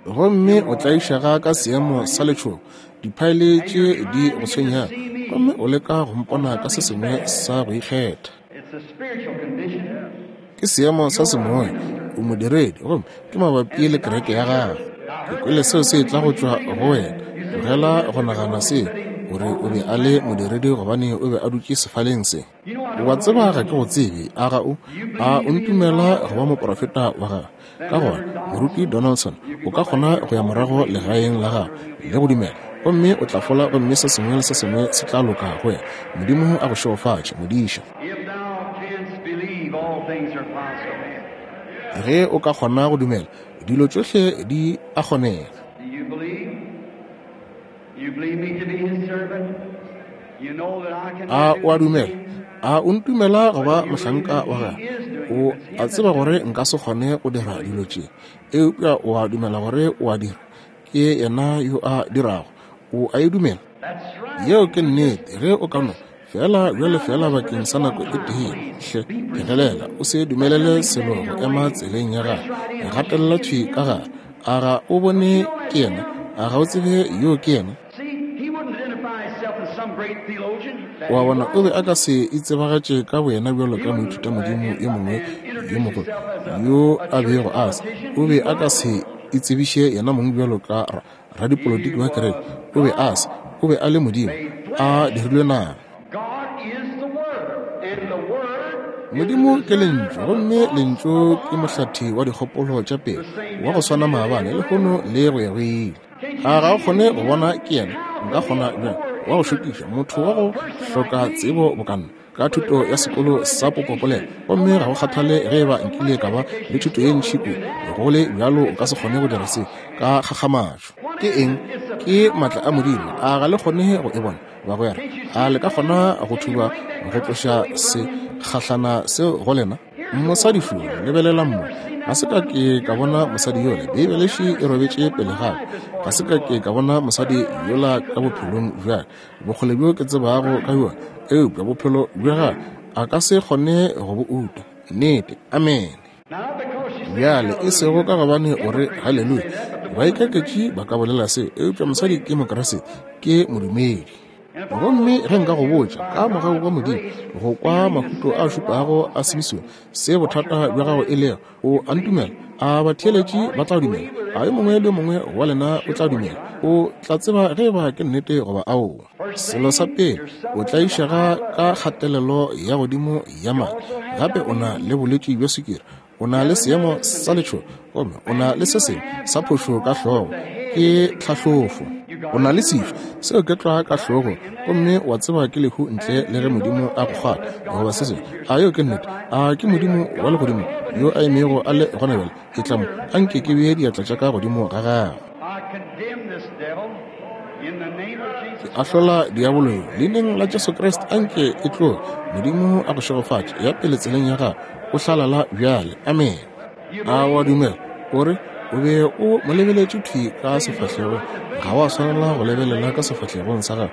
Speaker 1: Gomme o tlaišega ka seemo sa letšhogo, diphaele tše di go tshwenyago, gomme o leka go mpona ka se sengwe sa go ikgetha. Ke seemo sa semoya, o modiredi, gomme ke mabapi le kereke ya gago. Ke kwele seo se etla go tšwa go wena. Tlogela go nagana seo, gore o be a le modiredi gobane o be a dutše sefaleng se. O a tseba ga ke go tsebe, a ga o? A o ntumela go ba moprofeta wa gagwe? Ka gona, Moruti Donaldson, o ka kgona go ya morago legaeng la gago le go dumela, gomme o tla fola gomme se sengwe le se sengwe se tla loka go wena. Modimo a go šegofatše, modiša. Ge o ka kgona go dumela, dilo tšohle di a kgonega. A o a dumela? A o ntumela go ba mohlanka wa gagwe? O a tseba gore nka se kgone go dira dilo tše, eupša o a dumela gore o a dira. Ke yena yo a dirago. O a e dumela? Yeo ke nnete. Ge o ka no feela bjale, feela bakeng sa nako e tee, hle phegelela, o se dumelele selo go ema tseleng ya gago. Gatelela thwi ka gare. A ga o bone ke yena? A ga o tsebe yoo ke yena? O a bona, o be a ka se itsebagatše ka boyena bjalo ka moithutamodimo yo mongwe yo mogolo yo a bego a se. O be a ka se itsebiše yena mong bjalo ka ra, radipolotiki wa kereke. O be a se. O be a le Modimo a dirilwe nama. Modimo ke Lentšu, gomme Lentšu ke mohlathi wa dikgopolo tša pelo, wa go swana maabane, lehono le go ya go ile. A ga o kgone go bona ke yena? Nka kgona bjang? Wa go šokiša, motho wa go hloka tsebo bokanna, ka thuto ya sekolo sa popopolelo, gomme ga go kgathale ge eba nkile ka ba le thuto ye ntši kudu, go le bjalo o ka se kgone go dira se ka kgakgamatšo. Ke eng? Ke maatla a Modimo. A ga le kgone go e bona, bagwera? A le ka kgona go thuba go tloša se kgahlana seo go lena? Mosadi šo, lebelelang mo. Ga se ka ke ka bona mosadi yola. Beibele še e robetše pele ga ka. Ga se ka ke ka bona mosadi yola ka bophelong bja ka, bokgole bjo ke tsebago ka bjona, eupša bophelo bja gagwe a ka se kgone go bo uta. Nnete. Amene. Bjale, e sego ka gobane o re haleluya. Baikaketši ba ka bolela seo, eupša mosadi ke Mokriste, ke modumedi. Gomme ge nka go botša, ka mogau wa Modimo, go kwa mahuto a šupago a Simisone, se bothata bja gago e lego, o a ntumela? A batheeletši ba tla dumela? A yo mongwe le yo mongwe wa lena o tla dumela? O tla tseba ge eba ke nnete goba aowa. Selo sa pele, o tlaišega ka kgatelelo ya godimo ya madi. Gape o na le bolwetši bja sukiri. O na le seemo sa letšhogo, gomme o na le se sengwe sa phošo ka hlogo. Ke tlhahlofo. O na le sefu, seo ke tlwa ka hlogo, gomme wa tseba ke lehu ntle le ge Modimo a go kgwatha goba se sengwe. A yeo ke nnete? A ke Modimo wa legodimo yo a emego a le gona bjale? Etla mo, a nke ke bee diatla tša ka godimo ga gago. Ke ahlola diabolo yo, Leineng la Jesu Kriste, a nke e tloge. Modimo a go šegofatše. Ya pele tseleng ya gago, o hlalala bjale. Amene. A wa dumela? O re o be o mo lebeletše thwi ka sefahlegong. Ga wa swanela go lebelela ka sefahlegong sa gagwe.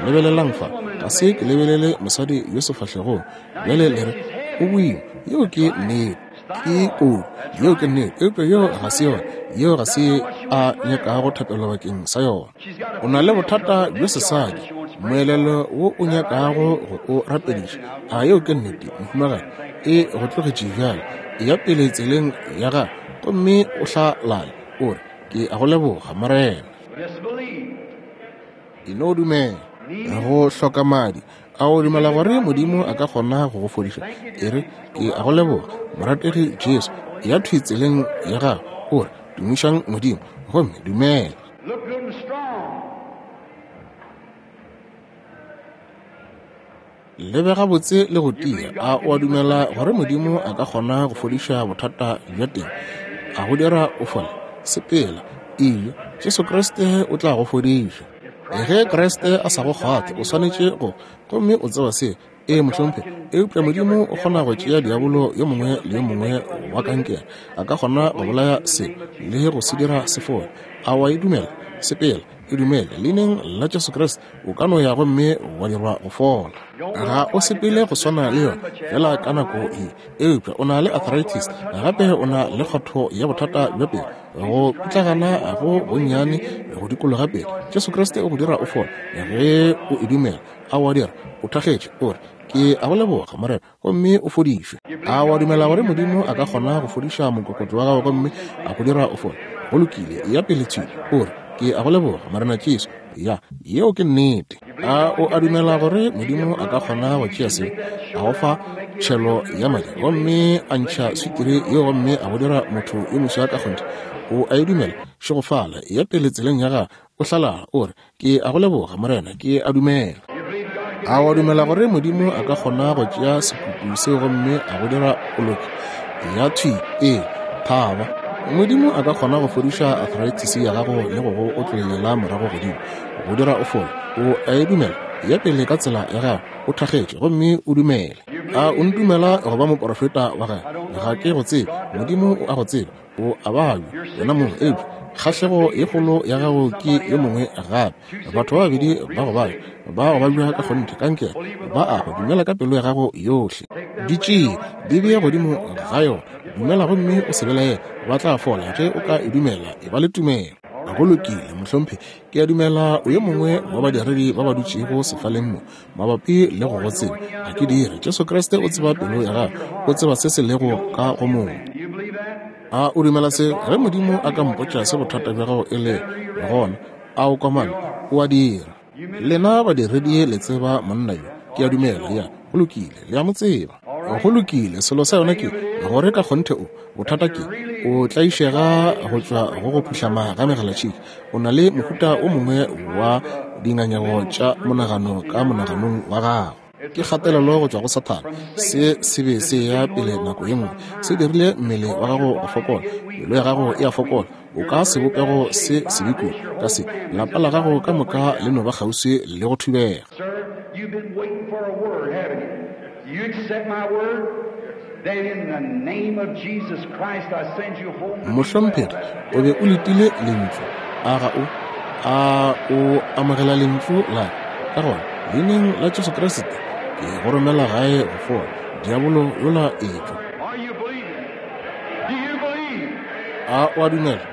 Speaker 1: Lebelelang fa. Ga se ke lebelele mosadi yo sefahlegong. Bjale le re, O boima. Yeo ke nnete. Ke kodu. Yeo ke nnete. Eupša yeo ga se yona. Yeo ga se a nyakago thapelo bakeng sa yona. O na le bothata bjo sesadi, moelelo wo o nyakago go o rapediša. A yeo ke nnete, mohumagadi? E go tlogetše bjale. Eya pele tseleng ya gago gomme o hlalale, o re, Ke a go leboga, Morena. E no dumela. Go hloka madi. A o dumela gore Modimo a ka kgona go go fodiša? E re, Ke a go leboga, morategi Jesu. Eya thwi tseleng ya gago, o re, Tumišang Modimo, gomme dumela.
Speaker 2: Look good and strong.
Speaker 1: Lebega botse le go tia. A o a dumela gore Modimo a ka kgona go fodiša bothata bja teng, a go dira o fole? Sepela, eya, Jesu Kriste o tla go fodiša. Ge Kriste a sa go kgwathe, o swanetše go, gomme o tseba se, Ee, mohlomphegi. Eupša Modimo o kgona go tšea diabolo yo mongwe le yo mongwe wa kankere. A ka kgona go bolaya se le go se dira se fole. A wa e dumela? Sepela, e dumele. Leineng la Jesu Kriste, o ka no ya gomme wa dirwa go fola. Ga o sepele go swana le yona, feela ka nako ye. Eupša o na le arthritis, gape o na le kgotho ya bothata bja pelo, go pitlagana go gonnyane go dikologa pelo. Jesu Kriste o go dira o fole ge o e dumela. A o a dira? O thakgetše, o re, Ke a go leboga, Morena, gomme o fodišwe. A o a dumela gore Modimo a ka kgona go fodiša mokokotlo wa gago gomme a go dira o fole? Go lokile, eya pele thwi, o re, Ke a go leboga, Morena Jesu. Ya, yeo ke nnete. A o a dumela gore Modimo a ka kgona go tšea se, a go fa tšhelo ya madi, gomme a ntšha swikiri yeo gomme a go dira motho yo moswa ka kgonthe? O a e dumela? Šegofala, eya pele tseleng ya gago, o hlalala, o re, Ke a go leboga, Morena, ke a dumela. A wa dumela gore Modimo a ka kgona go tšea sekutu seo gomme a go dira o loke? Ya thwi, ee, thaba. Modimo a ka kgona go fodiša arthritis ya gago le go go otlollela morago godimo, go dira o fole. O a e dumela? Ya pele ka tsela ya gago, o thakgetše gomme o dumele. A o ntumela go ba moporofeta wa gagwe? Ga ke go tsebe. Modimo o a go tseba. O a babja, wena mong, eupša kgahlego ye kgolo ya gago ke yo mongwe gape. Batho ba babedi ba go babja, ba go babja ka kgonthe, kankere, ba a hwa. Dumela ka pelo ya gago yohle. Di tšee, di bee godimo ga yona. Dumela gomme o se belaele, ba tla fola ge o ka e dumela. Eba le tumelo. Go lokile, mohlomphegi. Ke a dumela o yo mongwe wa badiredi ba ba dutšego sefaleng mo. Mabapi le go go tseba, ga ke dire. Jesu Kriste o tseba pelo ya gago, o tseba se se lego ka go motho. A o dumela se? Ge Modimo a ka mpotša se bothata bja gago e le gona, a o komana? O a dira. Lena badiredi le tseba monna yo, ke a dumela. Ya, go lokile, le a mo tseba. Go lokile, selo sa yona ke gore ka kgonthe o, bothata ke, o tlaišega go tšwa go go phuhlama ga megalatšhika. O na le mohuta o mongwe wa dingangego tša monagano ka monaganong wa gago. Ke kgatelelo go tšwa go Sathane. Se se be se ya pele nako ye nngwe. Se dirile mmele wa gago go fokola. Pelo ya gago e a fokola. O ka sebopego se sebe kudu ka se. Lapa la gago ka moka le no ba kgauswi le go thubega. Mohlomphegi, o be o letile Lentšu, a ga o? A o amogela Lentšu la ka? Ka gona, Leineng la Jesu Kriste, ke go romela gae go fola. Diabolo yola etšwa. A o a dumela?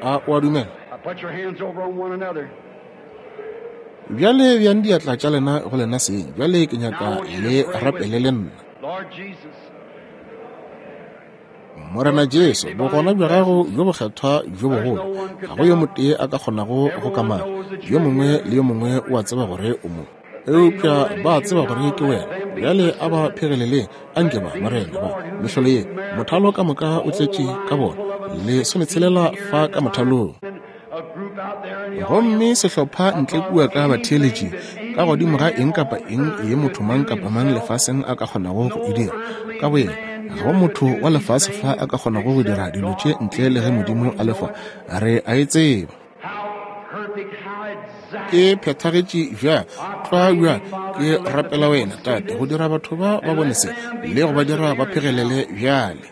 Speaker 1: A o a dumela? Bjale bjang diatla tša lena go lena seng. Bjale ke nyaka le rapele le nna. Morena Jesu, bogona bja gago bjo bokgethwa bjo bogolo, ga go yo motee a ka kgonago go kamaka. Yo mongwe le yo mongwe o a tseba gore o mo. Eupša ba a tseba gore ke wena. Bjale a ba phegeleleng, a nke ba, Morena, ba mehlolo ye, mothalo ka moka o tletše ka bona, lesometshelela fa ka mothalong. Gomme sehlopha ntle kua ka batheeletši, ka godimo ga eng kapa eng ye motho mang kapa mang lefaseng a ka kgonago go e dira ka boyena. Ga go motho wa lefase fa a ka kgonago go dira dilo tše ntle le ge Modimo a le fa. Re a e tseba. E phethagetše bjang, tlwa bjang. Ke rapela Wena, Tate, go dira batho ba ba bone se le go ba dira ba phegelele bjale.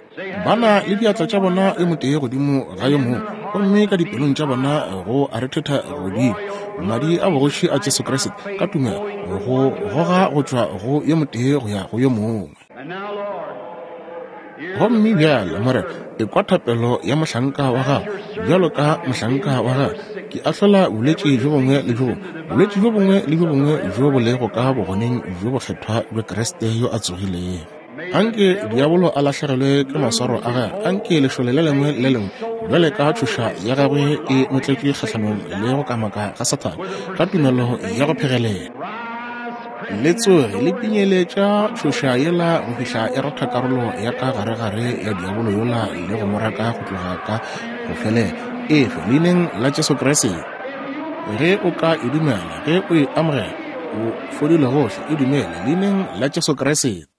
Speaker 1: Ba na le diatla tša bona yo motee godimo ga yo mongwe, gomme ka dipelong tša bona go a rethetha godimo madi a bogoši a Jesu Kriste ka tumelo go goga go tšwa go yo motee go ya go yo mongwe. Gomme bjale, Morena, ekwa thapelo ya mohlanka wa gago. Bjalo ka mohlanka wa gago, ke ahlola bolwetši bjo bongwe le bjo bongwe, bolwetši bjo bongwe le bjo bongwe bjo bo lego ka bogoneng bjo bokgethwa bja Kriste yo a tsogilego. Anke diabolo a lahlegelwe ke maswaro a gagwe. Anke lešole le lengwe le lengwe bjale ka tšhoša ya gagwe e notletšwe kgahlanong le go kamaka ga Sathane ka tumelo ya go phegelela. Le tsoge le pinyeletša tšhoša yela go fihla e rotha karolo ya ka garegare ya diabolo yola le go mo raka go tloga ka go felela. Efe, leineng la Jesu Kriste. Ge o ka e dumela, ge o e amogela, o fodile gohle. E dumele, leineng la Jesu Kriste.